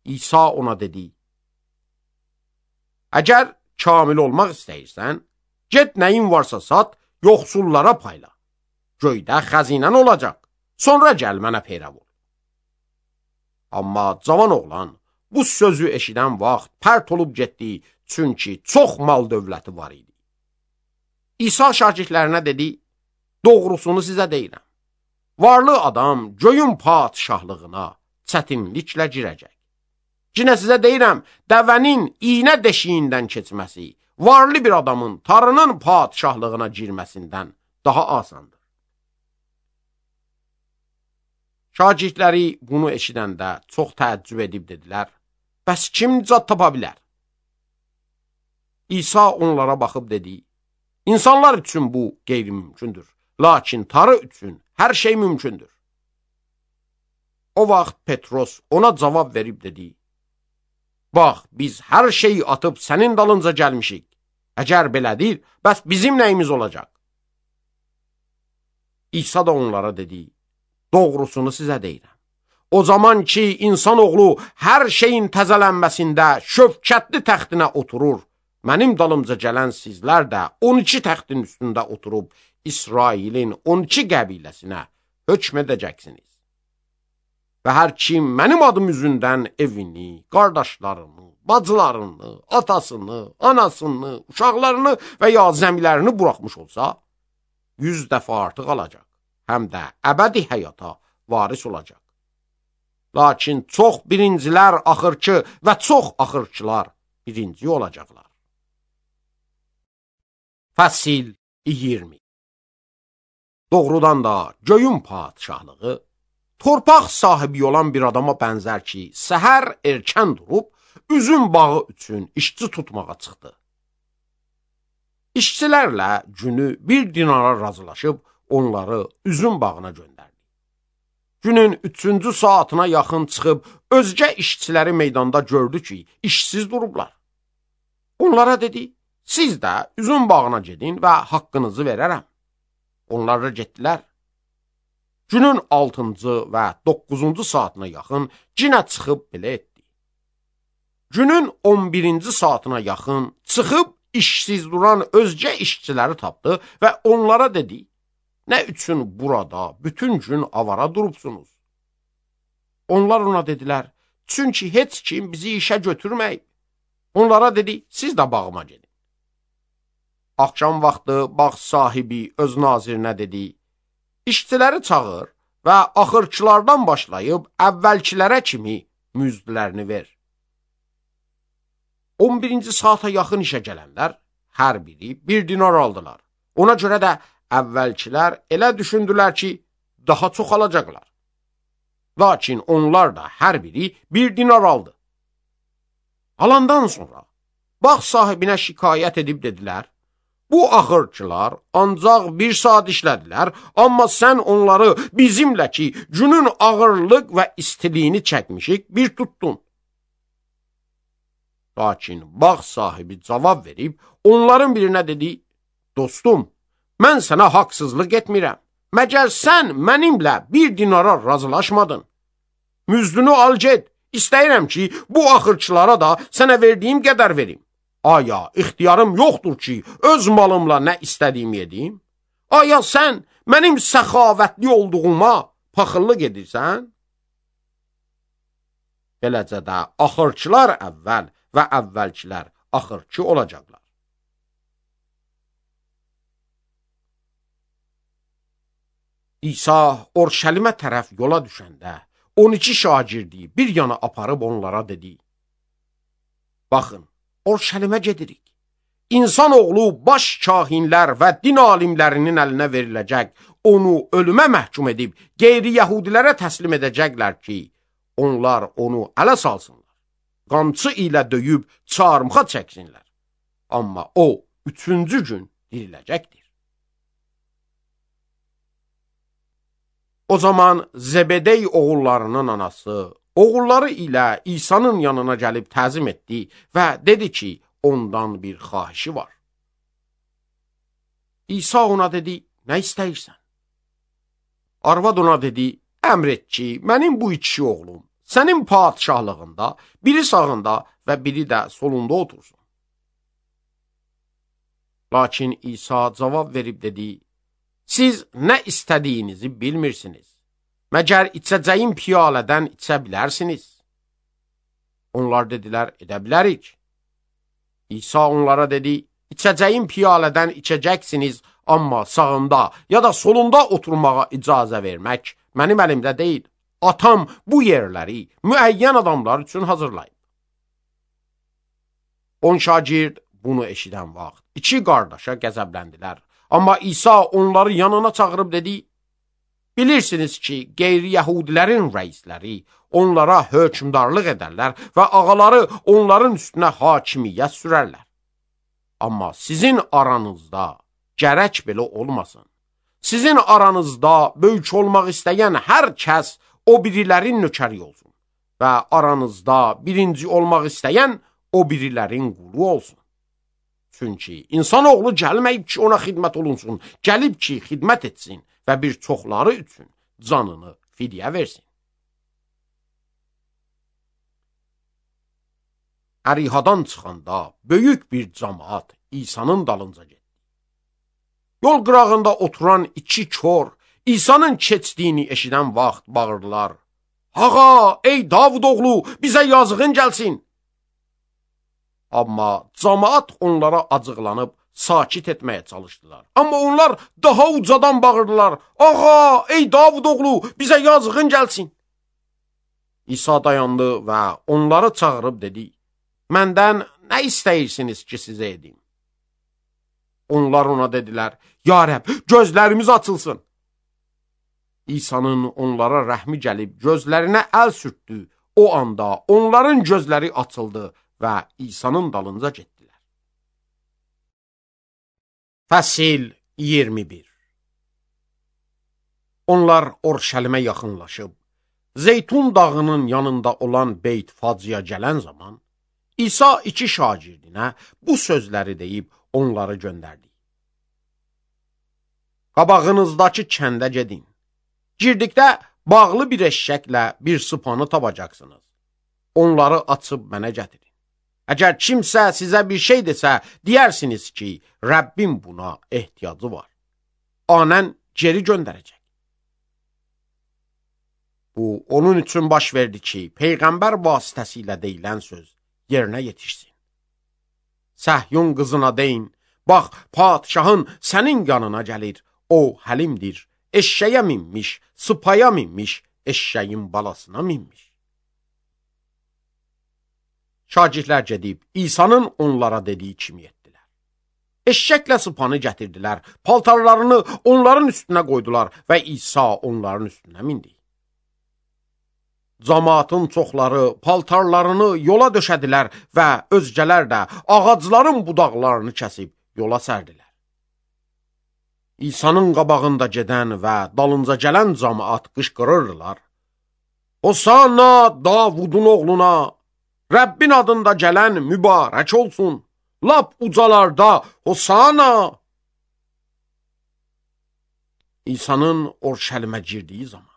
İsa ona dedi, əgər kamil olmaq istəyirsən, get nəyin varsa sat, yoxsullara payla. Göydə xəzinən olacaq, sonra gəl mənə peyrav ol. Amma cavan oğlan bu sözü eşidən vaxt pərt olub getdi, çünki çox mal dövləti var idi. İsa şagirdlərinə dedi, doğrusunu sizə deyirəm. Varlı adam göyün padşahlığına çətinliklə girəcək. Yenə sizə deyirəm, dəvənin iynə deşiyindən keçməsi, varlı bir adamın tarının padşahlığına girməsindən daha asandır. Şagirdləri bunu eşidəndə çox təəccüb edib dedilər, bəs kim nicat tapa bilər? İsa onlara baxıb dedi, insanlar üçün bu qeyri-mümkündür, lakin tarı üçün hər şey mümkündür. O vaxt Petros ona cavab verib dedi, bax, biz hər şeyi atıb sənin dalınca gəlmişik. Əgər belədir, bəs bizim nəyimiz olacaq? İsa da onlara dedi, doğrusunu sizə deyirəm. O zaman ki, insanoğlu hər şeyin təzələnməsində şövkətli təxtinə oturur, mənim dalımca gələn sizlər də 12 təxtin üstündə oturub İsrailin 12 qəbiləsinə hökm edəcəksiniz. Və hər kim mənim adım üzündən evini, qardaşlarını, bacılarını, atasını, anasını, uşaqlarını və ya zəmilərini buraxmış olsa, 100 dəfə artıq alacaq, həm də əbədi həyata varis olacaq. Lakin çox birincilər axırçı və çox axırçılar birinci olacaqlar. Fəsil 20. Doğrudan da göyün padşahlığı torpaq sahibi olan bir adama bənzər ki, səhər erkən durub, üzüm bağı üçün işçi tutmağa çıxdı. İşçilərlə günü 1 dinara razılaşıb, onları üzüm bağına göndərdi. Günün 3-cü saatına yaxın çıxıb, özgə işçiləri meydanda gördü ki, işsiz durublar. Onlara dedi, siz də üzüm bağına gedin və haqqınızı verərəm. Onlar da getdilər. Günün 6-cı və 9-cu saatına yaxın yenə çıxıb belə etdi. Günün 11-ci saatına yaxın çıxıb işsiz duran özgə işçiləri tapdı və onlara dedi, nə üçün burada bütün gün avara durubsunuz? Onlar ona dedilər, çünki heç kim bizi işə götürməyib. Onlara dedi, siz də bağıma gedin. Axşam vaxtı bağ sahibi öz nazirinə dedi, işçiləri çağır və axırçılardan başlayıb əvvəlkilərə kimi müzdlərini ver. 11-ci saata yaxın işə gələnlər hər biri 1 dinar aldılar. Ona görə də əvvəlkilər elə düşündülər ki, daha çox alacaqlar. Lakin onlar da hər biri 1 dinar aldı. Alandan sonra bağ sahibinə şikayət edib dedilər, bu axırçılar ancaq 1 saat işlədilər, amma sən onları bizimlə ki, günün ağırlıq və istiliyini çəkmişik, bir tutdun. Lakin bağ sahibi cavab verib, onların birinə dedi, dostum, mən sənə haqsızlıq etmirəm. Məgər sən mənimlə 1 dinara razılaşmadın. Müzdünü al get, istəyirəm ki, bu axırçılara da sənə verdiyim qədər verim. Aya, ixtiyarım yoxdur ki, öz malımla nə istədiyimi edeyim? Aya, sən mənim səxavətli olduğuma paxıllıq edirsən? Beləcə də axırçılar əvvəl və əvvəlkilər axırçı olacaqlar. İsa Orşəlimə tərəf yola düşəndə 12 şagirdi bir yana aparıb onlara dedi, baxın, Orşəlimə gedirik. İnsan oğlu baş kahinlər və din alimlərinin əlinə veriləcək, onu ölümə məhkum edib, qeyri-yəhudilərə təslim edəcəklər ki, onlar onu ələ salsınlar. Qamçı ilə döyüb çarmıxa çəksinlər. Amma o 3-cü gün diriləcəkdir. O zaman Zebedey oğullarının anası oğulları ilə İsa'nın yanına gəlib təzim etdi və dedi ki, ondan bir xahişi var. İsa ona dedi, nə istəyirsən? Arvad ona dedi, əmr et ki, mənim bu 2 oğlum sənin padişahlığında biri sağında və biri də solunda otursun. Lakin İsa cavab verib dedi, siz nə istədiyinizi bilmirsiniz. Məgər içəcəyim piyalədən içə bilərsiniz? Onlar dedilər, edə bilərik. İsa onlara dedi, içəcəyim piyalədən içəcəksiniz, amma sağında ya da solunda oturmağa icazə vermək mənim əlimdə deyil. Atam bu yerləri müəyyən adamlar üçün hazırlayıb. 10 şagird bunu eşidən vaxt 2 qardaşa qəzəbləndilər. Amma İsa onları yanına çağırıb dedi, bilirsiniz ki, qeyri-yəhudilərin rəisləri onlara hökmdarlıq edərlər və ağaları onların üstünə hakimiyyət sürərlər. Amma sizin aranızda gərək belə olmasın. Sizin aranızda böyük olmaq istəyən hər kəs o birilərin nökəri olsun və aranızda birinci olmaq istəyən o birilərin qulu olsun. Çünki insanoğlu gəlməyib ki, ona xidmət olunsun, gəlib ki, xidmət etsin və bir çoxları üçün canını fidyə versin. Ərihadan çıxanda böyük bir cəmaət İsa'nın dalınca getdi. Yol qırağında oturan 2 kör İsa'nın keçdiyini eşidən vaxt bağırdılar. Ağa, ey Davud oğlu, bizə yazığın gəlsin. Amma cəmaət onlara acıqlanıb sakit etməyə çalışdılar. Amma onlar daha ucadan bağırdılar. Ağa, ey Davud oğlu, bizə yazığın gəlsin. İsa dayandı və onları çağırıb dedi, məndən nə istəyirsiniz ki, sizə edim? Onlar ona dedilər, ya Rəbb, gözlərimiz açılsın. İsa'nın onlara rəhmi gəlib gözlərinə əl sürtdü. O anda onların gözləri açıldı və İsa'nın dalınca getdilər. Fəsil 21. Onlar Orşəlimə yaxınlaşıb, Zeytun dağının yanında olan Beyt Facıya gələn zaman, İsa 2 şagirdinə bu sözləri deyib onları göndərdi. Qabağınızdakı kəndə gedin. Girdikdə bağlı bir eşşəklə bir sıpanı tapacaqsınız. Onları açıb mənə gətirin. Əgər kimsə sizə bir şey desə, deyərsiniz ki, Rəbbim buna ehtiyacı var. Anən geri göndərəcək. Bu, onun üçün baş verdi ki, Peyğəmbər vasitəsilə deyilən söz yerinə yetişsin. Səhyun qızına deyin, bax, padişahın sənin yanına gəlir, o həlimdir, eşşəyə minmiş, sıpaya minmiş, eşşəyin balasına minmiş. Şagirdlər gedib, İsa'nın onlara dediyi kimi etdilər. Eşşəklə sıpanı gətirdilər, paltarlarını onların üstünə qoydular və İsa onların üstünə mindi. Camaatın çoxları paltarlarını yola döşədilər və özgələr də ağacların budaqlarını kəsib yola sərdilər. İsa'nın qabağında gedən və dalınca gələn camaat qışqırırdılar. Hosanna Davudun oğluna, Rəbbin adında gələn mübarək olsun, lap ucalarda Hosanna. İsa'nın Orşəlimə girdiyi zaman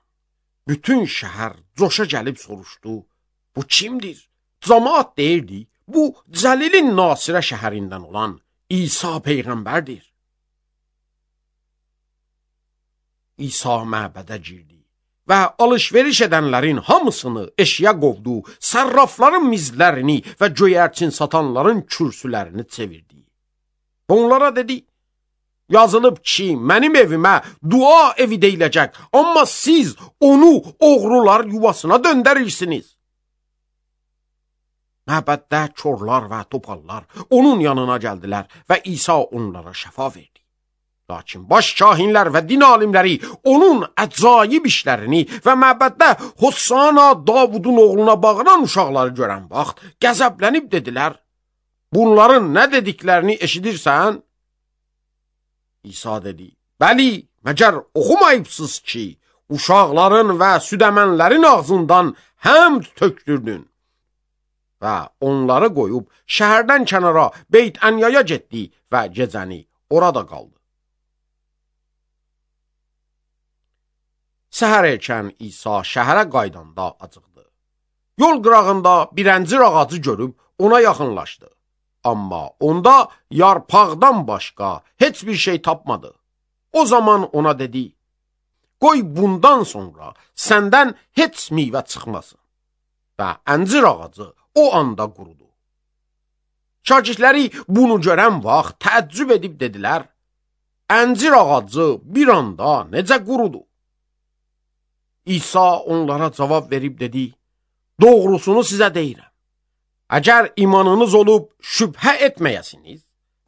bütün şəhər coşa gəlib soruşdu, bu kimdir? Camaat deyirdi, bu Cəlilin Nasirə şəhərindən olan İsa Peyğəmbərdir. İsa məbədə girdi və alış-veriş edənlərin hamısını eşiyə qovdu, sərrafların mizlərini və göyərçin satanların kürsülərini çevirdi. Onlara dedi, yazılıb ki, mənim evimə dua evi deyiləcək, amma siz onu oğrular yuvasına döndərirsiniz. Məbəddə körlər və topallar onun yanına gəldilər və İsa onlara şəfa verdi. Lakin baş kahinlər və din alimləri onun əcaib işlərini və məbəddə Hosanna Davudun oğluna bağıran uşaqları görən vaxt qəzəblənib dedilər, bunların nə dediklərini eşidirsən? İsa dedi, bəli, məgər oxumayıbsınız ki, uşaqların və südəmənlərin ağzından həmd tökdürdün. Və onları qoyub şəhərdən kənara Beyt-Ənyaya getdi və gecəni orada qaldı. Səhər erkən İsa şəhərə qaydanda acıqdı. Yol qırağında bir əncir ağacı görüb ona yaxınlaşdı. Amma onda yarpaqdan başqa heç bir şey tapmadı. O zaman ona dedi, qoy bundan sonra səndən heç meyvə çıxmasın. Və əncir ağacı o anda qurudu. Şagirdləri bunu görən vaxt təəccüb edib dedilər, əncir ağacı bir anda necə qurudu? İsa onlara cavab verib dedi, doğrusunu sizə deyirəm. Əgər imanınız olub şübhə etməyəsiniz,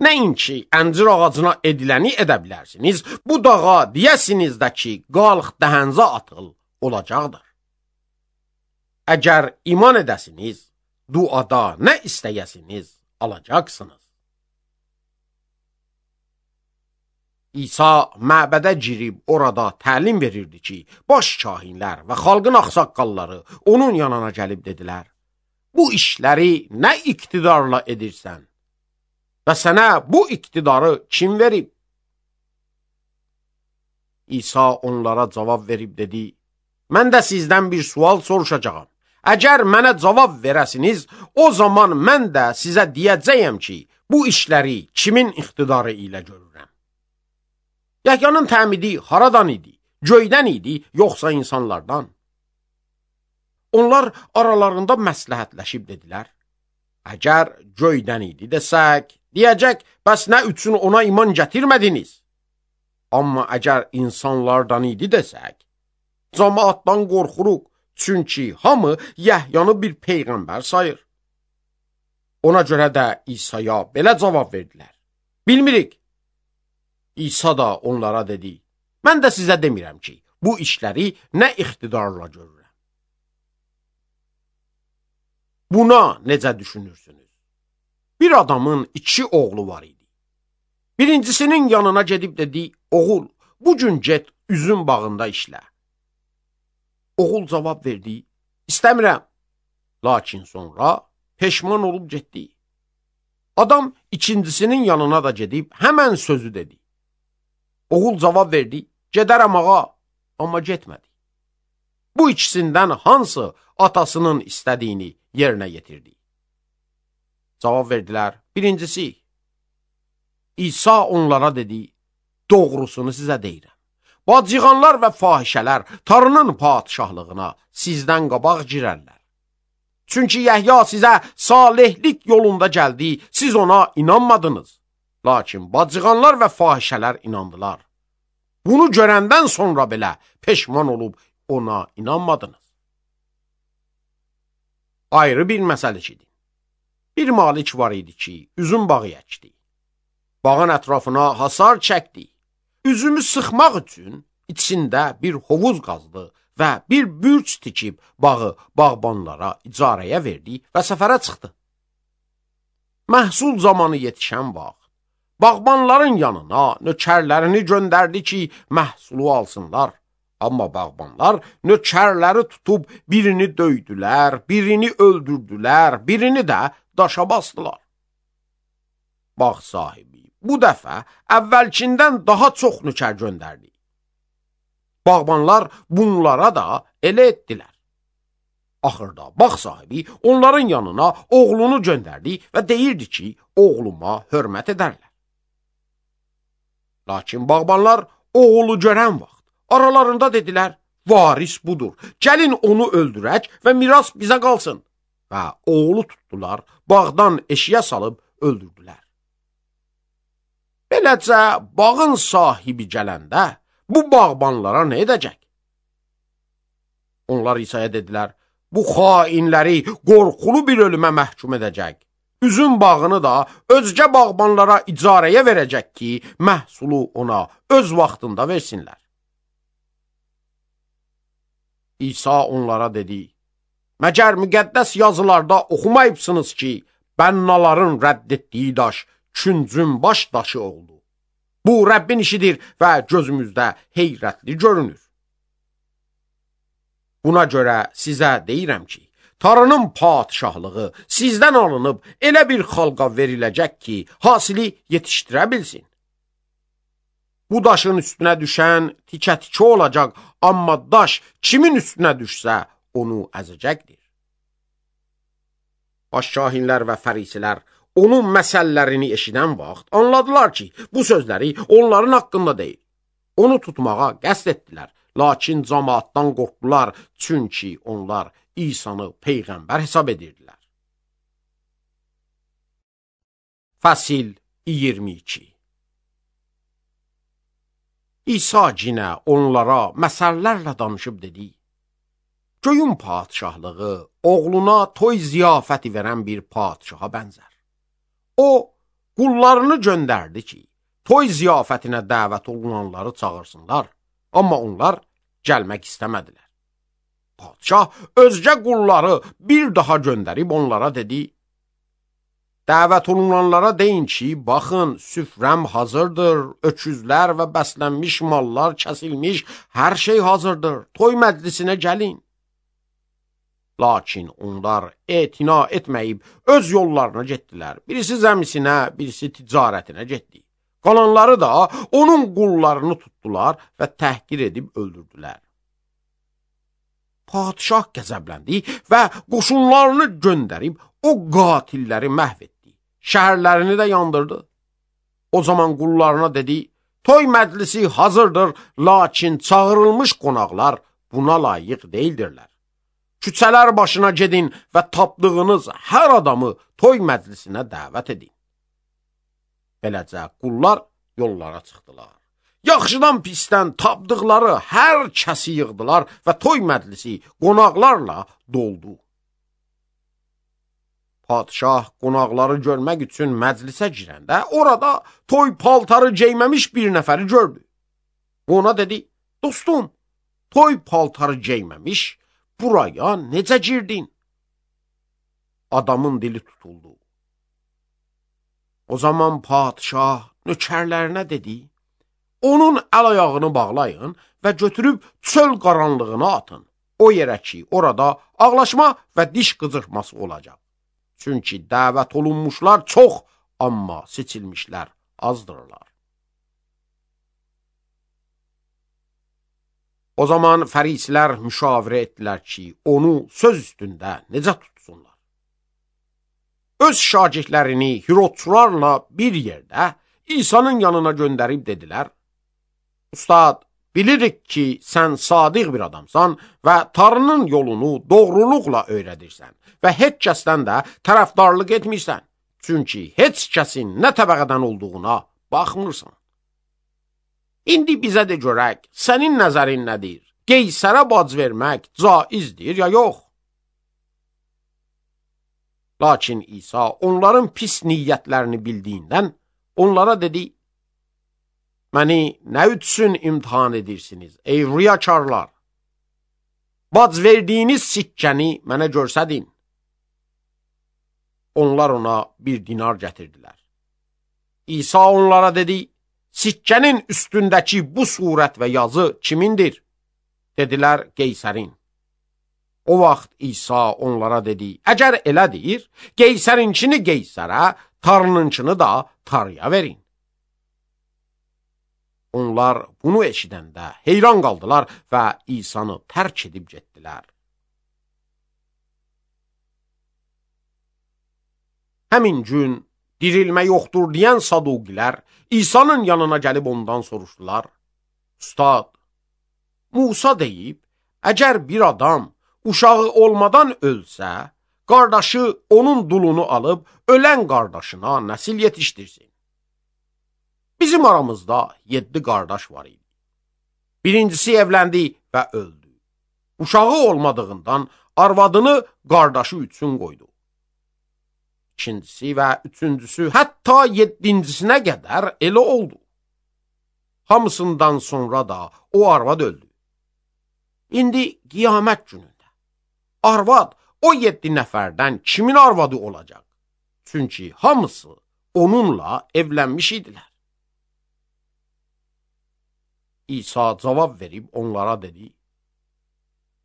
nəinki əncir ağacına ediləni edə bilərsiniz, bu dağa deyəsiniz də ki, qalx dəhənzə atıl, olacaqdır. Əgər iman edəsiniz, duada nə istəyəsiniz, alacaqsınız. İsa məbədə girib orada təlim verirdi ki, baş kahinlər və xalqın ağsaqqalları onun yanına gəlib dedilər, bu işləri nə iqtidarla edirsən və sənə bu iqtidarı kim verib? İsa onlara cavab verib dedi, mən də sizdən bir sual soruşacağam. Əgər mənə cavab verəsiniz, o zaman mən də sizə deyəcəyəm ki, bu işləri kimin iqtidarı ilə görürəm? Yəhyanın təmidi haradan idi? Göydən idi, yoxsa insanlardan? Onlar aralarında məsləhətləşib dedilər, əgər göydən idi desək, deyəcək, bəs nə üçün ona iman gətirmədiniz? Amma əgər insanlardan idi desək, cəmaatdan qorxuruq, çünki hamı Yəhyanı bir peyğəmbər sayır. Ona görə də İsa'ya belə cavab verdilər, bilmirik. İsa da onlara dedi, mən də sizə demirəm ki, bu işləri nə iqtidarla görürəm. Buna necə düşünürsünüz? Bir adamın 2 oğlu var idi. Birincisinin yanına gedib dedi, oğul, bugün get üzüm bağında işlə. Oğul cavab verdi, istəmirəm. Lakin sonra peşman olub getdi. Adam ikincisinin yanına da gedib həmən sözü dedi. Oğul cavab verdi, gedərəm ağa, amma getmədi. Bu ikisindən hansı atasının istədiyini yerinə yetirdi? Cavab verdilər. Birincisi, İsa onlara dedi, doğrusunu sizə deyirəm. Bacıqanlar və fahişələr Tanrının padişahlığına sizdən qabaq girərlər. Çünki Yəhya sizə salihlik yolunda gəldi, siz ona inanmadınız. Lakin bacıqanlar və fahişələr inandılar. Bunu görəndən sonra belə peşman olub ona inanmadınız. Ayrı bir məsələçidir. Bir malik var idi ki, üzüm bağı əkdi. Bağın ətrafına hasar çəkdi. Üzümü sıxmaq üçün içində bir hovuz qazdı və bir bürc tikib bağı bağbanlara icarəyə verdi və səfərə çıxdı. Məhsul zamanı yetişən vaxt, bağbanların yanına nökərlərini göndərdi ki, məhsulu alsınlar. Amma bağbanlar nökərləri tutub birini döydülər, birini öldürdülər, birini də daşa basdılar. Bağ sahibi bu dəfə əvvəlkindən daha çox nökər göndərdi. Bağbanlar bunlara da elə etdilər. Axırda bağ sahibi onların yanına oğlunu göndərdi və deyirdi ki, oğluma hörmət edərlər. Lakin bağbanlar oğlu görən vaxt aralarında dedilər, varis budur, gəlin onu öldürək və miras bizə qalsın. Və oğlu tutdular, bağdan eşiyə salıb öldürdülər. Beləcə, bağın sahibi gələndə, bu bağbanlara nə edəcək? Onlar İsa'ya dedilər, bu xainləri qorxulu bir ölümə məhkum edəcək. Üzüm bağını da özgə bağbanlara icarəyə verəcək ki, məhsulu ona öz vaxtında versinlər. İsa onlara dedi, məgər müqəddəs yazılarda oxumayıbsınız ki, bənnaların rədd etdiyi daş küncün baş daşı oldu. Bu Rəbbin işidir və gözümüzdə heyrətli görünür. Buna görə sizə deyirəm ki, Tanrının padişahlığı sizdən alınıb elə bir xalqa veriləcək ki, hasili yetişdirə bilsin. Bu daşın üstünə düşən tikə-tikə olacaq, amma daş kimin üstünə düşsə, onu əzəcəkdir. Başkahinlər və fərisilər onun məsəllərini eşidən vaxt anladılar ki, bu sözləri onların haqqında deyil. Onu tutmağa qəsd etdilər, lakin cəmaatdan qorxdular, çünki onlar İsa'nı peyğəmbər hesab edirdilər. Fəsil 22. İsa cinə onlara məsəllərlə danışıb dedi, göyün padişahlığı oğluna toy ziyafəti verən bir padişaha bənzər. O, qullarını göndərdi ki, toy ziyafətinə dəvət olunanları çağırsınlar, amma onlar gəlmək istəmədilər. Padişah özgə qulları bir daha göndərib onlara dedi, dəvət olunanlara deyin ki, baxın, süfrəm hazırdır, öküzlər və bəslənmiş mallar kəsilmiş, hər şey hazırdır, toy məclisinə gəlin. Lakin onlar etina etməyib öz yollarına getdilər. Birisi zəmisinə, birisi ticarətinə getdi. Qalanları da onun qullarını tutdular və təhqir edib öldürdülər. Padişah qəzəbləndi və qoşunlarını göndərib o qatilləri məhv etdi. Şəhərlərini də yandırdı. O zaman qullarına dedi, toy məclisi hazırdır, lakin çağırılmış qonaqlar buna layiq deyildirlər. Küçələr başına gedin və tapdığınız hər adamı toy məclisinə dəvət edin. Beləcə qullar yollara çıxdılar. Yaxşıdan pisdən tapdıqları hər kəsi yığdılar və toy məclisi qonaqlarla doldu. Padişah qonaqları görmək üçün məclisə girəndə orada toy paltarı geyməmiş bir nəfəri gördü. Ona dedi, dostum, toy paltarı geyməmiş buraya necə girdin? Adamın dili tutuldu. O zaman padişah nökərlərinə dedi, onun əl-ayağını bağlayın və götürüb çöl qaranlığına atın. O yerə ki, orada ağlaşma və diş qıcırması olacaq. Çünki dəvət olunmuşlar çox, amma seçilmişlər azdırlar. O zaman fərisilər müşavirə etdilər ki, onu söz üstündə necə tutsunlar. öz şagirdlərini Hirodçularla bir yerdə İsa'nın yanına göndərib dedilər: Ustad, bilirik ki, sən sadiq bir adamsan və Tanrının yolunu doğruluqla öyrədirsən və heç kəsdən də tərəfdarlıq etmirsən. Çünki heç kəsin nə təbəqədən olduğuna baxmırsan. İndi bizə də görək, sənin nəzərin nədir? Qeysərə bac vermək caizdir ya yox? Lakin İsa onların pis niyyətlərini bildiyindən onlara dedi: Məni nə üçün imtihan edirsiniz, ey riyakarlar? Bac verdiyiniz sikkəni mənə görsədin. Onlar ona bir dinar gətirdilər. İsa onlara dedi: Sikkənin üstündəki bu surət və yazı kimindir? Dedilər: Qeysərin. O vaxt İsa onlara dedi: Əgər elədir, Qeysərinkini Qeysərə, Tanrınınkini da Tanrıya verin. Onlar bunu eşidəndə heyran qaldılar və İsa'nı tərk edib getdilər. Həmin gün dirilmə yoxdur deyən Saduqilər İsa'nın yanına gəlib ondan soruşdular: Ustad, Musa deyib, əgər bir adam uşağı olmadan ölsə, qardaşı onun dulunu alıb ölən qardaşına nəsil yetişdirsin. Bizim aramızda 7 qardaş var idi. Birincisi evləndi və öldü. Uşağı olmadığından arvadını qardaşı üçün qoydu. İkincisi və üçüncüsü, hətta 7-cisinə qədər elə oldu. Hamısından sonra da o arvad öldü. İndi qiyamət günündə arvad o 7 nəfərdən kimin arvadı olacaq? Çünki hamısı onunla evlənmiş idilər. İsa cavab verib onlara dedi: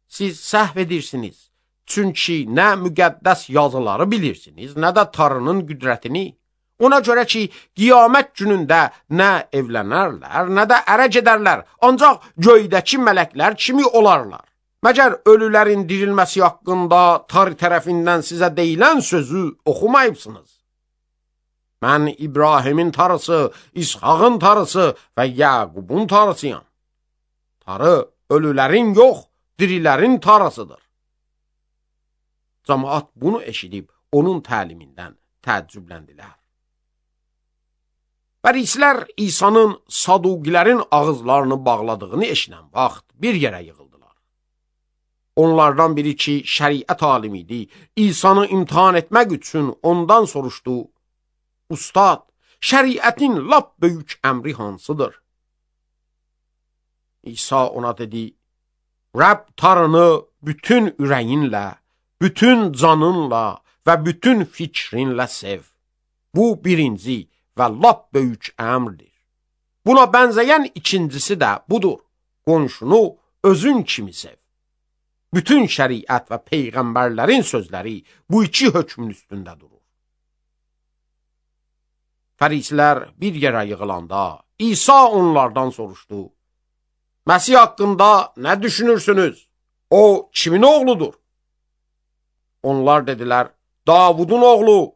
Siz səhv edirsiniz. Çünki nə müqəddəs yazıları bilirsiniz, nə də Tanrının qüdrətini. Ona görə ki, qiyamət günündə nə evlənərlər, nə də ərə gedərlər, ancaq göydəki mələklər kimi olarlar. Məgər ölülərin dirilməsi haqqında Tanrı tərəfindən sizə deyilən sözü oxumayıbsınız? Mən İbrahimin Tanrısı, İshağın Tanrısı və Yaqubun Tanrısıyam. Tanrı ölülərin yox, dirilərin Tanrısıdır. Cəmaət bunu eşidib onun təlimindən təəccübləndilər. Fərisilər İsa'nın Saduqilərin ağızlarını bağladığını eşidən vaxt bir yerə yığıldılar. Onlardan biri ki, şəriət alimi idi, İsa'nı imtihan etmək üçün ondan soruşdu: Ustad, şəriətin lap böyük əmri hansıdır? İsa ona dedi: Rəbb Tanrını bütün ürəyinlə, bütün canınla və bütün fikrinlə sev. Bu birinci və lap böyük əmrdir. Buna bənzəyən ikincisi də budur: qonşunu özün kimi sev. Bütün şəriət və peyğəmbərlərin sözləri bu iki hökmün üstündə durur. Fərisilər bir yerə yığılanda İsa onlardan soruşdu: Məsih haqqında nə düşünürsünüz? O kimin oğludur? Onlar dedilər: Davudun oğlu.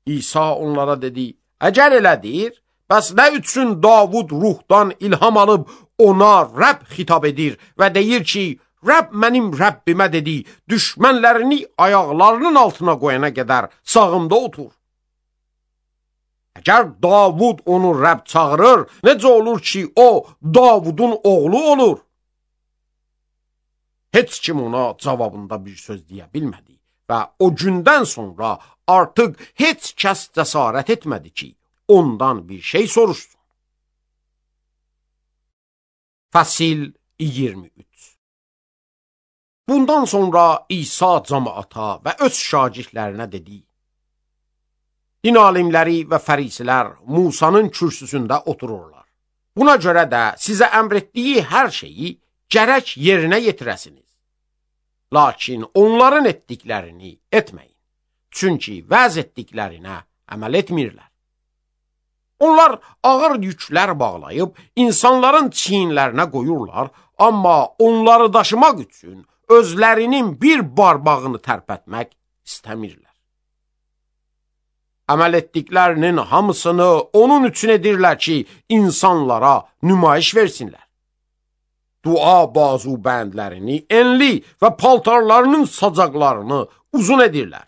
İsa onlara dedi: Əgər elədir, bəs nə üçün Davud ruhdan ilham alıb ona Rəbb xitab edir və deyir ki, Rəbb mənim Rəbbimə dedi, düşmənlərini ayaqlarının altına qoyana qədər sağımda otur. Əgər Davud onu Rəbb çağırır, necə olur ki, o Davudun oğlu olur? Heç kim ona cavabında bir söz deyə bilmədi və o gündən sonra artıq heç kəs cəsarət etmədi ki, ondan bir şey soruşsun. Fəsil 23. Bundan sonra İsa cəmaata və öz şagirdlərinə dedi: Din alimləri və fərisilər Musanın kürsüsündə otururlar. Buna görə də sizə əmr etdiyi hər şeyi gərək yerinə yetirəsiniz. Lakin onların etdiklərini etməyin. Çünki vəz etdiklərinə əməl etmirlər. Onlar ağır yüklər bağlayıb insanların çiyinlərinə qoyurlar, amma onları daşımaq üçün özlərinin bir barbağını tərpətmək istəmirlər. Əməl etdiklərinin hamısını onun üçün edirlər ki, insanlara nümayiş versinlər. Dua bazu bəndlərini enli və paltarlarının sacaqlarını uzun edirlər.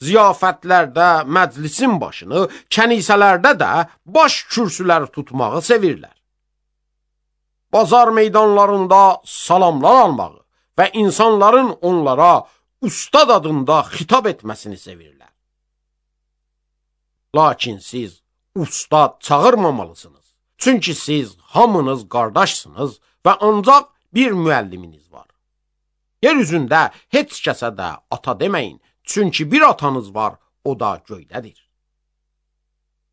Ziyafətlərdə məclisin başını, kənisələrdə də baş kürsüləri tutmağı sevirlər. Bazar meydanlarında salamlar almağı və insanların onlara ustad adında xitab etməsini sevirlər. Lakin siz ustad çağırmamalısınız. Çünki siz hamınız qardaşsınız və ancaq bir müəlliminiz var. Yer üzündə heç kəsə də ata deməyin, çünki bir atanız var, o da göydədir.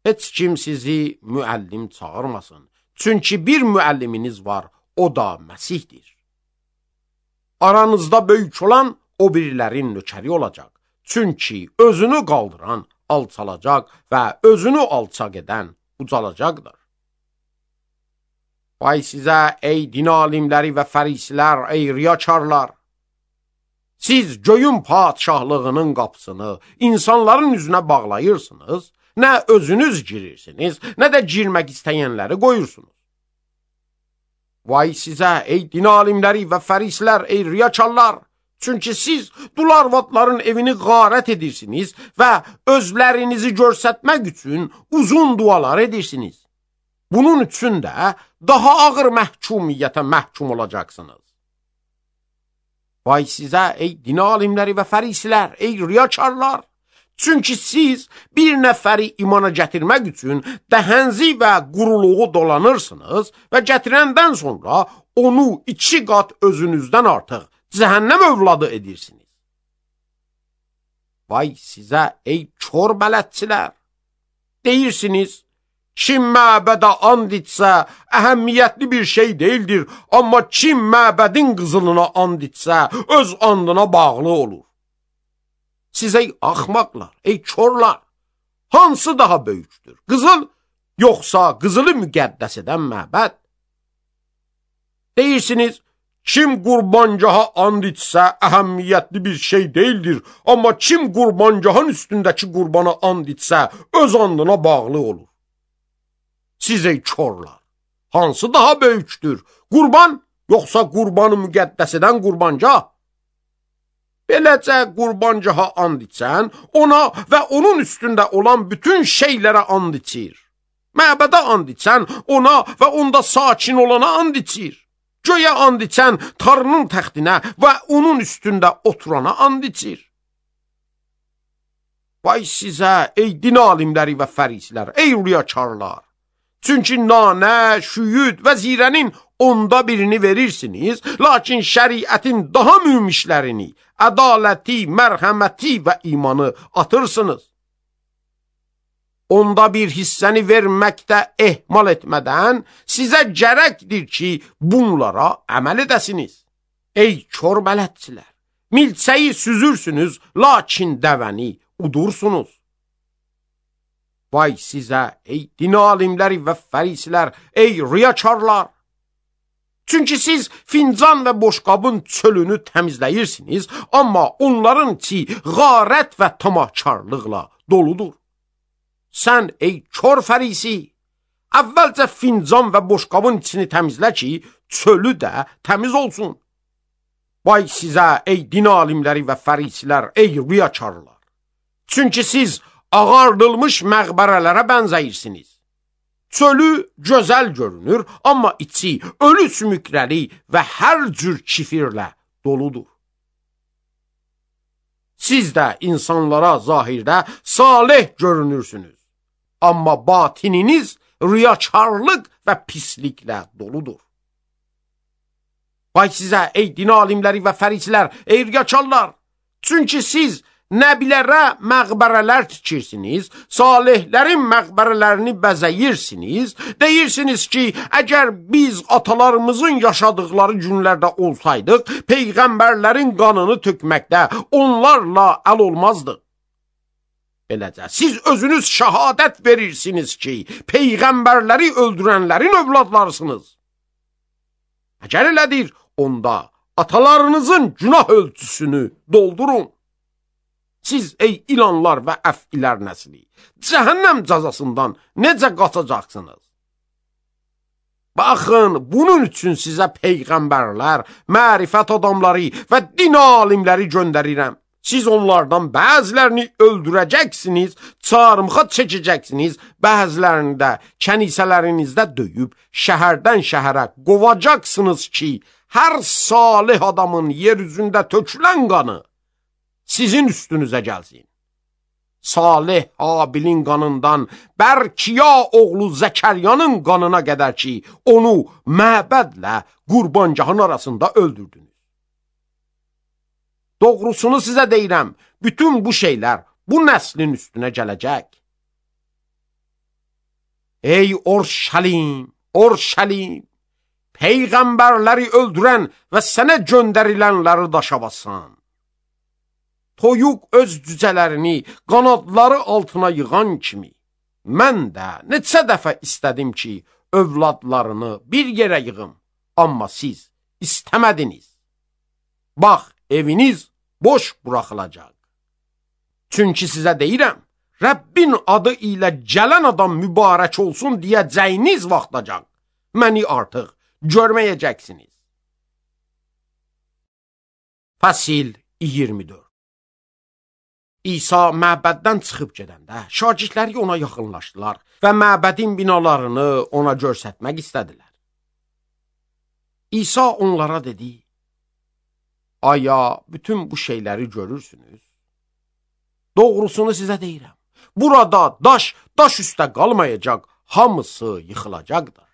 Heç kim sizi müəllim çağırmasın, çünki bir müəlliminiz var, o da Məsihdir. Aranızda böyük olan o birilərin nökəri olacaq, çünki özünü qaldıran alçalacaq və özünü alçaq edən ucalacaqdır. Vay sizə ey din alimləri və fərisilər, ey riyakarlar! Siz göyün padişahlığının qapısını insanların üzünə bağlayırsınız, nə özünüz girirsiniz, nə də girmək istəyənləri qoyursunuz. Vay sizə ey din alimləri və fərisilər, ey riyakarlar! Çünki siz dul arvadların evini qarət edirsiniz və özlərinizi görsətmək üçün uzun dualar edirsiniz. Bunun üçün də daha ağır məhkumiyyətə məhkum olacaqsınız. Vay sizə ey din alimləri və fərisilər, ey riyakarlar! Çünki siz bir nəfəri imana gətirmək üçün dəhənzi və quruluğu dolanırsınız və gətirəndən sonra onu 2 qat özünüzdən artıq cəhənnəm övladı edirsiniz. Vay sizə ey kör bələdçilər! Deyirsiniz, kim məbədə and içsə əhəmiyyətli bir şey deyildir, amma kim məbədin qızılına and içsə öz andına bağlı olur. Siz ey axmaqlar, ey körlar, hansı daha böyükdür? Qızıl, yoxsa qızılı müqəddəs edən məbəd? Deyirsiniz, kim qurbancaha and içsə əhəmiyyətli bir şey deyildir, amma kim qurbancahın üstündəki qurbana and içsə öz andına bağlı olur. Siz ey körlar, hansı daha böyükdür? Qurban, yoxsa qurbanı müqəddəs edən qurbancah? Beləcə qurbancaha and içən, ona və onun üstündə olan bütün şeylərə and içir. Məbədə and içən, ona və onda sakin olana and içir. Göyə and içən, Tanrının təxtinə və onun üstündə oturana and içir. Vay sizə, ey din alimləri və fərisilər, ey riyakarlar! Çünki nanə, şüyüd və zirənin 1/10 verirsiniz, lakin şəriətin daha mühüm ədaləti, mərhəməti və imanı atırsınız. 1/10 hissəni verməkdə ehmal etmədən sizə gərəkdir ki, bunlara əməl edəsiniz. Ey kör bələdçilər! Milçəyi süzürsünüz, lakin dəvəni udursunuz. Vay sizə, ey din alimləri və fərisilər, ey riyakarlar! Çünki siz fincan və boşqabın çölünü təmizləyirsiniz, amma onların içi qarət və tamahkarlıqla doludur. Sən, ey kör fərisi, əvvəlcə fincan və boşqabın içini təmizlə ki, çölü də təmiz olsun. Vay sizə, ey din alimləri və fərisilər, ey riyakarlar! Çünki siz ağardılmış məqbərələrə bənzəyirsiniz. Çölü gözəl görünür, amma içi ölü sümükləri və hər cür kifirlə doludur. Siz də insanlara zahirdə salih görünürsünüz, amma batininiz riyakarlıq və pisliklə doludur. Vay sizə, ey din alimləri və fərisilər, ey riyakarlar! Çünki siz nəbilərə məqbərələr tikirsiniz, salihlərin məqbərələrini bəzəyirsiniz, deyirsiniz ki, əgər biz atalarımızın yaşadıkları günlərdə olsaydıq, peyğəmbərlərin qanını tökməkdə onlarla əl olmazdıq. Beləcə, siz özünüz şəhadət verirsiniz ki, peyğəmbərləri öldürənlərin övladlarısınız. Əgər elədir, onda atalarınızın günah ölçüsünü doldurun. Siz ey ilanlar və əfilər nəsli, cəhənnəm cəzasından necə qaçacaqsınız? Baxın, bunun üçün sizə peyğəmbərlər, mərifət adamları və din alimləri göndərirəm. Siz onlardan bəzilərini öldürəcəksiniz, çarmıxa çəkəcəksiniz, bəzilərini də kənisələrinizdə döyüb, şəhərdən şəhərə qovacaqsınız ki, hər salih adamın yer üzündə tökülən qanı sizin üstünüzə gəlsin. Salih Habilin qanından Bərkiya oğlu Zəkəryanın qanına qədər ki, onu məbədlə qurbangahın arasında öldürdünüz. Doğrusunu sizə deyirəm, bütün bu şeylər bu nəslin üstünə gələcək. Ey Orşəlim, Orşəlim, peyğəmbərləri öldürən və sənə göndərilənləri daşa basan. Toyuq öz cücələrini qanadları altına yığan kimi, mən də neçə dəfə istədim ki, övladlarını bir yerə yığım, amma siz istəmədiniz. Bax, eviniz boş buraxılacaq. Çünki sizə deyirəm, Rəbbin adı ilə gələn adam mübarək olsun deyəcəyiniz vaxtacaq, məni artıq görməyəcəksiniz. Fəsil 24. İsa məbəddən çıxıb gedəndə şagirdləri ona yaxınlaşdılar və məbədin binalarını ona göstərmək istədilər. İsa onlara dedi, aya bütün bu şeyləri görürsünüz? Doğrusunu sizə deyirəm, burada daş üstə qalmayacaq, hamısı yıxılacaqdır.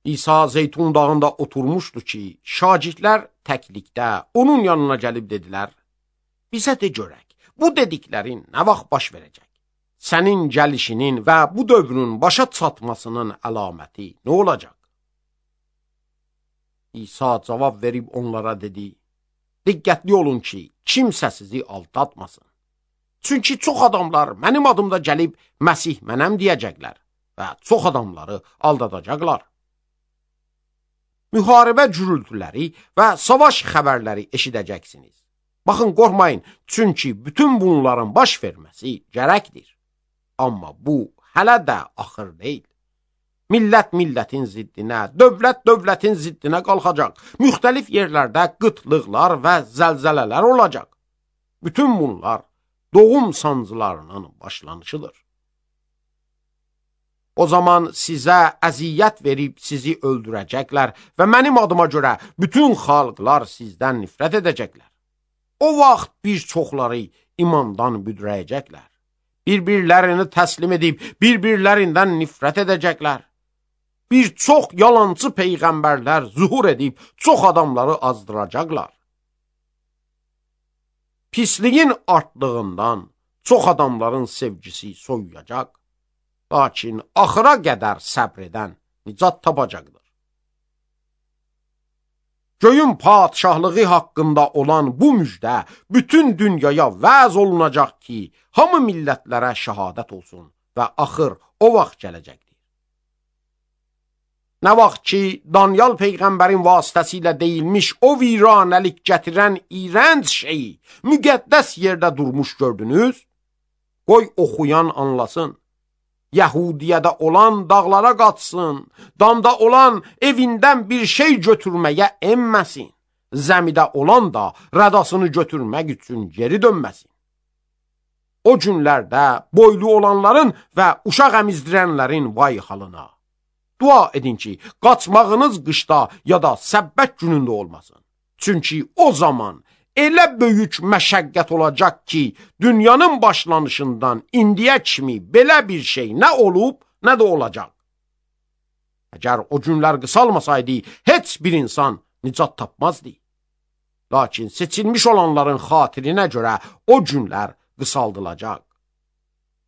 İsa Zeytun dağında oturmuşdu ki, şagirdlər təklikdə onun yanına gəlib dedilər, bizə de görək, bu dediklərin nə vaxt baş verəcək? Sənin gəlişinin və bu dövrün başa çatmasının əlaməti nə olacaq? İsa cavab verib onlara dedi, diqqətli olun ki, kimsə sizi aldatmasın. Çünki çox adamlar mənim adımda gəlib Məsih mənəm deyəcəklər və çox adamları aldadacaqlar. Müharibə gürültüləri və savaş xəbərləri eşidəcəksiniz. Baxın, qorxmayın, çünki bütün bunların baş verməsi gərəkdir. Amma bu hələ də axır deyil. Millət millətin ziddinə, dövlət dövlətin ziddinə qalxacaq. Müxtəlif yerlərdə qıtlıqlar və zəlzələlər olacaq. Bütün bunlar doğum sancılarının başlanışıdır. O zaman sizə əziyyət verib sizi öldürəcəklər və mənim adıma görə bütün xalqlar sizdən nifrət edəcəklər. O vaxt bir çoxları imandan büdrəyəcəklər. Bir-birlərini təslim edib, bir-birlərindən nifrət edəcəklər. Bir çox yalancı peyğəmbərlər zuhur edib, çox adamları azdıracaqlar. Pisliyin artdığından çox adamların sevgisi soyuyacaq. Lakin axıra qədər səbr edən nicat tapacaqdır. Göyün padişahlığı haqqında olan bu müjdə bütün dünyaya vəz olunacaq ki, hamı millətlərə şəhadət olsun və axır o vaxt gələcəkdir. Nə vaxt ki, Daniel peyğəmbərin vasitəsilə deyilmiş o viranəlik gətirən iyrənc şeyi müqəddəs yerdə durmuş gördünüz, qoy oxuyan anlasın. Yəhudiyədə olan dağlara qaçsın, damda olan evindən bir şey götürməyə enməsin, zəmidə olan da rədasını götürmək üçün geri dönməsin. O günlərdə boylu olanların və uşaq əmizdirənlərin vay halına. Dua edin ki, qaçmağınız qışda ya da səbbət günündə olmasın. Çünki o zaman elə böyük məşəqqət olacaq ki, dünyanın başlanışından indiyə kimi belə bir şey nə olub, nə də olacaq. Əgər o günlər qısalmasaydı, heç bir insan nicat tapmazdı. Lakin seçilmiş olanların xatirinə görə o günlər qısaldılacaq.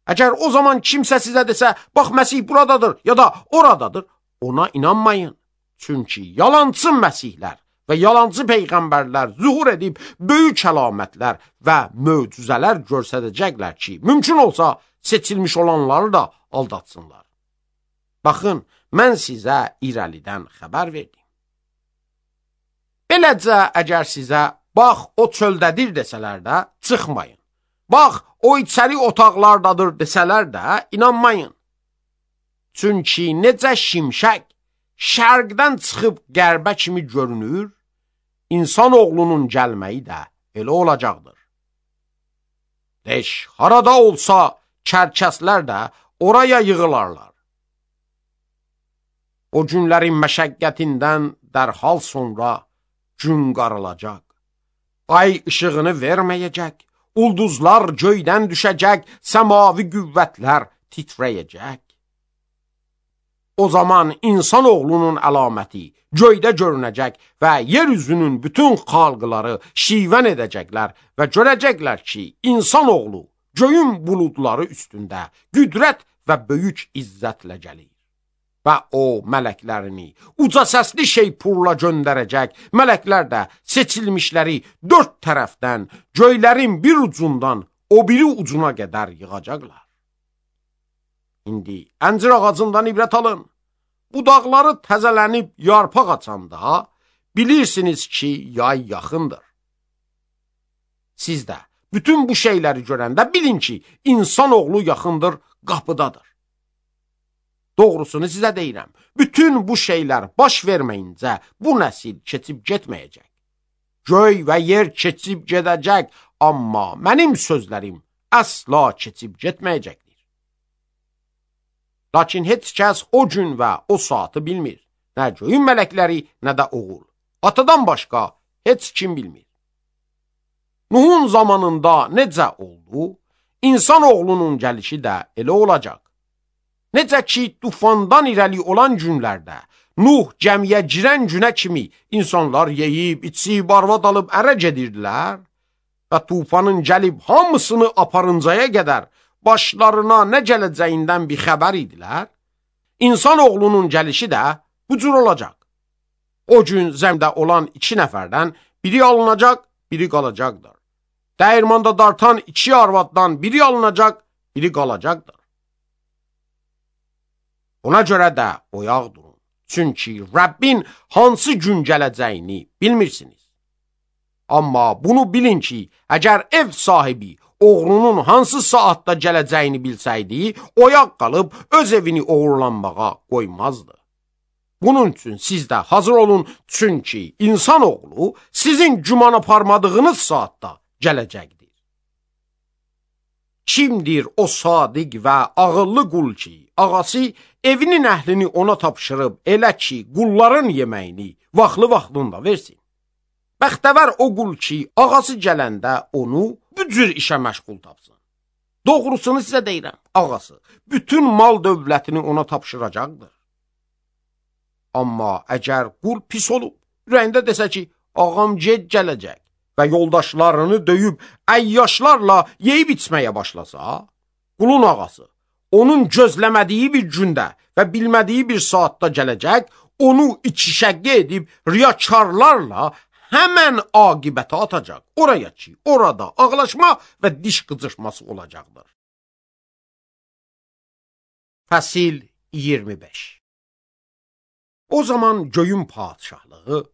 Əgər o zaman kimsə sizə desə, bax Məsih buradadır ya da oradadır, ona inanmayın. Çünki yalancı Məsihlər və yalancı peyğəmbərlər zuhur edib böyük əlamətlər və möcüzələr göstərəcəklər ki, mümkün olsa seçilmiş olanları da aldatsınlar. Baxın, mən sizə irəlidən xəbər verdim. Beləcə, əgər sizə bax, o çöldədir desələr də, çıxmayın. Bax, o içəri otaqlardadır desələr də, inanmayın. Çünki necə şimşək şərqdən çıxıb qərbə kimi görünür, insan oğlunun gəlməyi də elə olacaqdır. Leş, harada olsa, kərkəslər də oraya yığılarlar. O günlərin məşəqqətindən dərhal sonra gün qaralacaq. Ay işığını verməyəcək, ulduzlar göydən düşəcək, səmavi qüvvətlər titrəyəcək. O zaman insan oğlunun əlaməti göydə görünəcək və yeryüzünün bütün xalqları şivən edəcəklər və görəcəklər ki, insan oğlu göyün buludları üstündə qüdrət və böyük izzətlə gəlir. Və o mələklərini uca səsli şeypurla göndərəcək, mələklər də seçilmişləri dörd tərəfdən, göylərin bir ucundan o biri ucuna qədər yığacaqlar. İndi əncir ağacından ibrət alın. Budaqları təzələnib yarpaq açanda bilirsiniz ki, yay yaxındır. Siz də bütün bu şeyləri görəndə bilin ki, insan oğlu yaxındır, qapıdadır. Doğrusunu sizə deyirəm, bütün bu şeylər baş verməyincə bu nəsil keçib getməyəcək. Göy və yer keçib gedəcək, amma mənim sözlərim əsla keçib getməyəcəkdir. Lakin heç kəs o gün və o saatı bilmir. Nə göyün mələkləri, nə də oğul. Atadan başqa heç kim bilmir. Nuhun zamanında necə oldu, insan oğlunun gəlişi də elə olacaq. Necə ki, tufandan irəli olan günlərdə, Nuh gəmiyə girən günə kimi insanlar yeyib, içib, arvad alıb ərə gedirdilər və tufanın gəlib hamısını aparıncaya qədər başlarına nə gələcəyindən bir xəbər idilər, insan oğlunun gəlişi də bu cür olacaq. O gün zəmdə olan 2 nəfərdən biri alınacaq, biri qalacaqdır. Dəyirmanda dartan 2 arvaddan biri alınacaq, biri qalacaqdır. Ona görə də oyaq durun. Çünki Rəbbin hansı gün gələcəyini bilmirsiniz. Amma bunu bilin ki, əgər ev sahibi oğrunun hansı saatda gələcəyini bilsəydi, oyaq qalıb öz evini oğurlanmağa qoymazdı. Bunun üçün siz də hazır olun, çünki insan oğlu sizin güman aparmadığınız saatda gələcəkdir. Kimdir o sadiq və ağıllı qul ki, ağası evinin əhlini ona tapşırıb elə ki, qulların yeməyini vaxtlı-vaxtında versin? Bəxtəvər o qul ki, ağası gələndə onu bu cür işə məşğul tapsın. Doğrusunu sizə deyirəm, ağası bütün mal dövlətini ona tapşıracaqdır. Amma əgər qul pis olub, ürəyində desə ki, ağam gec gələcək və yoldaşlarını döyüb əyyaşlarla yeyib içməyə başlasa, qulun ağası onun gözləmədiyi bir gündə və bilmədiyi bir saatda gələcək, onu ikişəqqə edib riyakarlarla həmən aqibətə atacaq. Oraya ki, orada ağlaşma və diş qıcırması olacaqdır. Fəsil 25. O zaman göyün padişahlığı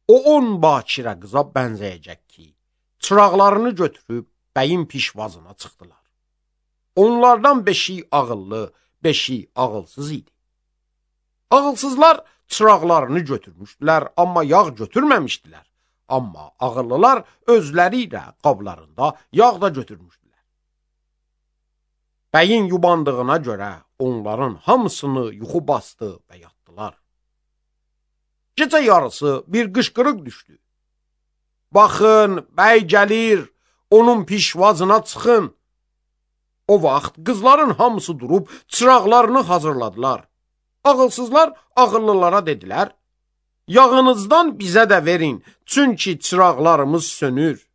o 10 bakirə qıza bənzəyəcək ki, çıraqlarını götürüb bəyin pişvazına çıxdılar. Onlardan 5'i ağıllı, 5'i ağılsız idi. Ağılsızlar çıraqlarını götürmüşdülər, amma yağ götürməmişdilər. Amma ağıllılar özləri ilə qablarında yağ da götürmüşdülər. Bəyin yubandığına görə onların hamısını yuxu bastı və yatdılar. Gecə yarısı bir qışqırıq düşdü. Baxın, bəy gəlir, onun pişvazına çıxın. O vaxt qızların hamısı durub çıraqlarını hazırladılar. Ağılsızlar ağıllılara dedilər, yağınızdan bizə də verin, çünki çıraqlarımız sönür.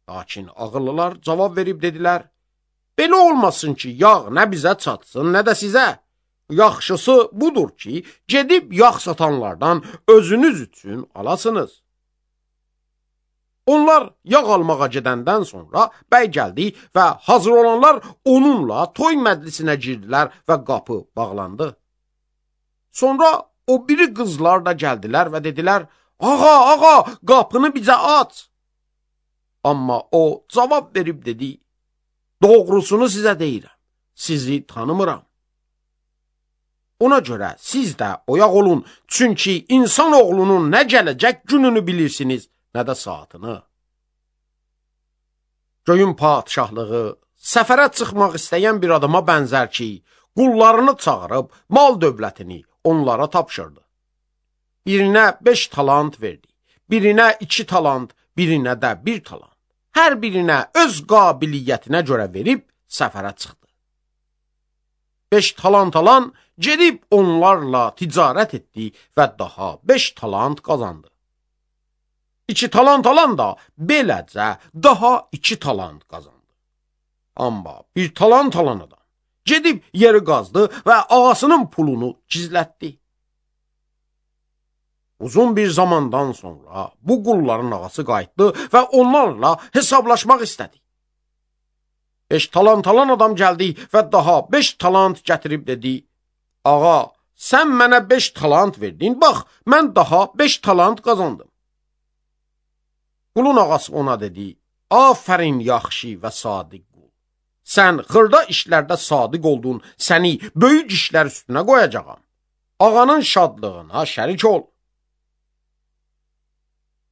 Lakin ağıllılar cavab verib dedilər, belə olmasın ki, yağ nə bizə çatsın, nə də sizə. Yaxşısı budur ki, gedib yağ satanlardan özünüz üçün alasınız. Onlar yağ almağa gedəndən sonra bəy gəldi və hazır olanlar onunla toy məclisinə girdilər və qapı bağlandı. Sonra o biri qızlar da gəldilər və dedilər, ağa, ağa, qapını bizə aç. Amma o cavab verib dedi, doğrusunu sizə deyirəm, sizi tanımıram. Ona görə siz də oyaq olun, çünki insan oğlunun nə gələcək gününü bilirsiniz, nə də saatını. Göyün padişahlığı səfərə çıxmaq istəyən bir adama bənzər ki, qullarını çağırıb mal dövlətini onlara tapşırdı. Birinə 5 talant verdi, birinə 2 talant, birinə də 1 talant. Hər birinə öz qabiliyyətinə görə verib səfərə çıxdı. 5 talant alan gedib onlarla ticarət etdi və daha 5 talant qazandı. 2 talant alan da beləcə daha 2 talant qazandı. Amma 1 talant alan adam gedib yeri qazdı və ağasının pulunu gizlətdi. Uzun bir zamandan sonra bu qulların ağası qayıtdı və onlarla hesablaşmaq istədi. 5 talant alan adam gəldi və daha 5 talant gətirib dedi, ağa, sən mənə 5 talant verdin, bax, mən daha 5 talant qazandım. Qulun ağası ona dedi, afərin yaxşı və sadiq qul. Sən xırda işlərdə sadiq oldun, səni böyük işlər üstünə qoyacağam. Ağanın şadlığına şərik ol.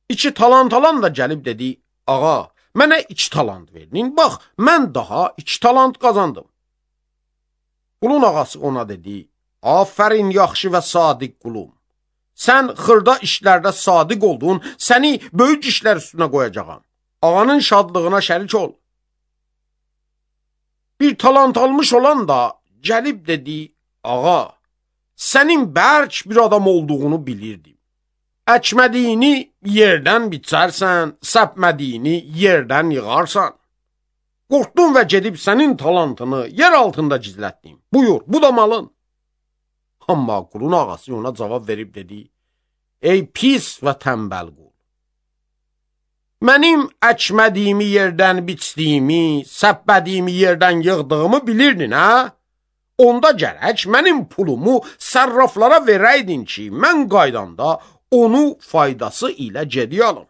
2 talant alan da gəlib dedi, ağa, mənə 2 talant verdin, bax, mən daha 2 talant qazandım. Qulun ağası ona dedi, afərin yaxşı və sadiq qulum. Sən xırda işlərdə sadiq oldun, səni böyük işlər üstünə qoyacağam. Ağanın şadlığına şərik ol. 1 talant almış olan da gəlib dedi, ağa, sənin bərk bir adam olduğunu bilirdim. Əkmədiyini yerdən biçərsən, səpmədiyini yerdən yığarsan. Qorxdum və gedib sənin talantını yer altında gizlətdim. Buyur, bu da malın. Amma qulun ağası ona cavab verib dedi, ey pis və tənbəl qul. Mənim əkmədiyimi yerdən biçdiyimi, səpmədiyimi yerdən yığdığımı bilirdin, hə? Onda gərək mənim pulumu sərraflara verəydin ki, mən qaydanda onu faydası ilə geriyə alın.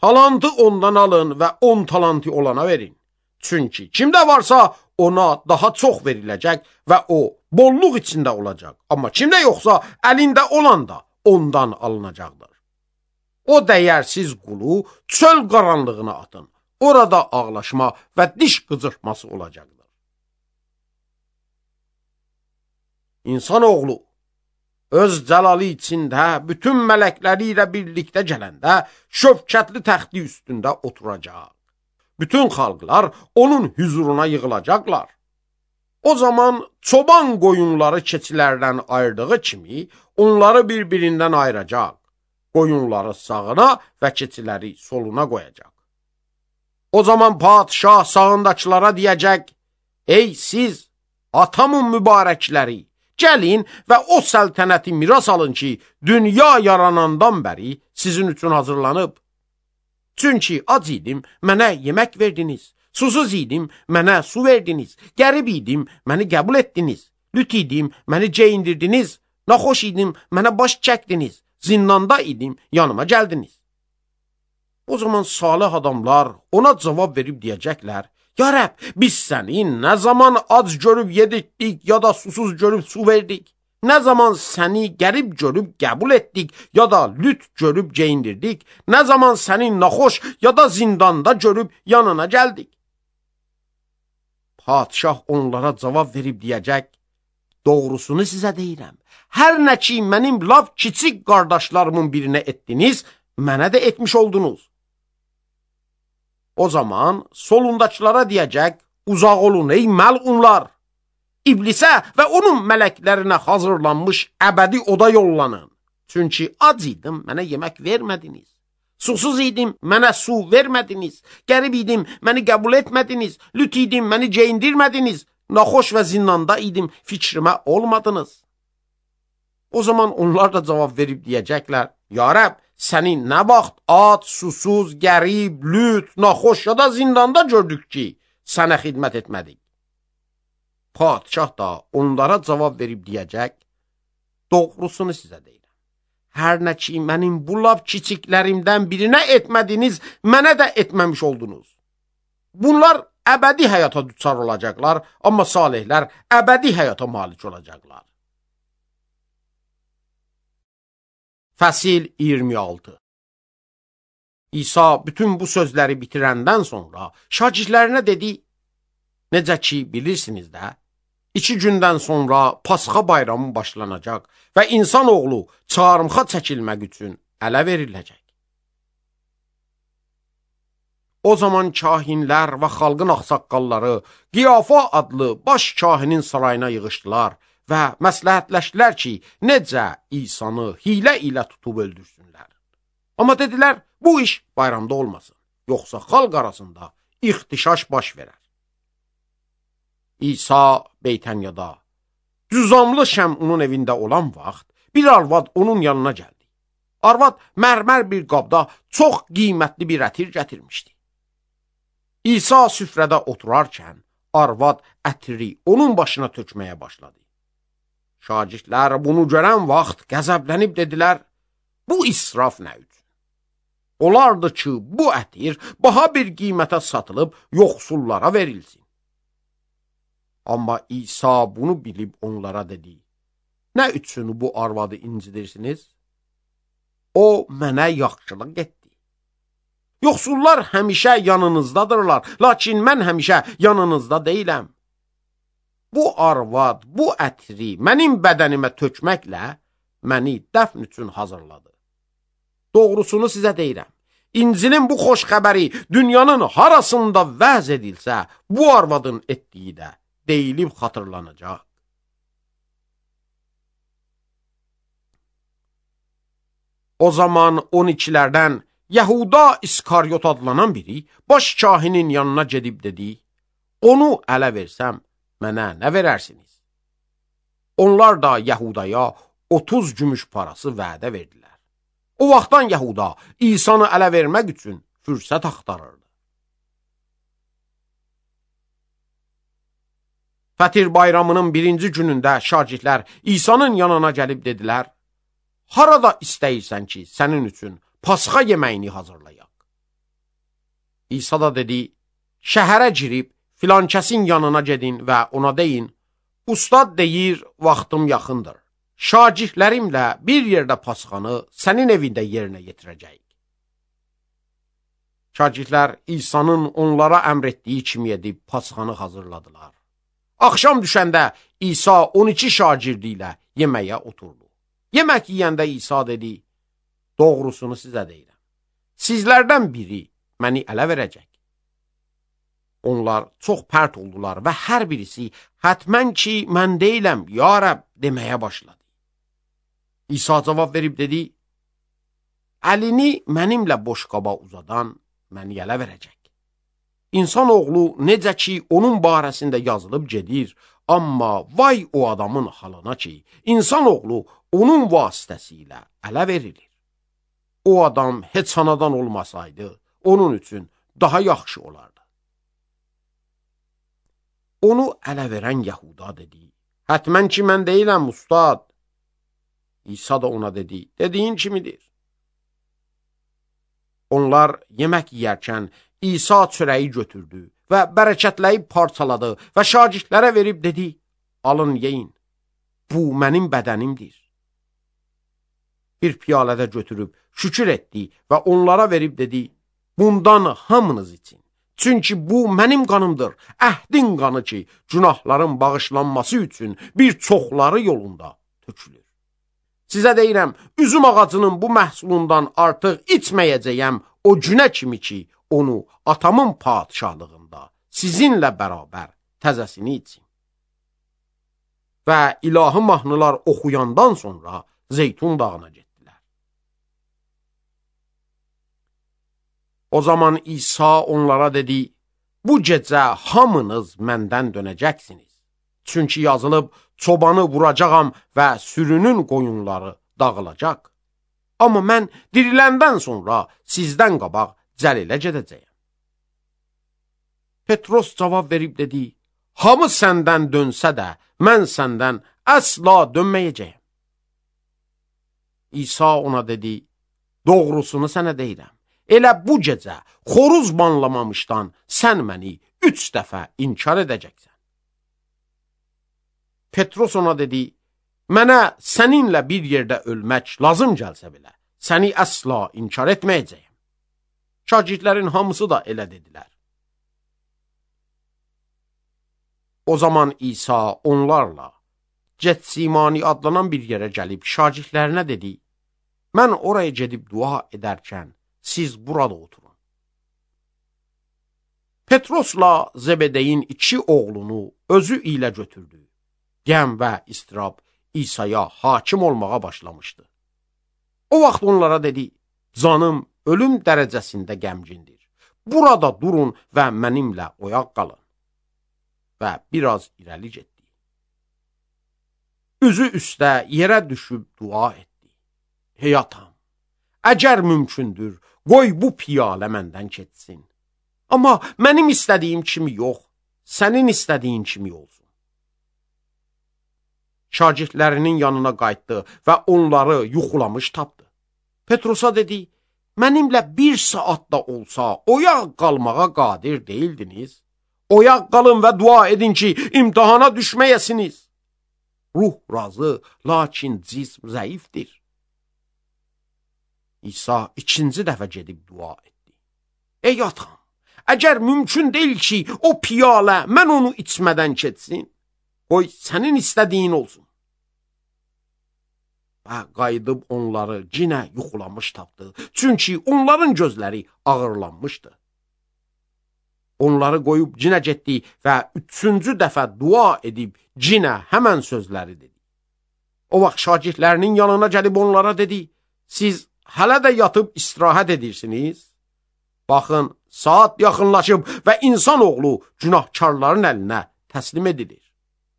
Talantı ondan alın və 10 talantı olana verin. Çünki kimdə varsa ona daha çox veriləcək və o bolluq içində olacaq. Amma kimdə yoxsa əlində olan da ondan alınacaqdır. O dəyərsiz qulu çöl qaranlığına atın. Orada ağlaşma və diş qıcırtması olacaqdır. İnsanoğlu öz cəlalı içində bütün mələkləri ilə birlikdə gələndə şövkətli təxti üstündə oturacaq. Bütün xalqlar onun hüzuruna yığılacaqlar. O zaman çoban qoyunları keçilərdən ayırdığı kimi onları bir-birindən ayıracaq. Qoyunları sağına və keçiləri soluna qoyacaq. O zaman padişah sağındakılara deyəcək, ey siz atamın mübarəkləri, gəlin və o səltənəti miras alın ki, dünya yaranandan bəri sizin üçün hazırlanıb. Çünki ac idim, mənə yemək verdiniz, susuz idim, mənə su verdiniz, qərib idim, məni qəbul etdiniz, lüt idim, məni geyindirdiniz, naxoş idim, mənə baş çəkdiniz, zindanda idim, yanıma gəldiniz. O zaman salih adamlar ona cavab verib deyəcəklər, ya Rəbb, biz səni nə zaman ac görüb yedirdik, ya da susuz görüb su verdik? Nə zaman səni qərib görüb qəbul etdik, ya da lüt görüb geyindirdik? Nə zaman səni naxoş, ya da zindanda görüb yanına gəldik? Padişah onlara cavab verib deyəcək, doğrusunu sizə deyirəm. Hər nə ki, mənim laf kiçik qardaşlarımın birinə etdiniz, mənə də etmiş oldunuz. O zaman solundakılara deyəcək, uzaq olun ey məlunlar, İblisə və onun mələklərinə hazırlanmış əbədi oda yollanın. Çünki ac idim, mənə yemək vermədiniz. Susuz idim, mənə su vermədiniz. Qərib idim, məni qəbul etmədiniz. Lüt idim, məni geyindirmədiniz. Naxoş və zindanda idim, fikrimə olmadınız. O zaman onlar da cavab verib deyəcəklər, ya Rəbb, səni nə vaxt ac, susuz, qərib, lüt, naxoş ya da zindanda gördük ki, sənə xidmət etmədik. Padişah da onlara cavab verib deyəcək, doğrusunu sizə deyirəm. Hər nə ki, mənim bu lap kiçiklərimdən birinə etmədiniz, mənə də etməmiş oldunuz. Bunlar əbədi həyata düçar olacaqlar, amma salihlər əbədi həyata malik olacaqlar. Fəsil 26. İsa bütün bu sözləri bitirəndən sonra şagirdlərinə dedi: Necə ki, bilirsiniz də, 2 gündən sonra Pasxa bayramı başlanacaq və insanoğlu çarmıxa çəkilmək üçün ələ veriləcək. O zaman kahinlər və xalqın ağsaqqalları Qiyafa adlı baş kahinin sarayına yığışdılar və məsləhətləşdilər ki, necə İsanı hilə ilə tutub öldürsünlər. Amma dedilər, bu iş bayramda olmasın, yoxsa xalq arasında ixtişaş baş verər. İsa Beytənyada, cüzamlı Şəmunun evində olan vaxt, bir arvad onun yanına gəldi. Arvad mərmər bir qabda çox qiymətli bir ətir gətirmişdi. İsa süfrədə oturarkən, arvad ətiri onun başına tökməyə başladı. Şagirdlər bunu görən vaxt qəzəblənib dedilər, bu israf nə üçün? Olardı ki, bu ətir baha bir qiymətə satılıb yoxsullara verilsin. Amma İsa bunu bilib onlara dedi, nə üçün bu arvadı incidirsiniz? O mənə yaxşılıq etdi. Yoxsullar həmişə yanınızdadırlar, lakin mən həmişə yanınızda deyiləm. Bu arvad, bu ətri mənim bədənimə tökməklə məni dəfn üçün hazırladı. Doğrusunu sizə deyirəm, İncilin bu xoş xəbəri dünyanın harasında vəz edilsə, bu arvadın etdiyi də deyilib xatırlanacaq. O zaman 12'lərdən Yahuda İskaryot adlanan biri baş kahinin yanına gedib dedi, onu ələ versəm, mənə nə verərsiniz? Onlar da Yahudaya 30 gümüş parası vədə verdilər. O vaxtdan Yahuda İsanı ələ vermək üçün fürsət axtarırdı. Fətir bayramının 1-ci günündə şagirdlər İsa'nın yanına gəlib dedilər, harada istəyirsən ki, sənin üçün Pasxa yeməyini hazırlayaq? İsa da dedi, şəhərə girib filankəsin yanına gedin və ona deyin, ustad deyir, vaxtım yaxındır. Şagirdlərimlə bir yerdə Pasxanı sənin evində yerinə yetirəcəyik. Şagirdlər İsa'nın onlara əmr etdiyi kimi edib Pasxanı hazırladılar. Axşam düşəndə İsa 12 şagirdi ilə yeməyə oturdu. Yemək yiyəndə İsa dedi, doğrusunu sizə deyirəm. Sizlərdən biri məni ələ verəcək. Onlar çox pərt oldular və hər birisi, hətmən ki, mən deyiləm, ya Rəbb, deməyə başladı. İsa cavab verib dedi, əlini mənimlə boş qaba uzadan məni ələ verəcək. İnsanoğlu necə ki, onun barəsində yazılıb gedir, amma vay o adamın halına ki, insanoğlu onun vasitəsilə ələ verilir. O adam heç anadan olmasaydı, onun üçün daha yaxşı olardı. Onu ələ verən Yahuda dedi, hətmən ki, mən deyiləm, ustad. İsa da ona dedi, dediyin kimidir. Onlar yemək yiyərkən İsa çörəyi götürdü və bərəkətləyib parçaladı və şagirdlərə verib dedi, alın yeyin, bu mənim bədənimdir. Bir piyalədə götürüb şükür etdi və onlara verib dedi, bundan hamınız için. Çünki bu mənim qanımdır, əhdin qanı ki, günahların bağışlanması üçün bir çoxları yolunda tökülür. Sizə deyirəm, üzüm ağacının bu məhsulundan artıq içməyəcəyəm o günə kimi ki, onu atamın padişahlığında sizinlə bərabər təzəsini için. Və ilahi mahnılar oxuyandan sonra Zeytun dağına getdilər. O zaman İsa onlara dedi, bu gecə hamınız məndən dönəcəksiniz. Çünki yazılıb, çobanı vuracağam və sürünün qoyunları dağılacaq. Amma mən diriləndən sonra sizdən qabaq Cəlilə gedəcəyəm. Petros cavab verib dedi, hamı səndən dönsə də, mən səndən əsla dönməyəcəyəm. İsa ona dedi, doğrusunu sənə deyirəm. Elə bu gecə xoruz banlamamışdan sən məni 3 dəfə inkar edəcəksən. Petros ona dedi, mənə səninlə bir yerdə ölmək lazım gəlsə belə, səni əsla inkar etməyəcəyəm. Şagirdlərin hamısı da elə dedilər. O zaman İsa onlarla Getsimani adlanan bir yerə gəlib şagirdlərinə dedi, mən oraya gedib dua edərkən siz burada oturun. Petrosla Zebedeyin 2 oğlunu özü ilə götürdü. Qəm və istirab İsa'ya hakim olmağa başlamışdı. O vaxt onlara dedi, canım ölüm dərəcəsində qəmgindir. Burada durun və mənimlə oyaq qalın. Və biraz irəli getdi. Üzü üstə yerə düşüb dua etdi. Hey atam, əgər mümkündür, qoy bu piyalə məndən keçsin. Amma mənim istədiyim kimi yox, sənin istədiyin kimi olsun. Şagirdlərinin yanına qayıtdı və onları yuxulamış tapdı. Petrosa dedi, mənimlə 1 saat da olsa oyaq qalmağa qadir deyildiniz. Oyaq qalın və dua edin ki, imtihana düşməyəsiniz. Ruh razı, lakin cism zəifdir. İsa 2-ci dəfə gedib dua etdi. Ey atam, əgər mümkün deyil ki, o piyalə mən onu içmədən keçsin, qoy sənin istədiyin olsun. Və qayıdıb onları cinə yuxulamış tapdı, çünki onların gözləri ağırlanmışdı. Onları qoyub cinə getdi və 3-cü dəfə dua edib cinə həmən sözləri dedi. O vaxt şagirdlərinin yanına gəlib onlara dedi, siz hələ də yatıb istirahət edirsiniz? Baxın, saat yaxınlaşıb və insan oğlu günahkarların əlinə təslim edilir.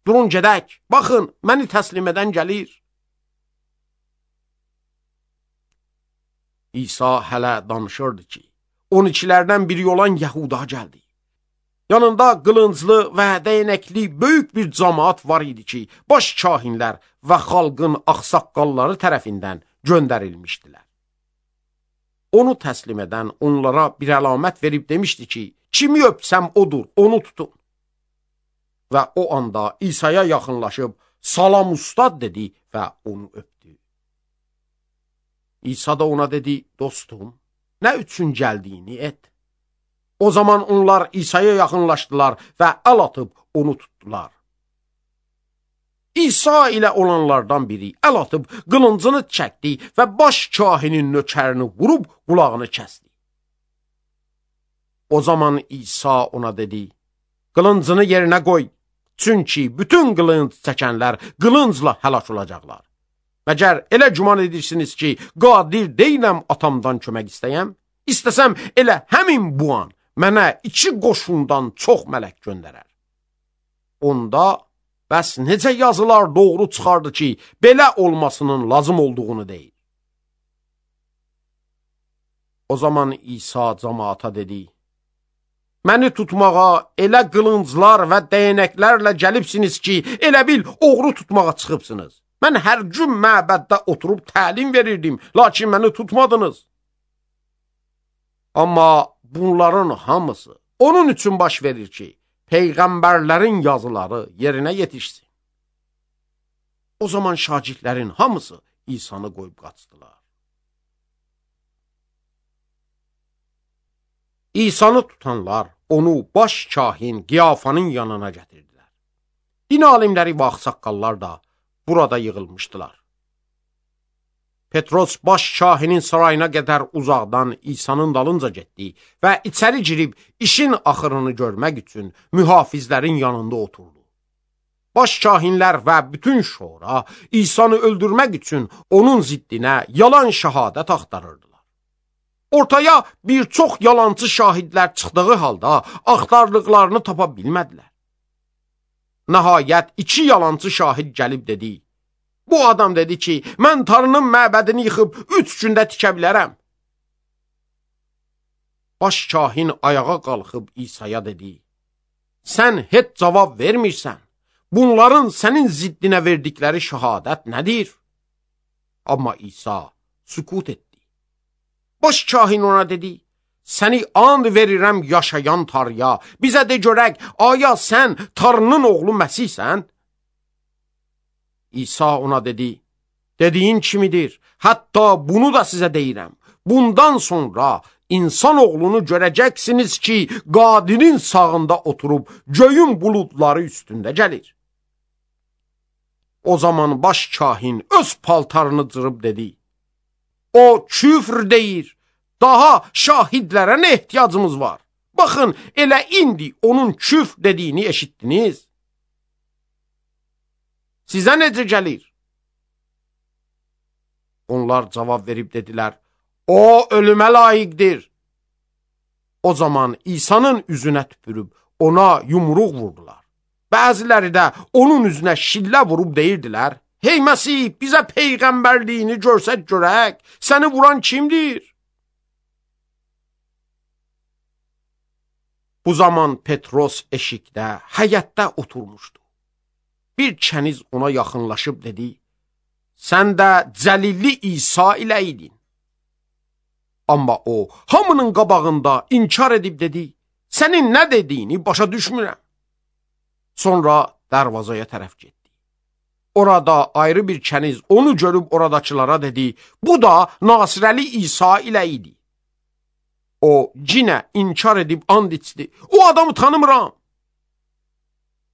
Durun gedək, baxın, məni təslim edən gəlir. İsa hələ danışırdı ki, 12-lərdən biri olan Yəhuda gəldi. Yanında qılınclı və dəyənəkli böyük bir cəmaat var idi ki, baş kahinlər və xalqın ağsaqqalları tərəfindən göndərilmişdilər. Onu təslim edən onlara bir əlamət verib demişdi ki, kimi öpsəm odur, onu tutun. Və o anda İsa'ya yaxınlaşıb, salam ustad dedi və onu öpdü. İsa da ona dedi, dostum, nə üçün gəldiyini et. O zaman onlar İsa'ya yaxınlaşdılar və əl atıb onu tutdular. İsa ilə olanlardan biri əl atıb qılıncını çəkdi və baş kahinin nökərini vurub qulağını kəsdi. O zaman İsa ona dedi, qılıncını yerinə qoy, çünki bütün qılınc çəkənlər qılıncla həlak olacaqlar. Məgər elə güman edirsiniz ki, qadir deyiləm atamdan kömək istəyəm? İstəsəm elə həmin bu an mənə 2 qoşundan çox mələk göndərər. Onda bəs necə yazılar doğru çıxardı ki, belə olmasının lazım olduğunu deyir. O zaman İsa cəmaata dedi, məni tutmağa elə qılınclar və dəyənəklərlə gəlibsiniz ki, elə bil oğru tutmağa çıxıbsınız. Mən hər gün məbəddə oturub təlim verirdim, lakin məni tutmadınız. Amma bunların hamısı onun üçün baş verir ki, peyğəmbərlərin yazıları yerinə yetişsin. O zaman şagirdlərin hamısı İsa'nı qoyub qaçdılar. İsa'nı tutanlar onu baş kahin Qiyafanın yanına gətirdilər. Din alimləri və ağsaqqallar da burada yığılmışdılar. Petros baş kahinin sarayına qədər uzaqdan İsa'nın dalınca getdi və içəri girib işin axırını görmək üçün mühafizlərin yanında oturdu. Baş kahinlər və bütün şura İsa'nı öldürmək üçün onun ziddinə yalan şəhadət axtarırdılar. Ortaya bir çox yalancı şahidlər çıxdığı halda axtardıqlarını tapa bilmədilər. Nəhayət 2 yalancı şahid gəlib dedi, bu adam dedi ki, mən Tanrının məbədini yıxıb 3 gündə tikə bilərəm. Baş kahin ayağa qalxıb İsa'ya dedi, sən heç cavab vermirsən, bunların sənin ziddinə verdikləri şəhadət nədir? Amma İsa sükut etdi. Baş kahin ona dedi, səni and verirəm yaşayan Tanrıya, bizə de görək, aya sən Tanrının oğlu Məsihsən? İsa ona dedi, dediyin kimidir, hətta bunu da sizə deyirəm. Bundan sonra insan oğlunu görəcəksiniz ki, Qadirin sağında oturub göyün buludları üstündə gəlir. O zaman baş kahin öz paltarını cırıb dedi, o küfr deyir, daha şahidlərə nə ehtiyacımız var? Baxın, elə indi onun küfr dediyini eşitdiniz. Sizə necə gəlir? Onlar cavab verib dedilər, o ölümə layiqdir. O zaman İsa'nın üzünə tüpürüb ona yumruq vurdular. Bəziləri də onun üzünə şillə vurub deyirdilər, hey Məsih, bizə peyğəmbərliyini görsək görək, səni vuran kimdir? Bu zaman Petros eşikdə, həyətdə oturmuşdu. Bir kəniz ona yaxınlaşıb dedi, sən də Cəlilli İsa ilə idin. Amma o, hamının qabağında inkar edib dedi, sənin nə dediyini başa düşmürəm. Sonra darvazaya tərəf getdi. Orada ayrı bir kəniz onu görüb oradakılara dedi, bu da Nasirəli İsa ilə idi. O cinə inkar edib and içdi, o adamı tanımıram.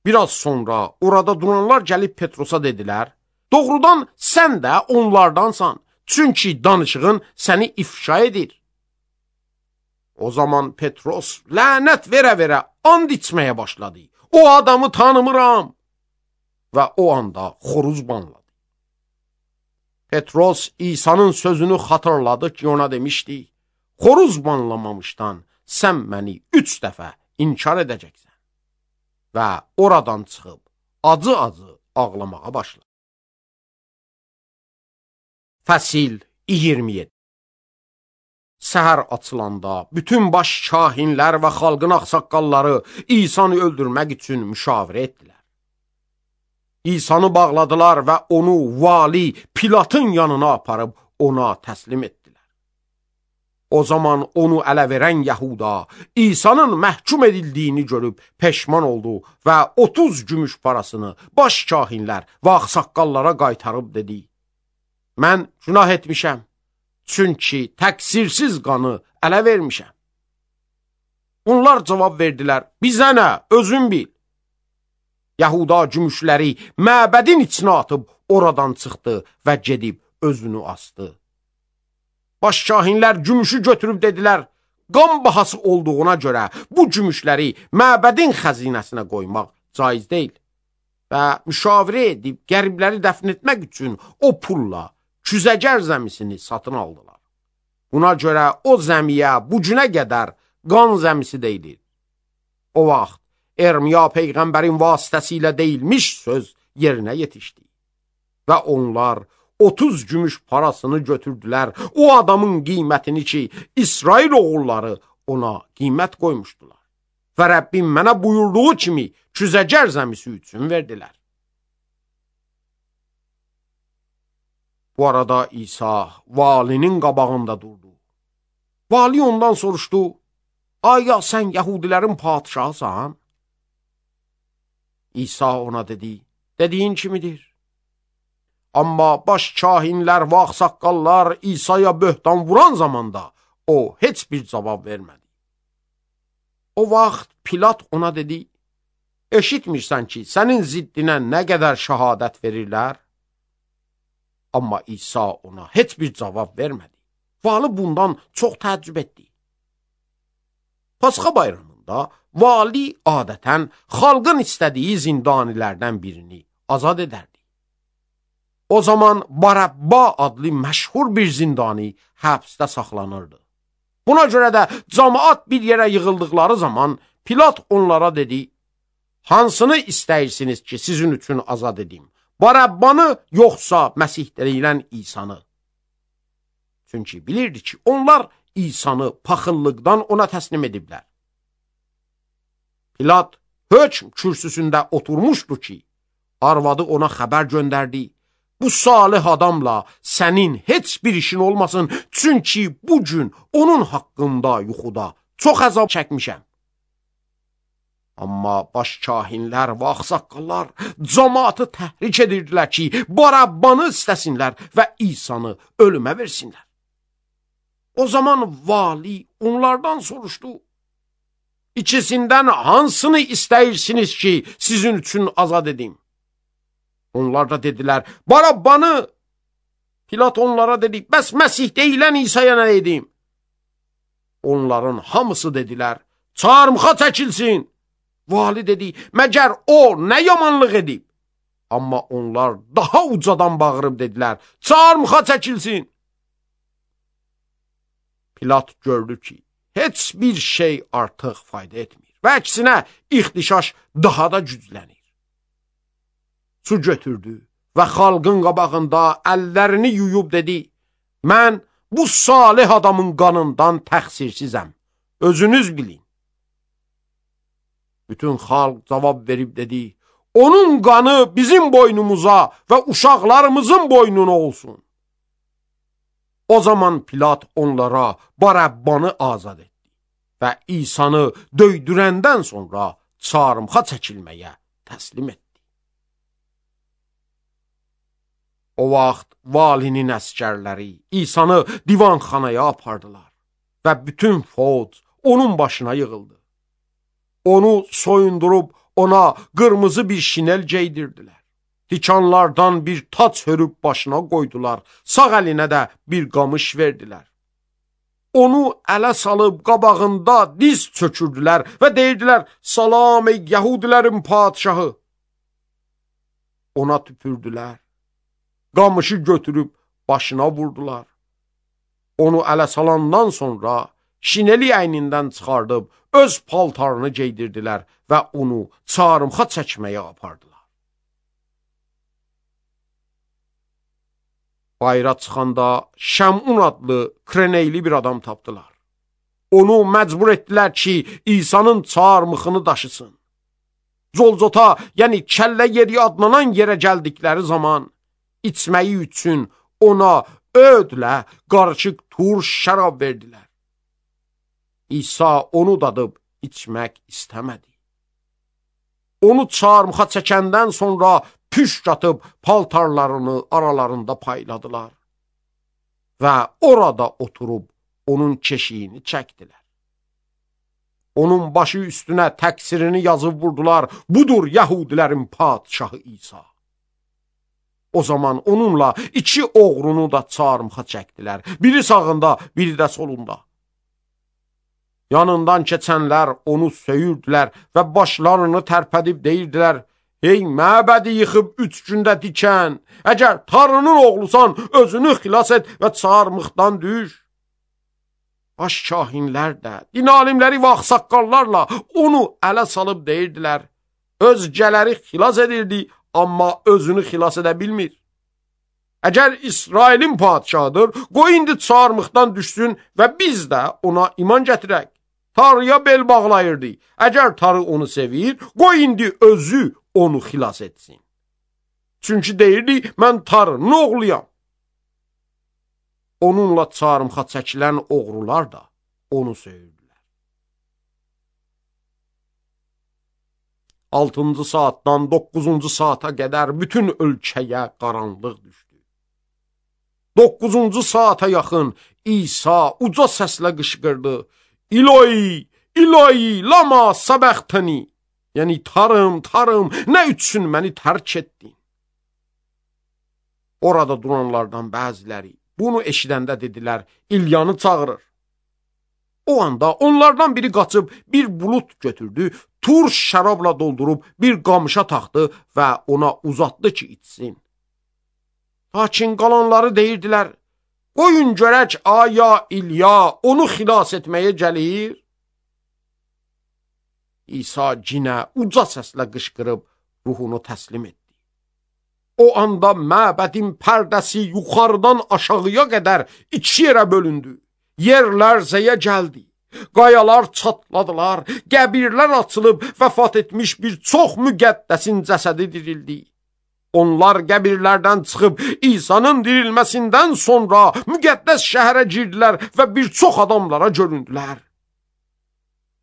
Biraz sonra orada duranlar gəlib Petrosa dedilər, doğrudan sən də onlardansan, çünki danışığın səni ifşa edir. O zaman Petros lənət verə-verə and içməyə başladı. O adamı tanımıram. Və o anda xoruz banladı. Petros İsa'nın sözünü xatırladı ki, ona demişdi, xoruz banlamamışdan sən məni 3 dəfə inkar edəcəksən. Və oradan çıxıb acı-acı ağlamağa başladı. Fəsil 27. Səhər açılanda bütün baş kahinlər və xalqın ağsaqqalları İsa'nı öldürmək üçün müşavirə etdilər. İsa'nı bağladılar və onu vali Pilatın yanına aparıb ona təslim etdilər. O zaman onu ələ verən Yahuda İsa'nın məhkum edildiyini görüb peşman oldu və 30 gümüş parasını baş kahinlər və ağsaqqallara qaytarıb dedi, mən günah etmişəm, çünki təqsirsiz qanı ələ vermişəm. Onlar cavab verdilər, bizə nə, özün bil. Yahuda gümüşləri məbədin içinə atıb oradan çıxdı və gedib özünü asdı. Baş kahinlər gümüşü götürüb dedilər, qan bahası olduğuna görə bu gümüşləri məbədin xəzinəsinə qoymaq caiz deyil. Və müşavirə edib qəribləri dəfn etmək üçün o pulla küzəgər zəmisini satın aldılar. Buna görə o zəmiyə bu günə qədər qan zəmisi deyilir. O vaxt Ermiya peyğəmbərin vasitəsilə deyilmiş söz yerinə yetişdi. Və onlar 30 gümüş parasını götürdülər, o adamın qiymətini ki, İsrail oğulları ona qiymət qoymuşdular. Və Rəbbim mənə buyurduğu kimi küzəgər zəmisi üçün verdilər. Bu arada İsa valinin qabağında durdu. Vali ondan soruşdu, aya sən Yahudilərin padişahısan? İsa ona dedi, dediyin kimidir? Amma baş kahinlər və ağsaqqallar İsa'ya böhtan vuran zamanda o heç bir cavab vermədi. O vaxt Pilat ona dedi, eşitmirsən ki, sənin ziddinə nə qədər şəhadət verirlər? Amma İsa ona heç bir cavab vermədi. Vali bundan çox təəccüb etdi. Pasxa bayramında vali adətən xalqın istədiyi zindanilərdən birini azad edərdi. O zaman Barabba adlı məşhur bir zindani həbsdə saxlanırdı. Buna görə də cəmaət bir yerə yığıldıqları zaman Pilat onlara dedi, hansını istəyirsiniz ki, sizin üçün azad edim? Barabbanı yoxsa Məsih deyilən İsa'nı? Çünki bilirdi ki, onlar İsa'nı paxıllıqdan ona təslim ediblər. Pilat hökm kürsüsündə oturmuşdu ki, arvadı ona xəbər göndərdi, bu salih adamla sənin heç bir işin olmasın, çünki bu gün onun haqqında yuxuda çox əzab çəkmişəm. Amma baş kahinlər və ağsaqqallar cəmaatı təhrik edirdilər ki, Barabbanı istəsinlər və İsanı ölümə versinlər. O zaman vali onlardan soruşdu: İkisindən hansını istəyirsiniz ki, sizin üçün azad edim? Onlar da dedilər: Barabbanı. Pilat onlara dedi: bəs Məsih deyilən İsa'ya nə edim? Onların hamısı dedilər: çarmıxa çəkilsin. Vali dedi: məgər o nə yamanlıq edib? Amma onlar daha ucadan bağırıb dedilər: çarmıxa çəkilsin. Pilat gördü ki, heç bir şey artıq fayda etmir və əksinə ixtişaş daha da güclənir. Su götürdü və xalqın qabağında əllərini yuyub dedi: mən bu salih adamın qanından təqsirsizəm, özünüz bilin. Bütün xalq cavab verib dedi: onun qanı bizim boynumuza və uşaqlarımızın boynuna olsun. O zaman Pilat onlara Barabbanı azad etdi və İsanı döydürəndən sonra çarmıxa çəkilməyə təslim etdi. O vaxt valinin əskərləri İsanı divanxanaya apardılar və bütün fövc onun başına yığıldı. Onu soyundurub ona qırmızı bir şinel geydirdilər. Tikanlardan bir tac hörüb başına qoydular, sağ əlinə də bir qamış verdilər. Onu ələ salıb qabağında diz çökürdülər və deyirdilər: salam ey Yahudilərin padişahı. Ona tüpürdülər, qamışı götürüb başına vurdular. Onu ələ salandan sonra şineli əynindən çıxardıb öz paltarını geydirdilər və onu çarmıxa çəkməyə apardılar. Bayra çıxanda Şəmun adlı Kreneyli bir adam tapdılar. Onu məcbur etdilər ki, İsa'nın çarmıxını daşısın. Zolzota, yəni kəllə yeri adlanan yerə gəldikləri zaman içməyi üçün ona ödlə qarışıq turş şərab verdilər. İsa onu dadıb içmək istəmədi. Onu çarmıxa çəkəndən sonra püşk atıb paltarlarını aralarında payladılar və orada oturub onun keşiyini çəkdilər. Onun başı üstünə təqsirini yazıb vurdular: budur Yahudilərin padişahı İsa. O zaman onunla iki oğrunu da çarmıxa çəkdilər, biri sağında, biri də solunda. Yanından keçənlər onu söyürdülər və başlarını tərpədib deyirdilər: ey məbədi yıxıb 3 gündə dikən, əgər Tanrının oğlusan, özünü xilas et və çarmıxdan düş. Baş kahinlər də, din alimləri və ağsaqqallarla onu ələ salıb deyirdilər: özgələri xilas edirdi, amma özünü xilas edə bilmir. Əgər İsrailin padişahıdır, qoy indi çarmıxdan düşsün və biz də ona iman gətirək. Tanrıya bel bağlayırdı. Əgər Tanrı onu sevir, qoy indi özü onu xilas etsin. Çünki deyirdi: mən Tanrının oğluyam. Onunla çarmıxa çəkilən oğrular da onu söyürdülər. 6-cı saatdan 9-cu saata qədər bütün ölkəyə qaranlıq düşdü. 9-cu saata yaxın İsa uca səslə qışqırdı: İloi, İloi, lama səbəxtəni. Yəni, Tanrım, Tanrım, nə üçün məni tərk etdin? Orada duranlardan bəziləri bunu eşidəndə dedilər: İlyanı çağırır. O anda onlardan biri qaçıb bir bulut götürdü, turş şərabla doldurub bir qamışa taxdı və ona uzatdı ki, içsin. Lakin qalanları deyirdilər: qoyun görək, aya İlya onu xilas etməyə gəlir. İsa cinə uca səslə qışqırıb ruhunu təslim etdi. O anda məbədin pərdəsi yuxarıdan aşağıya qədər 2 yerə bölündü. Yer lərzəyə gəldi. Qayalar çatladılar, qəbirlər açılıb vəfat etmiş bir çox müqəddəsin cəsədi dirildi. Onlar qəbirlərdən çıxıb İsa'nın dirilməsindən sonra müqəddəs şəhərə girdilər və bir çox adamlara göründülər.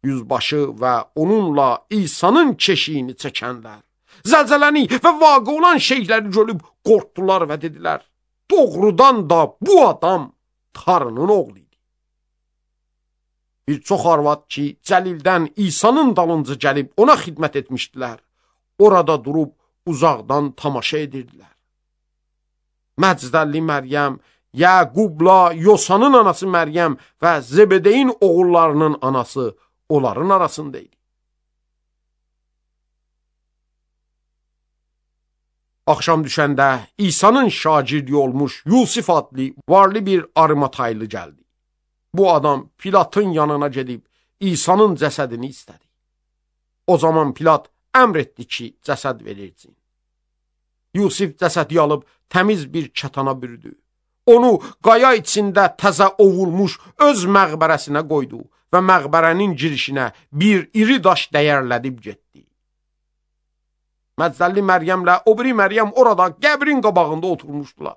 Yüzbaşı və onunla İsa'nın keşiyini çəkənlər, zəlzələni və vaqe olan şeyləri görüb qorxdular və dedilər, doğrudan da bu adam Tanrının oğlu idi. Bir çox arvad ki, Cəlildən İsa'nın dalınca gəlib ona xidmət etmişdilər, orada durub uzaqdan tamaşa edirdilər. Məcdəlli Məryəm, Yəqubla Yosanın anası Məryəm və Zebedeyin oğullarının anası onların arasındaydı. Axşam düşəndə İsa'nın şagirdi olmuş Yusif adlı varlı bir Arimataylı gəldi. Bu adam Pilatın yanına gedib İsa'nın cəsədini istədi. O zaman Pilat əmr etdi ki, cəsəd verilsin. Yusif cəsədi alıb təmiz bir kətana bürüdü. Onu qaya içində təzə ovulmuş öz məqbərəsinə qoydu və məqbərənin girişinə bir iri daş dəyərlədib getdi. Məcdəlli Məryəmlə o biri Məryəm orada qəbrin qabağında oturmuşdular.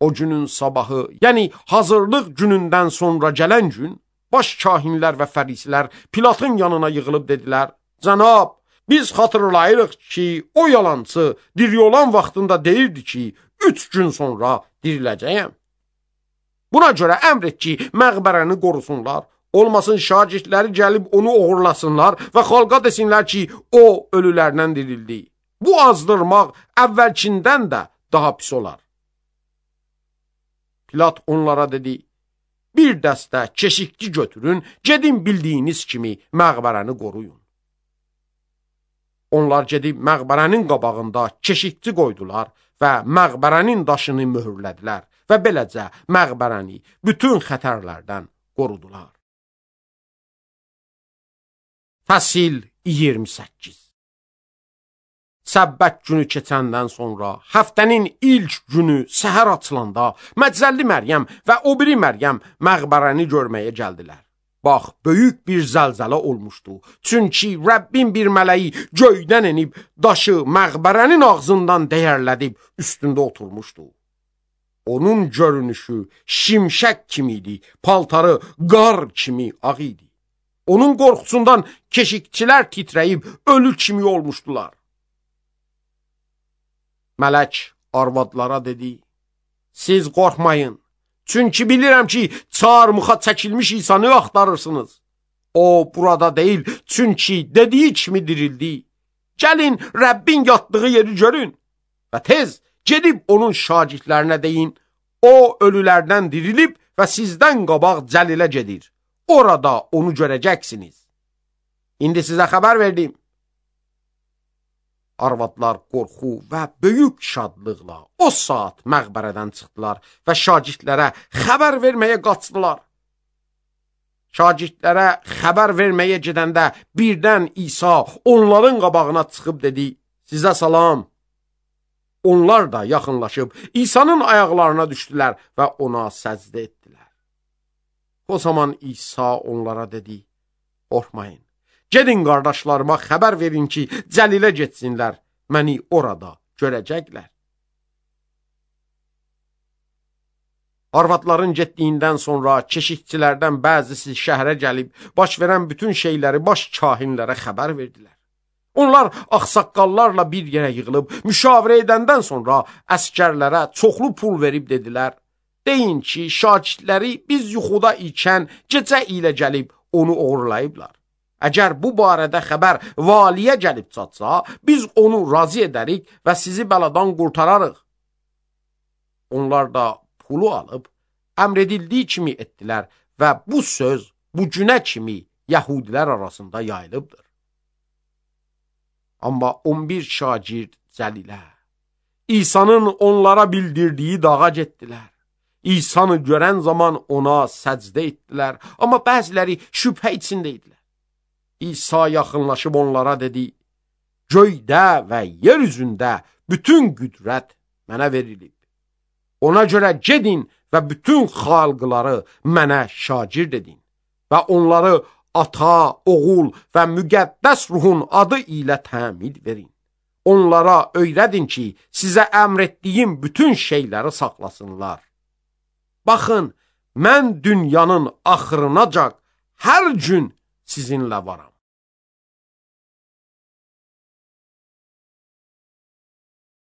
O günün sabahı, yəni hazırlıq günündən sonra gələn gün, baş kahinlər və fərisilər Pilatın yanına yığılıb dedilər, Cənab, biz xatırlayırıq ki, o yalançı diri olan vaxtında deyirdi ki, 3 gün sonra diriləcəyəm. Buna görə əmr et ki, məqbərəni qorusunlar, olmasın şagirdləri gəlib onu oğurlasınlar və xalqa desinlər ki, o ölülərdən dirildi. Bu azdırmaq əvvəlkindən də daha pis olar. Pilat onlara dedi, bir dəstə keşikçi götürün, gedin bildiyiniz kimi məqbərəni qoruyun. Onlar gedib məqbərənin qabağında keşikçi qoydular və məqbərənin daşını möhürlədilər və beləcə məqbərəni bütün xətərlərdən qorudular. Fəsil 28. Səbbət günü keçəndən sonra, həftənin ilk günü səhər açılanda, Məcdəlli Məryəm və o biri Məryəm məqbərəni görməyə gəldilər. Bax, böyük bir zəlzələ olmuşdu. Çünki Rəbbin bir mələyi göydən enib, daşı məqbərənin ağzından dəyərlədib, üstündə oturmuşdu. Onun görünüşü şimşək kimi idi, paltarı qar kimi ağ idi. Onun qorxusundan keşikçilər titrəyib, ölü kimi olmuşdular. Mələk arvadlara dedi, siz qorxmayın, çünki bilirəm ki, çarmıxa çəkilmiş İsa'nı axtarırsınız. O burada deyil, çünki dediyi kimi dirildi. Gəlin, Rəbbin yatdığı yeri görün və tez gedib onun şagirdlərinə deyin, o ölülərdən dirilib və sizdən qabaq Cəlilə gedir. Orada onu görəcəksiniz. İndi sizə xəbər verdim. Arvadlar qorxu və böyük şadlıqla o saat məqbərədən çıxdılar və şagirdlərə xəbər verməyə qaçdılar. Şagirdlərə xəbər verməyə gedəndə birdən İsa onların qabağına çıxıb dedi, sizə salam. Onlar da yaxınlaşıb İsa'nın ayaqlarına düşdülər və ona səcdə etdilər. O zaman İsa onlara dedi, qorxmayın. Gedin qardaşlarıma xəbər verin ki, Cəlilə getsinlər, məni orada görəcəklər. Arvadların getdiyindən sonra keşikçilərdən bəzisi şəhərə gəlib, baş verən bütün şeyləri baş kahinlərə xəbər verdilər. Onlar ağsaqqallarla bir yerə yığılıb, müşavirə edəndən sonra əskərlərə çoxlu pul verib dedilər, deyin ki, şagirdləri biz yuxuda ikən gecə ilə gəlib onu uğurlayıblar. Əgər bu barədə xəbər valiyə gəlib çatsa, biz onu razı edərik və sizi bəladan qurtararıq. Onlar da pulu alıb, əmr edildiyi kimi etdilər və bu söz bu günə kimi yəhudilər arasında yayılıbdır. Amma 11 şagird Cəlilə, İsa'nın onlara bildirdiyi dağa getdilər. İsa'nı görən zaman ona səcdə etdilər, amma bəziləri şübhə içində idilər. İsa yaxınlaşıb onlara dedi, göydə və yer üzündə bütün qüdrət mənə verilib. Ona görə gedin və bütün xalqları mənə şagird edin və onları ata, oğul və müqəddəs ruhun adı ilə təmid verin. onlara öyrədin ki, sizə əmr etdiyim bütün şeyləri saxlasınlar. Baxın, mən dünyanın axırınacan hər gün sizinlə varam.